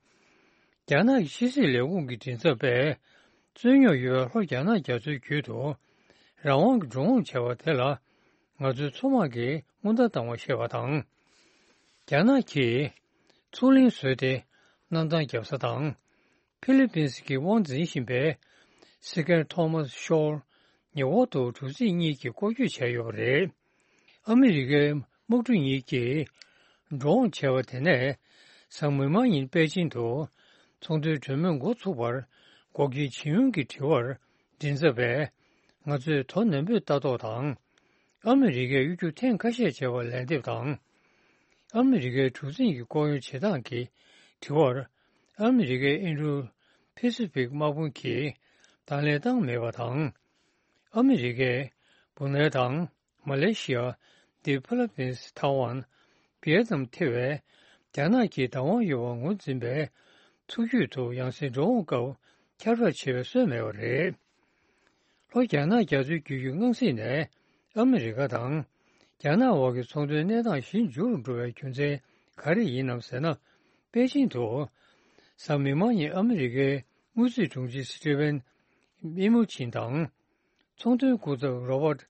རྒྱ་ནག་གི་ཕྱི་སྲིད་ལས་ཁུངས་ཀྱི་མགྲིན་ཚབ་པས། རྩོད་རྙོག་ཡོད་པའི་ལྷོ་རྒྱ་ནག་རྒྱ་མཚོའི་རྒྱུད་དུ་རང་དབང་གི་འགྲོ་འོང་བྱ་བ་དེ་ལ་ང་ཚོའི་མཚོ་དམག་གིས་སྔོན་བརྡ་བཏང་བ་ཞེས་པ་དང་། རྒྱ་ནག་གིས་མཚོ་གླིང་བཟོས་ཏེ་གནམ་ཐང་བརྒྱབ་ས་དང་། ཕི་ལི་པིན་སི་གིས་དབང་འཛིན་བཞིན་པའི་སི་ཀེར་ཐོ་མཱས་ཤོར་ཉེ་འཁོར་དུ་གྲུ་གཟིངས་གཉིས་ཀྱིས་སྐོར་སྐྱོད་བྱས་ཡོད་པ་རེད། ཨ་མི་རི་ཀའི་དམག་གྲུ་གཉིས་ཀྱིས་འགྲོ་འོང་བྱས་པ་དེ་ནས་གཟའ་མིག་དམར་ཉིན་པེ་ཅིང་དུ་ཚོང་དོན་གྲོས་མོལ་འགོ་ཚུགས་པར་འགོག་རྐྱེན་ཇི་ཡོང་གི་དྲི་བར་མགྲིན་ཚབ་པས། ང་ཚོས་དོ་ནན་པོས་ལྟ་རྟོག་དང་། ཨ་མི་རི་ཀས་གཡོ་སྒྱུ་ཐེངས་ཁ་ཤས་བྱས་པར་ལན་འདེབས་དང་། ཨ་མི་རི་ཀའི་གྲུ་གཟིངས་ཀྱི་སྐོར་གཡོག་བྱེད་སྟངས་ཀྱི་དྲི་བར། ཨ་མི་རི་ཀའི་ཨིན་རུ་ཕེ་སི་ཕིག་དམག་དཔུང་གིས་གདོང་ལེན་བཏང་མེད་པ་དང་། ཨ་མི་རི་ཀས་བུ་ནན་དང་མ་ལེ་ཤི་ཡ། ཏི་ཕི་ལི་པིན་སི། ཐའེ་ཝན། ཝི་ཡེད་ནམ་ཐེ་བའི་རྒྱ་ནག་གི་བདག་དབང་ཡོད་པར་ངོས་འཛིན་པའི་མཚོ་རྒྱུད་དུ་ཡང་སེ་འགྲོ་འོང་སྐབས་ཁྱབ་བསྒྲགས་བྱེད་པའི་སྲོལ་མེད་པ་རེད། ལྷོ་རྒྱ་ནག་རྒྱ་མཚོའི་རྒྱུད་ཀྱི་སྔ་གཟིགས་ནས་ཨ་མི་རི་ཀ་དང་རྒྱ་ནག་དབར་གྱི་ཚོང་དོན་གནས་སྟངས་ཞི་འཇུག་ཏུ་འགྲོ་བའི་རྒྱུ་མཚན་ག་རེ་ཡིན་ནམ་ཟེར་ན། པེ་ཅིང་དུ་གཟའ་མིག་དམར་ཉིན་ཨ་མི་རི་ཀའི་དངུལ་རྩིས་དྲུང་ཆེ་སི་ཊི་ཝེན་མི་མུ་ཆིན་དང་། ཚོང་དོན་སྐུ་ཚབ་རོ་བར་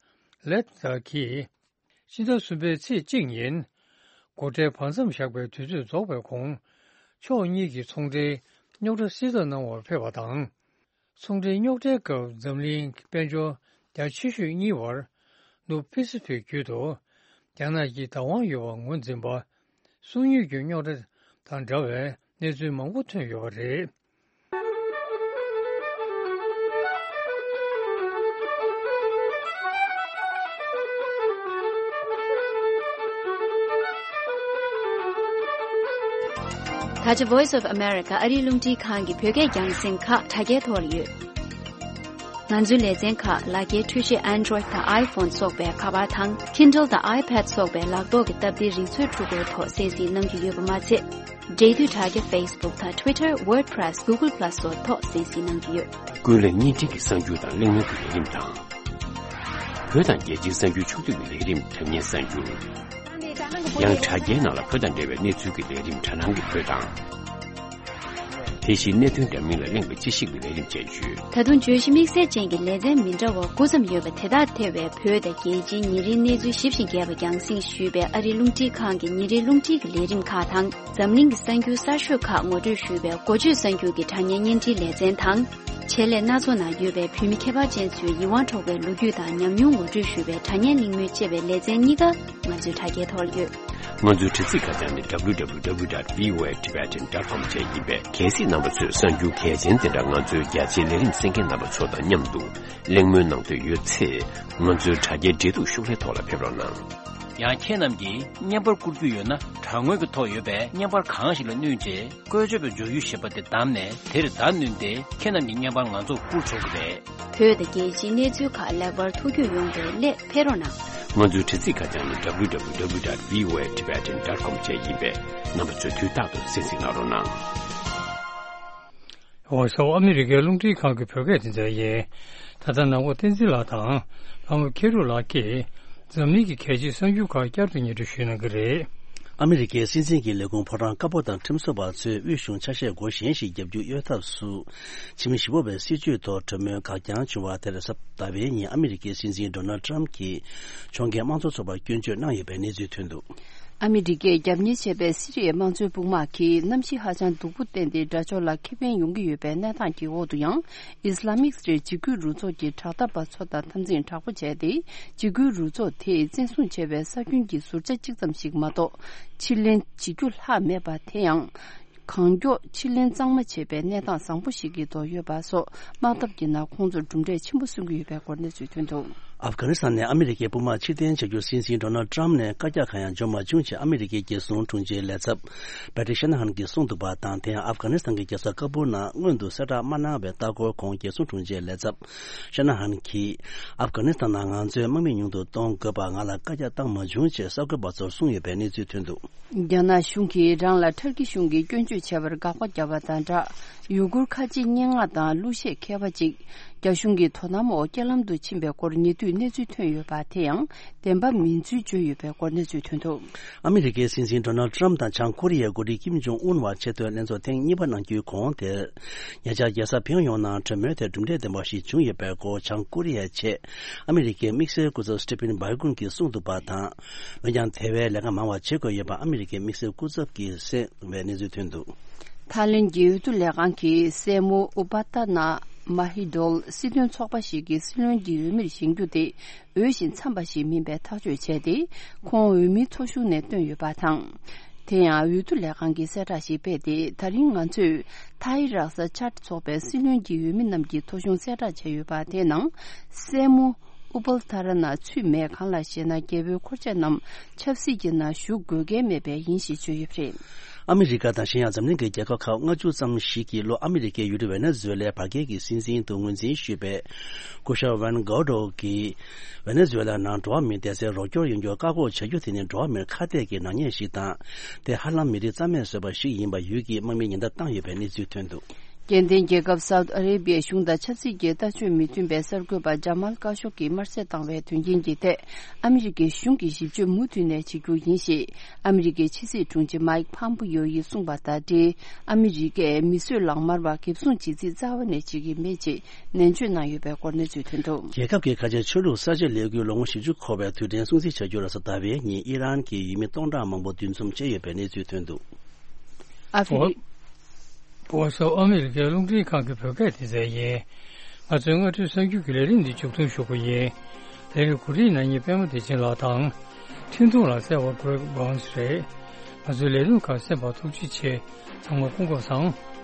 ལེད་ཛར་གྱིས། ཕྱི་ཟླ་གསུམ་པའི་ཚེས་གཅིག་ཉིན། སྒོ་ཁྲལ་བར་མཚམས་བཞག་པའི་དུས་ཚོད་རྫོགས་པའི་གོང་། ཕྱོགས་གཉིས་ཀྱི་ཚོང་འབྲེལ་རྙོག་དྲ་སེལ་ཐབས་གནང་བར་ཕེབས་པ་དང་། ཚོང་འབྲེལ་རྙོག་དྲའི་སྐབས་འཛམ་གླིང་དཔལ་འབྱོར་རྒྱ་ཆེ་ཤོས་གཉིས་བར་ནུབ་ཕི་སི་ཕིག་རྒྱུད་དུ་རྒྱ་ནག་གི་བདག་དབང་ཡོད་པར་ངོས་འཛིན་པ། སྲུང་ཡོལ་གྱི་རྙོག་དྲ་དང་འདྲ་བའི་གནས་ཚུལ་མང་པོ་ཐོན་ཡོད་པ་རེད། ད་ཆ་Voice of America ཨ་རིའི་རླུང་འཕྲིན་ཁང་གི་བོད་སྐད་རྒྱང་སྲིང་ཁག་དྲ་རྒྱའི་ཐོག་ལ་ཡོད། ང་ཚོའི་ལེ་ཚན་ཁག་ལག་འཁྱེར་འཕྲུལ་ཆས་Android དང་iPhone སོགས་པའི་ཁ་པར་དང་Kindle དང་iPad སོགས་པའི་ལག་ཐོག་གི་སྟབས་བདེའི་རིག་མཛོད་འཕྲུལ་འཁོར་ཐོག་གསན་གཟིགས་གནང་རྒྱུ་ཡོད་པ་མ་ཚད། འབྲེལ་མཐུད་དྲ་རྒྱ་Facebook དང་Twitter, WordPress, Google Plus སོགས་ཐོག་གསན་གཟིགས་གནང་རྒྱུ་ཡོད། ཀུན་གླེང་བརྙན་འཕྲིན་གྱི་གསར་འགྱུར་དང་གླེང་མོལ་གྱི་ལས་རིམ་དང་། བོད་དང་རྒྱལ་སྤྱིའི་གསར་འགྱུར་ཕྱོགས་བསྡུས་ཀྱི་ལས་རིམ་དྲ་བརྙན་གསར་འགྱུར། ཡང་དྲ་རྒྱའི་ནང་ལ་བོད་དང་འབྲེལ་བའི་གནས་ཚུལ་གྱི་ལས་རིམ་དྲ་སྣང་གི་བོད་དང་། དེ་བཞིན་གནད་དོན་འདྲ་མིན་ལ་གླེང་བའི་དཔྱད་ཞིབ་ཀྱི་ལས་རིམ་བཅས་ཡོད། ད་དུང་བརྗོད་གཞི་དམིགས་བསལ་ཅན་གྱི་ལེ་ཚན་མི་འདྲ་བ་དགུ་ཙམ་ཡོད་པ་དེ་དག་ཐེ་བའི་བོད་དང་རྒྱལ་སྤྱིའི་ཉིན་རེའི་གནས་ཚུལ་ཞིབ་ཅིང་རྒྱས་པ་རྒྱང་སྲིང་ཞུས་པའི་ཨ་རིའི་རླུང་འཕྲིན་ཁང་གི་ཉིན་རེའི་རླུང་འཕྲིན་གྱི་ལས་རིམ་ཁག་དང་། འཛམ་གླིང་གི་གསར་འགྱུར་གསར་ཤོས་ཁག་ངོ་སྤྲོད་ཞུས་པའི་འགོ་བརྗོད་གསར་འགྱུར་གྱི་དྲ་བརྙན་བརྙན་འཕྲིན་ལེ་ཚན་དང་། ཆེད་ལས་སྣ་ཚོགས་ནང་ཡོད་པའི་བོད་མི་ཁྱད་པར་ཅན་ཚོའི་ཡིད་དབང་འཕྲོག་པའི་ལོ་རྒྱུས་དང་ཉམས་མྱོང་ངོ་སྤྲོད་ཞུས་པའི་དྲ་བརྙན་གླེང་མོལ་ཅེས་པའི་ལེ་ཚན་གཉིས་ཀ་ང་ཚོའི་དྲ་རྒྱའི་ཐོག་ལ་ཡོད། ང་ཚོའི་དྲ་ཚིགས་ཁ་བྱང་ནི་W W W dot V O A Tibetan dot com བཅས་ཡིན་པས། གལ་སྲིད་རྣམ་པ་ཚོས་གསར་འགྱུར་གལ་ཆེན་དེ་འདྲ་ང་ཚོའི་རྒྱ་ཆེའི་ལས་རིམ་གསན་མཁན་རྣམ་པ་ཚོ་དང་མཉམ་དུ་གླེང་མོལ་གནང་འདོད་ཡོད་ཚེ། ང་ཚོའི་དྲ་རྒྱའི་འབྲེལ་གཏུག་ཤོག་ལྷེ་ཐོག་ལ་ཕེབས་རོགས་གནང་། ཡང་ཁྱེད་རྣམས་ཀྱིས་བརྙན་པར་བསྐུར་རྒྱུ་ཡོད་ན། དྲ་ངོས་ཀྱི་ཐོག་ཡོད་པའི་བརྙན་པར་གང་ཞིག་ལ་བསྣུན་རྗེས། བཀོལ་སྤྱོད་པའི་སྦྱོར་ཡུལ་ཞེས་པ་དེ་བདམས་ནས། དེར་བརྡ་བསྣུན་ཏེ། ཁྱེད་རྣམས་ཀྱི་བརྙན་པར་ང་ཚོར་བསྐུར་ཆོག་གི་རེད། བོད་དང་རྒྱལ་སྤྱིའི་གནས་ཚུལ་ཁག་ལེགས་པར་ཐུགས་རྒྱུས་ཡོང་བའི་སླད་ཕེབས་རོགས་གནང་། ང་ཚོའི་དྲ་ཚིགས་ཁ་བྱང་ནི་W W W dot V O A Tibetan dot com བཅས་ཡིན་པས། རྣམ་པ་ཚོས་དུས་རྟག་ཏུ་གསན་གཟིགས་གནང་རོགས་གནང་། འོ་སོ། ཨ་མི་རི་ཀའི་རླུང་འཕྲིན་ཁང་གི་བོད་སྐད་སྡེ་ཚན་ཡིན། ད་ལྟ་ནང་པ་བསྟན་འཛིན་ལགས་དང་། ལྷ་མོ་མཁས་གྲུབ་ལགས་ཀྱིས། འཛམ་གླིང་གི་གལ་ཆེའི་གསར་འགྱུར་ཁག་བསྐྱར་དུ་སྙན་སྒྲོན་ཞུ་གནང་གི་རེད། ཨ་མི་རི་ཀའི་སྲིད་འཛིན་གྱི་ལས་ཁུངས་ཕོ་བྲང་དཀར་པོ་དང་ཁྲིམས་བཟོ་བ་ཚོས་དབུས་གཞུང་ཆ་ཤས་སྒོ་གཞན་ཞིག་བརྒྱབ་རྒྱུ་གཡོལ་ཐབས་སུ། ཕྱི་མི་ཞི་གཡོག་པའི་སྲིད་བྱུས་ཐོག་གྲོས་མོལ་འགག་རྐྱང་བྱུང་བ་དེར། གཟའ་ཟླ་བའི་ཉིན་ཨ་མི་རི་ཀའི་སྲིད་འཛིན་ཌོ་ནལ་ཊམ་གྱིས་ཕྱོགས་འགལ་དམངས་གཙོ་ཚོགས་པར་སྐྱོན་བརྗོད་གནང་ཡོད་པའི་གནས་ཚུལ་ཐོན་འདུག། ཨ་མི་རི་ཀས་རྒྱབ་གཉེར་བྱས་པའི་སི་རི་ཡའི་དམངས་གཙོའི་དཔུང་དམག་གིས་གནམ་གཤིས་ཧ་ཅང་སྡུག་པོ་བསྟན་ཏེ། དགྲ་ཕྱོགས་ལ་ཁེ་ཕན་ཡོང་གི་ཡོད་པའི་གནས་སྟངས་ཀྱི་འོག་ཏུ་ཡང་། ཨིས་ལ་མིག་སི་ཊའི་འཇིགས་སྐུལ་རུ་ཚོགས་ཀྱི་དྲག་འཐབ་པ་ཚོ་དང་འཐབ་འཛིང་དྲག་པོ་བྱས་ཏེ། འཇིགས་སྐུལ་རུ་ཚོགས་དེས་བཙན་བཟུང་བྱས་པའི་ས་ཁྱོན་གྱི་ཟུར་ཆ་གཅིག་ཙམ་ཞིག་མ་གཏོགས་ཕྱིར་ལེན་བྱེད་རྒྱུ་ལྷག་མེད་པ། དེ་ཡང་། གང་མགྱོགས་ཕྱིར་ལེན་གཙང་མ་བྱེད་པའི་གནས་སྟངས་བཟང་པོ་ཞིག་གི་ཐོག་ཡོད་པ་སོགས། དམག་འཐབ་ཀྱི་ནང་ཁོང་ཚོར་གྲུབ་འབྲས་ཆེན་པོ་སོན་གྱི་ཡོད་པའི་སྐོར་གནས་ཚུལ་ཐོན་འདུག། ཨབ་གྷ་ནི་སི་ཐན་ནས་ཨ་མི་རི་ཀའི་དཔུང་དམག་ཕྱིར་འཐེན་བྱ་རྒྱུར་སྲིད་འཛིན་ཌོ་ནལ་ཊམ་ནས་བཀའ་རྒྱ་གང་ཡང་འབྱོར་མ་བྱུང་ཞེས་ཨ་མི་རི་ཀའི་རྒྱལ་སྲུང་དྲུང་ཆེའི་ལས་ཚབ་པེ་ཊི་ཤ་ན་ཧན་གྱིས་གསུངས་འདུག་པ་དང་། དེ་ཡང་ཨབ་གྷ་ནི་སི་ཐན་གྱི་རྒྱལ་ས་ཀ་བུལ་ནང་སྔོན་དུ་གསལ་བསྒྲགས་མ་གནང་བའི་ལྟ་སྐོར་ཁོངས། རྒྱལ་སྲུང་དྲུང་ཆེའི་ལས་ཚབ་ཤ་ན་ཧན་གྱིས། ཨབ་གྷ་ནི་སི་ཐན་ནང་ང་ཚོའི་དམག་མི་ཉུང་དུ་གཏོང་དགོས་པར་ང་ལ་བཀའ་རྒྱ་བཏང་མ་བྱུང་ཅེས་གསར་འགོད་པ་ཚོར་གསུངས་ཡོད་པའི་གནས་ཚུལ་ཐོན་འདུག། རྒྱ་ནག་གཞུང་གིས་རང་ལ་ཐར་ཀི་གཞུང་གིས་སྐྱོན་བརྗོད་བྱས་པར་དགག་པ་བརྒྱབ་པ་དང་སྦྲགས། ཡུ་གུར་ཁ་ཆེ་སྙན་ངག་དང་གླུ་གཞས་མཁས་པ་ཅིག་རྒྱ་གཞུང་གི་དོ་དམ་འོག་རྐྱེན་ལམ་དུ་ཕྱིན་པའི་སྐོར་ཉེ་དུས་གནས་ཚུལ་ཐོན་ཡོད་པ། དེ་ཡང་བདེན་པ་མིན་ཚུལ་བརྗོད་ཡོད་པའི་སྐོར་གནས་ཚུལ་ཐོན་འདུག། ཨ་མི་རི་ཀའི་སྲིད་འཛིན་ཌོ་ནལ་ཊམ་དང་བྱང་ཀོ་རི་ཡའི་འགོ་ཁྲིད་ཀིམ་ཇོང་ཨུན་བར་ཆེས་མཐོའི་ལྷན་ཚོགས་ཐེངས་གཉིས་པ་གནང་རྒྱུའི་གོང་དེར། ཉེ་ཆར་རྒྱལ་ས་ཕིང་ཡོང་ནང་གྲོས་མོལ་དེར་གྲུབ་འབྲས་ལྡན་པ་ཞིག་བྱུང་ཡོད་པའི་སྐོར་བྱང་ཀོ་རི་ཡའི་ཆེད་ཨ་མི་རི་ཀའི་དམིགས་བསལ་སྐུ་ཚབ་སི་ཊི་ཕིན་བྷའི་གུན་གྱིས་གསུངས་འདུག་པ་དང་། འོན་ཀྱང་དེ་བས་ལས་ཀ་མང་བ་བྱེད་དགོས་ཡོད་པ་ཨ་མི་རི་ཀའི་དམིགས་བསལ་སྐུ་ཚབ་ཀྱིས་གསུངས་པའི་གནས་ཚུལ་ཐོན་འདུག། ཐའི་ལེན་གྱི་འོས་བསྡུ་ལས་ཁང་གིས་སྲས་མོ་ཨུ་པ་ཏ་ན་མ་ཧི་ཌོལ་སྲིད་དོན་ཚོགས་པ་ཞིག་གི་སྲིད་བློན་གྱི་འོས་མིར་བཞེངས་རྒྱུ་དེ་འོས་ཤིང་འཚམས་པ་ཞིག་མིན་པའི་ཐག་གཅོད་བྱས་ཏེ། ཁོང་འོས་མིའི་ཐོ་གཞུང་ནས་བཏོན་ཡོད་པ་དང་། དེ་ཡང་འོས་བསྡུ་ལས་ཁང་གིས་གསལ་བསྒྲགས་ཤིག་སྤེལ་ཏེ། ད་རིང་ང་ཚོས་ཐའི་རཀ་ས་ཅཱད་ཚོགས་པའི་སྲིད་བློན་གྱི་འོས་མི་རྣམས་ཀྱི་ཐོ་གཞུང་གསལ་བསྒྲགས་བྱས་ཡོད་པ། དེའི་ནང་སྲས་མོ་ཨུ་པལ་ཐ་ར་ན་ཚུད་མེད། གང་ལགས་ཤེ་ན། རྒྱལ་པོའི་འཁོར་ཆགས་རྣམས་ཆབ་སྲིད་ཀྱི་ནང་ཞུགས་དགོས་གལ་མེད་པས་ཡིན་ཞེས་བརྗོད་ཡོད་པ་རེད། ཨ་མི་རི་ཀ་དང་གཞན་ཡང་འཛམ་གླིང་གི་རྒྱལ་ཁབ་ཁག་ལྔ་བཅུ་ཙམ་ཞིག་གིས་ལྷོ་ཨ་མི་རི་ཀའི་ཡུལ་གྲུ་ཝེ་ནེ་ཛུ་ཝེ་ལའི་བར་བརྒལ་གྱི་སྲིད་འཛིན་དུ་ངོས་འཛིན་ཞུས་པའི་སྐུ་ཞབས་ཝན་གྷོ་ཌོ་གིས། ཝེ་ནེ་ཛུ་ཝེ་ལ་ནང་འགྲོ་བ་མིའི་བདེ་རྩའི་རོགས་སྐྱོར་ཡོང་རྒྱུར་བཀག་འགོག་བྱ་རྒྱུ་དེ་ནི་འགྲོ་བ་མིར་ཁ་གཏད་ཀྱི་ནག་ཉེས་ཤིག་དང་། དེ་ཧ་ལམ་མི་རིགས་རྩ་མེད་བཟོས་པ་ཞིག་ཡིན་པ་ཡུལ་གྱི་དམག་མིས་ཉེན་བརྡ་བཏང་ཡོད་པའི་གནས་ཚུལ་ཐོན་འདུག། སྐྱེ་ལྡན་རྒྱལ་ཁབ་སའུ་ཏི་ཨ་རེ་བྷི་ཡའི་གཞུང་དང་ཆབ་སྲིད་ཀྱི་ལྟ་སྤྱོད་མི་མཐུན་པའི་གསར་འགོད་པ་ཇ་མལ་ཀ་ཤོག་གིས་དམར་གསོད་བཏང་བའི་དོན་རྐྱེན་གྱི་ཐད། ཨ་མི་རི་ཀའི་གཞུང་གིས་ཞིབ་དཔྱོད་མུ་མཐུད་ནས་བྱེད་རྒྱུ་ཡིན་ཞེས་ཨ་མི་རི་ཀའི་ཕྱི་སྲིད་དྲུང་ཆེ་མཱིག་ཕམ་པིའོ་ཡིས་གསུངས་པ་དང་འབྲེལ། ཨ་མི་རི་ཀས་མི་གསོད་ལག་དམར་བ་འགེབས་སྲུང་བྱེད་རྩིས་རྩ་བ་ནས་བྱེད་ཀྱི་མེད་ཅེས་ནན་བརྗོད་གནང་ཡོད་པའི་སྐོར་གནས་ཚུལ་ཐོན་འདུག། རྒྱལ་ཁབ་ཀྱི་ཁ་ཆེ་ཆོས་ལུགས་གསར་བརྗེ་ལས་འགུལ་ལོ་ངོ་བཞི་བཅུ་འཁོར་བའི་དུས་དྲན་སྲུང་བརྩི་བྱ་རྒྱུར་གཟའ་ཟླ་བའི་ཉིན་ཨི་རན་གྱི་ཡུལ་མི་སྟོང་ཕྲག་མང་པོ་འདུ་འཛོམས་བྱས་ཡོད་པའི་གནས་ཚུལ་ཐོན་འདུག། ཨ་ཧྥེ་རི། བྷོ་སི་ཨོ་ཨ་མི་རི་ཀའི་རླུང་འཕྲིན་ཁང་གི་བོད་སྐད་སྡེ་ཚན་ཡིན། ང་ཚོའི་སྔ་དྲོའི་གསར་འགྱུར་གྱི་ལས་རིམ་འདི་མཇུག་སྡོམ་ཞུ་རྒྱུ་ཡིན། ལས་རིམ་གོ་སྒྲིག་གནང་མཁན་པད་མ་བདེ་ཆེན་ལགས་དང་། འཕྲིན་ཐུང་ལ་གསལ་བ་གྷ་རེག་བྷོན་སི་རེད། ང་ཚོའི་ལས་རིམ་ཁག་གསན་པར་ཐུགས་རྗེ་ཆེ། ཚང་མ་སྐུ་ཁམས་བཟང་།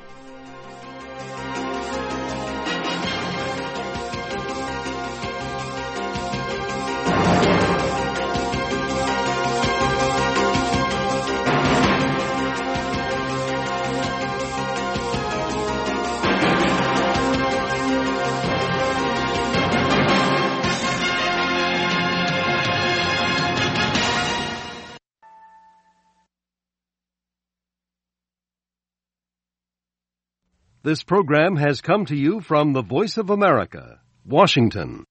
This program has come to you from the Voice of America, Washington.